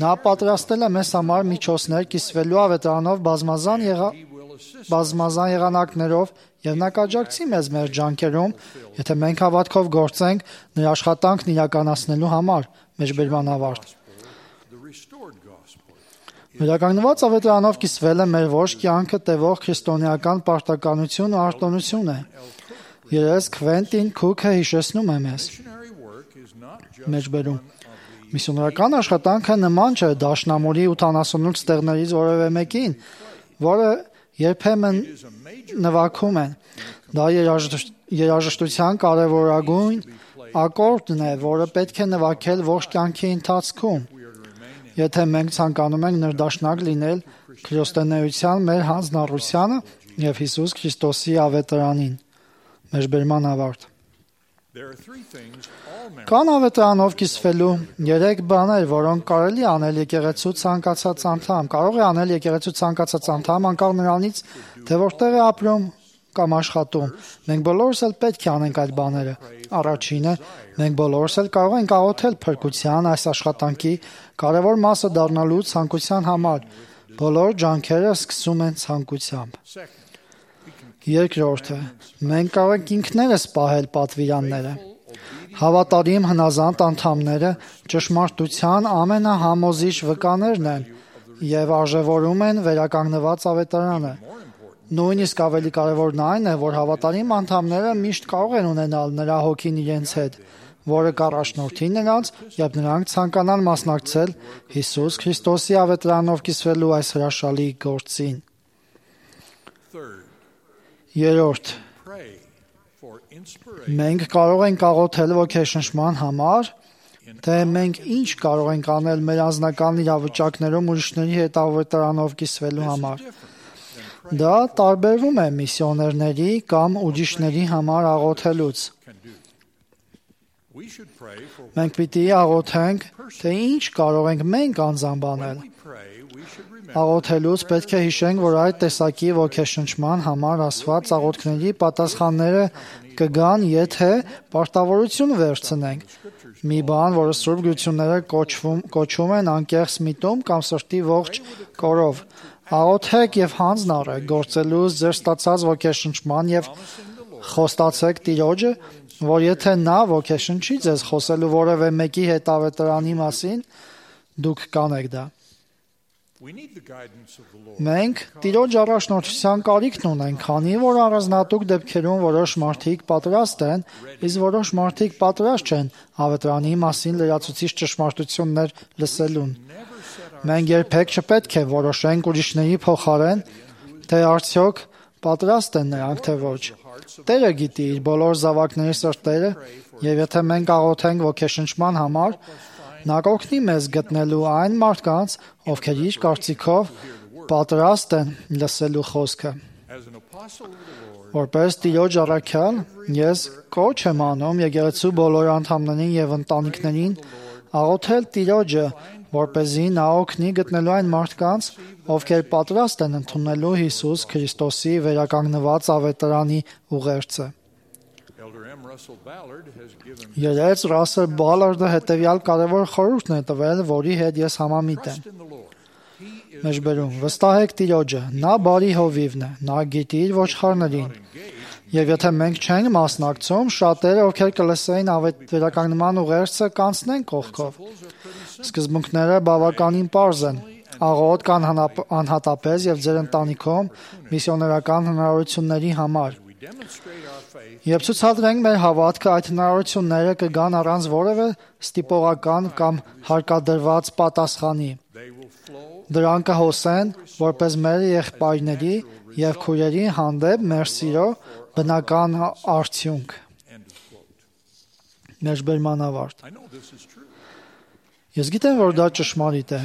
Նա պատրաստել է մեզ համար միջոցներ կիսվելու ավետարանով բազմազան եղանակներով եւ նա կաջակցի մեզ մեր ջանքերում, եթե մենք հավատքով գործենք նրա աշխատանքն իրականացնելու համար։ Մեջբերման ավարտ։ Վերականգնված ավետարանով կիսվելը մեր ոչ կյանքը տևող քրիստոնեական պարտականություն ու արտոնություն է։ Երես Քվենտին Քուքը հիշեցնում է մեզ։ Մեջբերում միսիոներական աշխատանքը նման չէ դաշնամուրի 88 տեղներից որևէ մեկին, որը երբեմն նվագում են։ Դա երաժշտության կարևորագույն ակորդն է, որը պետք է նվագել ողջ կյանքի ընթացքում։ Եթե մենք ցանկանում ենք ներդաշնակ լինել քրիստոնեության մեր հանձնառությանը եւ Հիսուս Քրիստոսի ավետարանին։ Մեջբերման ավարտ։ Կան ավետարանով կիսվելու 3 բաներ, որոնք կարելի անել եկեղեցու ցանկացած անդամ։ Կարող է անել եկեղեցու ցանկացած անդամ անկախ նրանից, թե որտեղ է ապրում կամ աշխատում։ Մենք բոլորս էլ պետք է անենք այդ բաները։ Առաջինը, մենք բոլորս էլ կարող ենք աղոթել փրկության այս աշխատանքի կարևոր մասը դառնալու ցանկության համար։ Բոլոր ջանքերը սկսում են ցանկությամբ։ Երկրորդը, մենք կարող ենք ինքներս պահել պատվիրանները։ Հավատարիմ հնազանդ անդամները ճշմարտության ամենահամոզիչ վկաներն են եւ արժևորում են վերականգնված ավետարանը։ Նույնիսկ ավելի կարևորն այն է, որ հավատարիմ անդամները միշտ կարող են ունենալ նրա հոգին իրենց հետ, որը կառաջնորդի նրանց, երբ նրանք ցանկանան մասնակցել Հիսուս Քրիստոսի ավետարանով կիսվելու այս հրաշալի գործին։ Երրորդ, մենք կարող ենք աղոթել ոգեշնչման համար, թե մենք ինչ կարող ենք անել մեր անձնական իրավիճակներում ուրիշների հետ ավետարանով կիսվելու համար։ Դա տարբերվում է միսիոներների կամ ուրիշների համար աղոթելուց։ Մենք պիտի աղոթենք, թե ինչ կարող ենք մենք անձամբ անել։ Աղոթելուց պետք է հիշենք, որ այդ տեսակի ոգեշնչման համար ասված աղոթքների պատասխանները կգան, եթե պարտավորություն վերցնենք։ Մի բան, որը Սուրբ Գրությունները կոչվում են անկեղծ միտում կամ սրտի ողջ կորով։ Աղոթեք եւ հանձն առեք գործելուց ձեր ստացած ոգեշնչման եւ խոստացեք Տիրոջը, որ եթե նա ոգեշնչի ձեզ խոսելու որևէ մեկի հետ ավետարանի մասին, դուք կանեք դա։ Մենք Տիրոջ առաջնորդության կարիքն ունենք, քանի որ առանձնատուկ դեպքերում որոշ մարդիկ պատրաստ են, իսկ որոշ մարդիկ պատրաստ չեն ավետարանի մասին լրացուցիչ ճշմարտություններ լսելուն։ Մենք երբեք չպետք է որոշենք ուրիշների փոխարեն, թե արդյոք պատրաստ են նրանք թե ոչ։ Տերը գիտի իր բոլոր զավակների սրտերը, եւ եթե մենք աղոթենք ոգեշնչման համար, նա կօգնի մեզ գտնելու այն մարդկանց, ովքեր իր կարծիքով պատրաստ են լսելու խոսքը։ Որպես Տիրոջ առաքյալ, ես կոչ եմ անում եկեղեցու բոլոր անդամներին եւ ընտանիքներին աղոթել Տիրոջը, որպեսզի նա օգնի գտնելու այն մարդկանց, ովքեր պատրաստ են ընդունելու Հիսուս Քրիստոսի վերականգնված ավետարանի ուղերձը։ Երեց Ռասել Բալարդը հետևյալ կարևոր խորհուրդն է տվել, որի հետ ես համամիտ եմ։ Մեջբերում վստահեք Տիրոջը, նա բարի հովիվն է, նա գիտի իր ոչխարներին։ Եվ եթե մենք չենք մասնակցում, շատերը, ովքեր կլսեին վերականգնման ուղերձը, կանցնեն կողքով։ Սկզբունքները բավականին պարզ են։ Աղոթ կան անհատապես եւ ձեր ընտանիքում միսիոներական հնարավորությունների համար։ Երբ ցուցադրենք մեր հավատքը, այդ հնարավորությունները կգան առանց որևէ ստիպողական կամ հարկադրված պատասխանի։ Դրանք կհոսեն որպես մեր եղբայրների եւ քույրերի հանդեպ մեր սիրո բնական արդյունք։ Մեջբերման ավարտ։ Ես գիտեմ, որ դա ճշմարիտ է։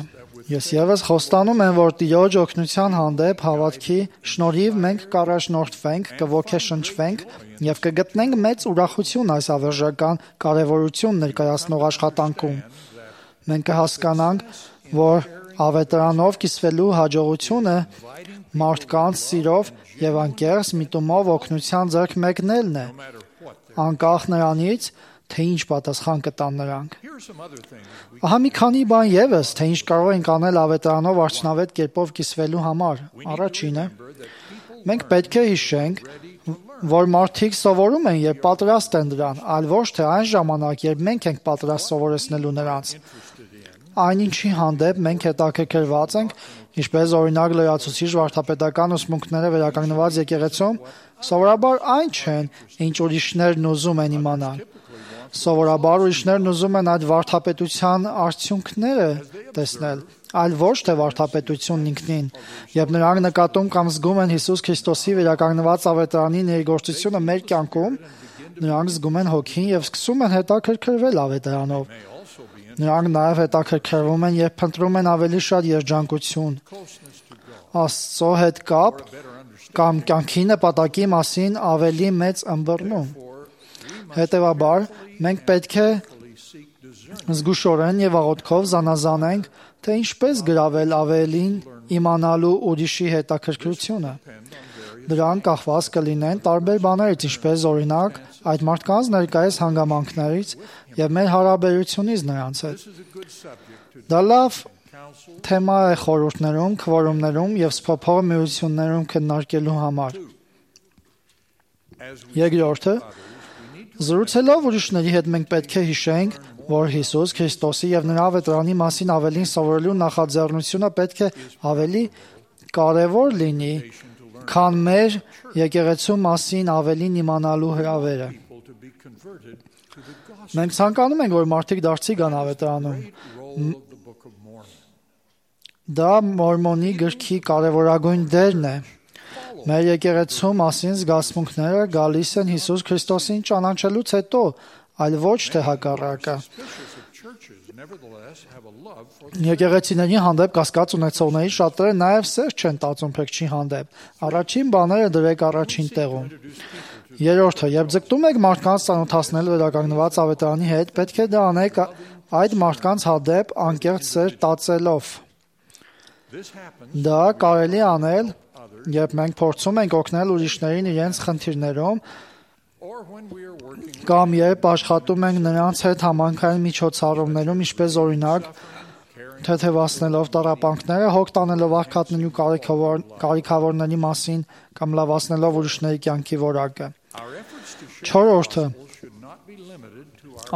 Ես եւս խոստանում եմ, որ Տիրոջ օգնության հանդեպ հավատքի շնորհիվ մենք կառաջնորդվենք, կոգեշնչվենք եւ կգտնենք մեծ ուրախություն այս ավերժական կարեւորություն ներկայացնող աշխատանքում։ Մենք կհասկանանք, որ ավետարանով կիսվելու հաջողությունը մարդկանց սիրով եւ անկեղծ միտումով օգնության ձեռք մեկնելն է, անկախ նրանից, թե ինչ պատասխան կտան նրանք։ Ահա մի քանի բան եւս, թե ինչ կարող ենք անել ավետարանով արդյունավետ կերպով կիսվելու համար։ Առաջինը, մենք պետք է հիշենք, որ մարդիկ սովորում են եւ պատրաստ են դրան, այլ ոչ թե այն ժամանակ, երբ մենք ենք պատրաստ սովորեցնելու նրանց։ Այնինչի հանդեպ մենք հետաքրքրված ենք, ինչպես օրինակ լրացուցիչ վարդապետական ուսմունքները վերականգնված եկեղեցում, սովորաբար այն չեն, ինչ ուրիշներն ուզում են իմանալ։ Սովորաբար ուրիշներն ուզում են այդ վարդապետության արդյունքները տեսնել, այլ ոչ թե վարդապետությունն ինքնին, եւ նրանք նկատում կամ զգում են Հիսուս Քրիստոսի վերականգնված ավետարանի ներգործությունը մեր կյանքում, նրանք զգում են հոգին եւ սկսում են հետաքրքրվել ավետարանով։ Նրանք նաև հետաքրքրվում են եւ փնտրում են ավելի շատ երջանկություն, Աստծո հետ կապ կամ կյանքի նպատակի մասին ավելի մեծ ըմբռնում։ Հետևաբար, մենք պետք է զգուշորեն եւ աղոթքով զանազանենք, թե ինչպես գրավել ավելին իմանալու ուրիշի հետաքրքրությունը։ Դրանք կախված կլինեն տարբեր բաներից, ինչպես օրինակ այդ մարդկանց ներկայիս հանգամանքներից եւ մեր հարաբերությունից նրանց հետ։ Դա լավ թեմա է խորհուրդներում, քվորումներում եւ սփոփող միություններում քննարկելու համար։ Երկրորդը, զրուցելով ուրիշների հետ մենք պետք է հիշենք, որ Հիսուս Քրիստոսի եւ նրա ավետարանի մասին ավելին սովորելու նախաձեռնությունը պետք է ավելի կարեւոր լինի, քան մեր եկեղեցու մասին ավելին իմանալու հրավերը։ Մենք ցանկանում ենք, որ մարդիկ դարձի գան ավետարանում։ Դա Մորմոնի գրքի կարևորագույն դերն է։ Մեր եկեղեցու մասին զգացմունքները գալիս են Հիսուս Քրիստոսին ճանաչելուց հետո, այլ ոչ թե հակառակը։ Եկեղեցիների հանդեպ կասկած ունեցողների շատերը նաև սեր չեն տածում փրկչի հանդեպ։ Առաջին բաները դրեք առաջին տեղում։ Երրորդը, երբ ձգտում եք մարդկանց ծանոթացնել վերականգնված ավետարանի հետ, պետք է դա անեք այդ մարդկանց հանդեպ անկեղծ սեր տածելով։ Դա կարելի անել, երբ մենք փորձում ենք օգնել ուրիշներին իրենց խնդիրներում, կամ երբ աշխատում ենք նրանց հետ համանքային միջոցառումներում, ինչպես օրինակ թեթևացնելով տառապանքները, հոգ տանելով աղքատների կարիքավորների մասին կամ լավացնելով ուրիշների կյանքի որակը։ Չորրորդը,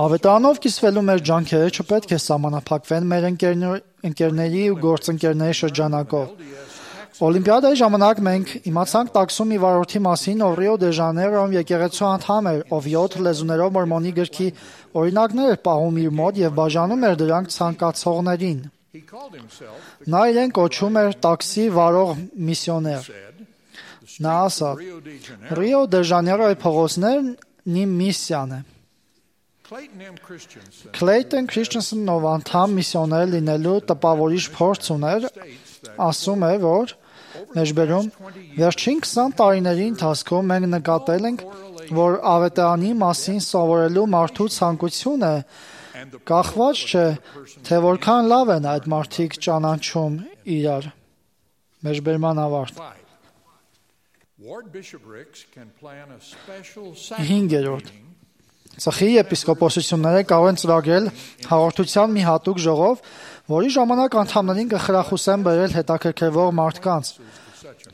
ավետարանով կիսվելու մեր ջանքերը չպետք է սահմանափակվեն մեր ընկերների ու գործընկերների շրջանակով։ Օլիմպիադայի ժամանակ մենք իմացանք տաքսում մի վարորդի մասին, ով Ռիո դե Ժանեյրոյում եկեղեցու անդամ էր, ով 7 լեզուներով Մորմոնի գրքի օրինակներ էր պահում իր մոտ եւ բաժանում էր դրանք ցանկացողներին։ Նա իրեն կոչում էր տաքսի վարող միսիոներ։ Նա ասաց. Ռիո դե Ժանեյրոյի փողոցներն իմ միսիան է։ Քլեյտոն Քրիստենսենն, ով անդամ միսիոներ լինելու տպավորիչ փորձ ուներ, ասում է, որ մեջբերում վերջին 20 տարիների ընթացքում մենք նկատել ենք, որ ավետարանի մասին սովորելու մարդու ցանկությունը կախված չէ, թե որքան լավ են այդ մարդիկ ճանաչում իրար։ Մեջբերման ավարտ։ 5. Ծխի եպիսկոպոսությունները կարող են ծրագրել հաղորդության մի հատուկ ժողով, որի ժամանակ անդամներին կխրախուսեն բերել հետաքրքրվող մարդկանց։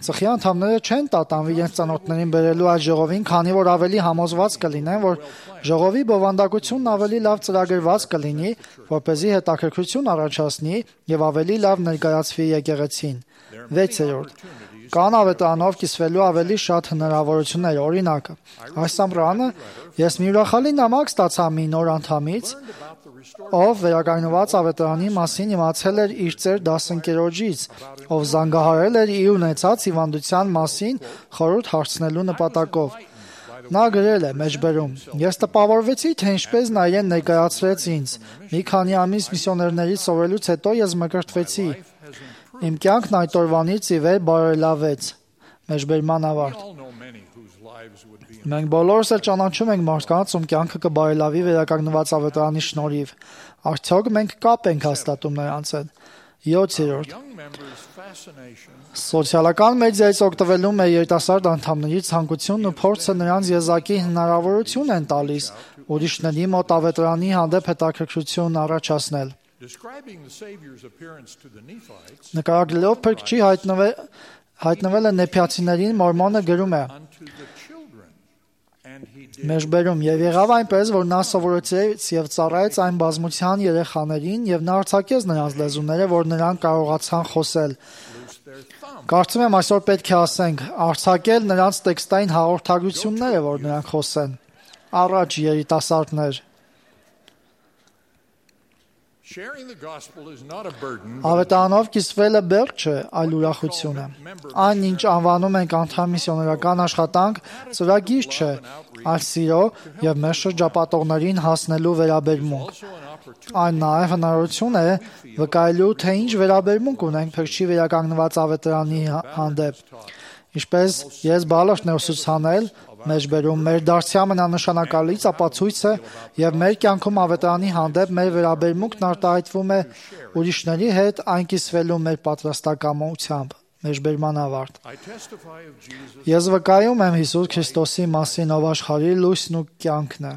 Ծխի անդամները չեն տատանվի իրենց ծանոթներին բերելու այդ ժողովին, քանի որ ավելի համոզված կլինեն, որ ժողովի բովանդակությունն ավելի լավ ծրագրված կլինի, որպեսզի հետաքրքրություն առաջացնի եւ ավելի լավ ներկայացվի եկեղեցին։ 6. Կան ավետարանով կիսվելու ավելի շատ հնարավորություններ, օրինակ, այս ամռանը ես մի ուրախալի նամակ ստացա մի նոր անդամից, ով վերականգնված ավետարանի մասին իմացել էր իր ծեր դասընկերոջից, ով զանգահարել էր իր ունեցած հիվանդության մասին խորհուրդ հարցնելու նպատակով։ Նա գրել է մեջբերում. «Ես տպավորվեցի, թե ինչպես նա իրեն ներկայացրեց ինձ։ Մի քանի ամիս միսիոներներից սովորելուց հետո ես մկրտվեցի։ Իմ կյանքն այդ օրվանից ի վեր բարելավեց»։ Մեջբերման ավարտ։ Մենք բոլորս էլ ճանաչում ենք մարդկանց, ում կյանքը կբարելավի վերականգնված ավետարանի շնորհիվ։ Արդյոք մենք կապ ենք հաստատում նրանց հետ։ 7. Սոցիալական մեդիայից օգտվելու մեր երիտասարդ անդամների ցանկությունն ու փորձը նրանց եզակի հնարավորություն են տալիս ուրիշների մոտ ավետարանի հանդեպ հետաքրքրություն առաջացնել։ Նկարագրելով փրկչի հայտնվելը նեփիացիներին Մորմոնը գրում է. Մեջբերում եւ եղավ այնպես, որ նա սովորեցրեց եւ ծառայեց այն բազմության երեխաներին եւ նա արձակեց նրանց լեզուները, որ նրանք կարողացան խոսել։ Կարծում եմ այսօր պետք է ասենք, արձակել նրանց տեքստային հաղորդագրությունները, որ նրանք խոսեն։ Առաջ երիտասարդներ։ Ավետարանով կիսվելը բերք չէ, այլ ուրախություն է։ Այն, ինչ անվանում ենք անդամ միսիոներական աշխատանք, ծրագիր չէ, այլ սիրո եւ մեր շրջապատողներին հասնելու վերաբերմունք։ Այն նաեւ հնարավորություն է վկայելու, թե ինչ վերաբերմունք ունենք փրկչի վերականգնված ավետարանի հանդեպ։ Ինչպես ես բալաշն եմ ուսուցանել, մեջբերում մեր դարձի ամենանշանակալից ապացույցը եւ մեր կյանքում ավետարանի հանդեպ մեր վերաբերմունքն արտահայտվում է ուրիշների հետ այն կիսվելու մեր պատրաստակամությամբ։ Մեջբերման ավարտ։ Ես վկայում եմ Հիսուս Քրիստոսի մասին, ով աշխարհի լույսն ու կյանքն է։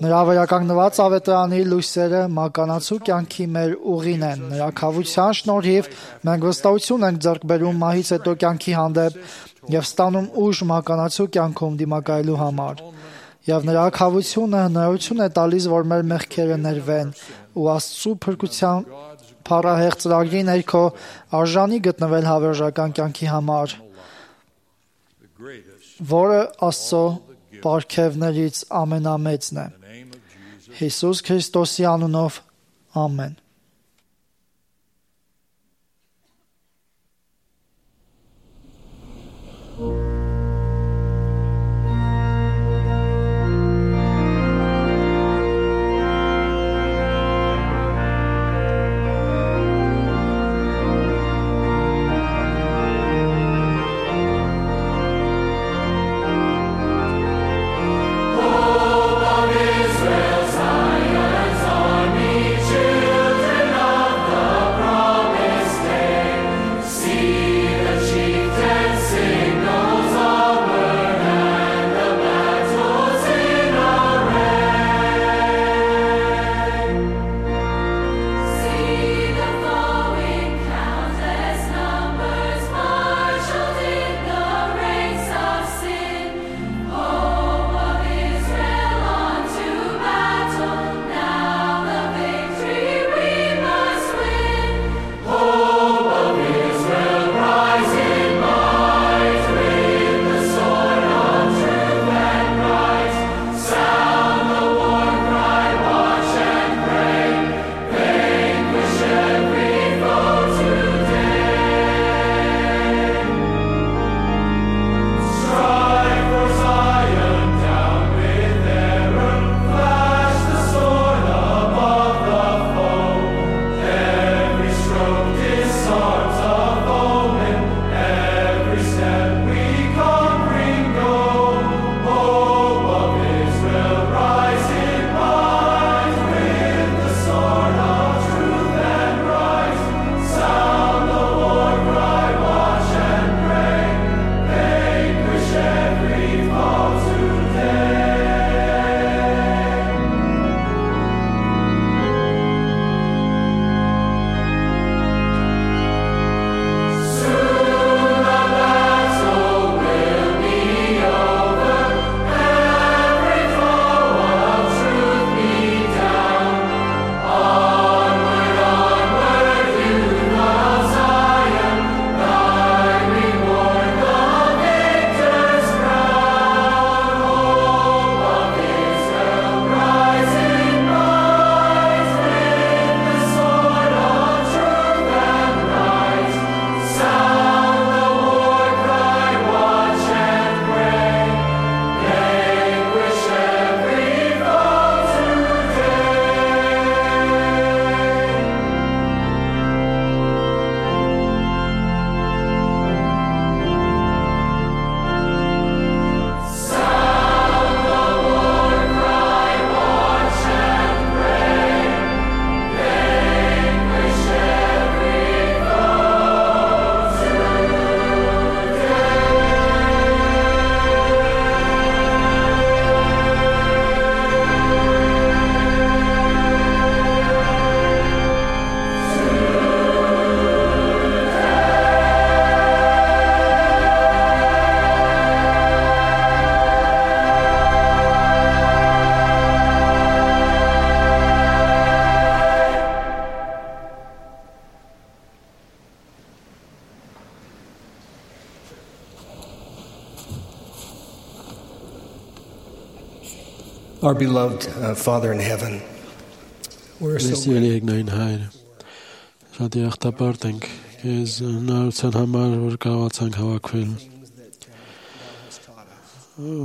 Նրա վերականգնված ավետարանի լույսերը մականացու կյանքի մեր ուղին են։ Նրա քավության շնորհիվ մենք վստահություն ենք ձեռք բերում մահից հետո կյանքի հանդեպ եւ ստանում ուժ մականացու կյանքում դիմակայելու համար։ Եվ նրա քավությունը հնարավորություն է տալիս, որ մեր մեղքերը ներվեն ու Աստծո փրկության փառահեղ ծրագրի ներքո արժանի գտնվել հավերժական կյանքի համար, որը Աստծո պարգևներից ամենամեծն է։ Հիսուս Քրիստոսի անունով ամեն։ Israel, Zion's army, children. Our beloved Father in heaven, we're so Սիրելիգնային հայր, շատ երախտապարտ ենք քեզ նարության համար, որ կարողացանք հավաքվել,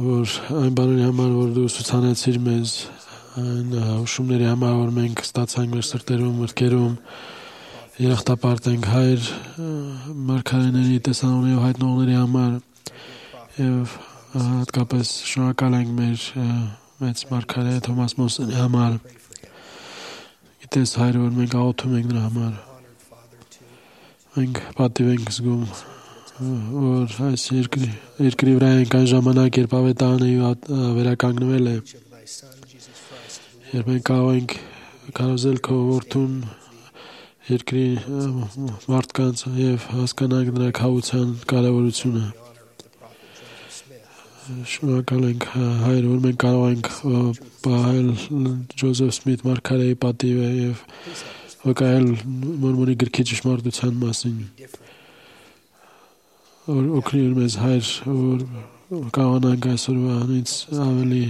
որ այն բաների համար, որ դու ուսուցանեցիր մեզ, այն հուշումների համար, որ մենք ստացանք մեր սրտերում, մտքերում, երախտապարտ ենք հայր մարգարեների, տեսանողների ու հայտնողների համար եւ հատկապես շնորհակալ ենք մեր մեծ մարգարե Թոմաս Մոսենի համար։ Գիտես հայր, որ մենք աղոթում ենք նրա համար։ Մենք պատիվ ենք զգում, որ այս երկրի վրա ենք այն ժամանակ, երբ ավետարանը վերականգնվել է, երբ մենք կարող ենք կարոզել քո որդուն երկրի մարդկանց եւ հասկանանք նրա քավության կարեւորությունը։ Շնորհակալ ենք հայր, որ մենք կարող ենք պահել Ջոզեֆ Սմիթ մարգարեի պատիվը եւ վկայել Մորմոնի գրքի ճշմարտության մասին։ Օգնիր մեզ հայր, որ կարողանանք այսօրվանից ավելի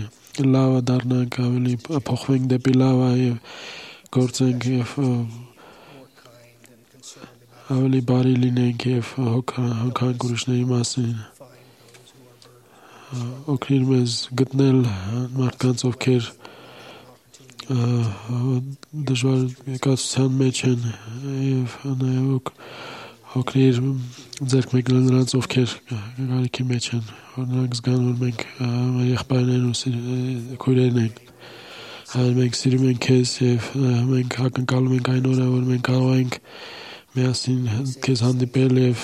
լավը դառնանք, ավելի փոխվենք դեպի լավը եւ գործենք եւ ավելի բարի լինենք եւ հոգանք ուրիշների մասին։ Օգնիր մեզ գտնել մարդկանց, ովքեր դժվար կացության մեջ են եւ նաեւ օգնիր ձեռք մեկնել նրանց, ովքեր գարիքի մեջ են, որ նրանք զգան, որ մենք մեր եղբայրներն ու քույրերն ենք։ Հայր, մենք սիրում ենք քեզ եւ մենք ակնկալում ենք այն օրը, որ մենք կարող ենք միասին քեզ հանդիպել եւ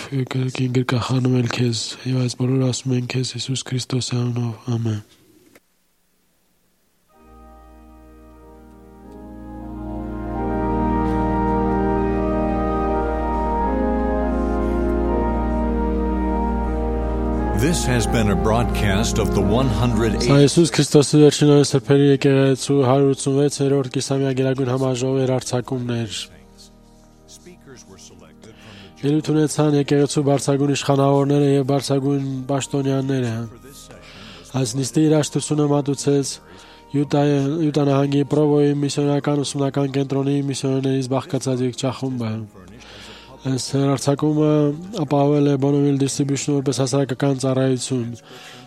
գրկախանվել քեզ եւ այս բոլորը ասում ենք քեզ Հիսուս Քրիստոսի անունով, ամեն։ This has been a broadcast of the 108th Հիսուս Քրիստոսի վերջին օրը սրբերի եկեղեցու 186-րդ կիսամյա գերագույն համաժողովի հեռարձակումներ։ Ելույթ ունեցան եկեղեցու բարձրագույն իշխանավորները եւ բարձրագույն պաշտոնյաները։ Այս նիստի երաժշտությունը մատուցեց Յուտա նահանգի Պրովոյի միսիոներական ուսումնական կենտրոնի միսիոներներից բաղկացած երգչախումբը։ Այս հեռարձակումը ապահովել է Bonneville Distribution որպես հասարակական ծառայություն։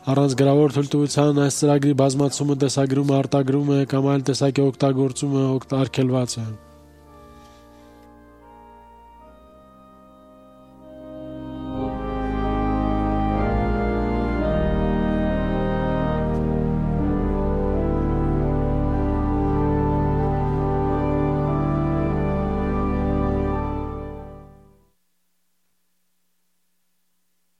Առանց գրավոր թույլտվության այս ծրագրի բազմացումը, տեսագրումը, արտագրումը կամ այլ տեսակի օգտագործումը արգելված է։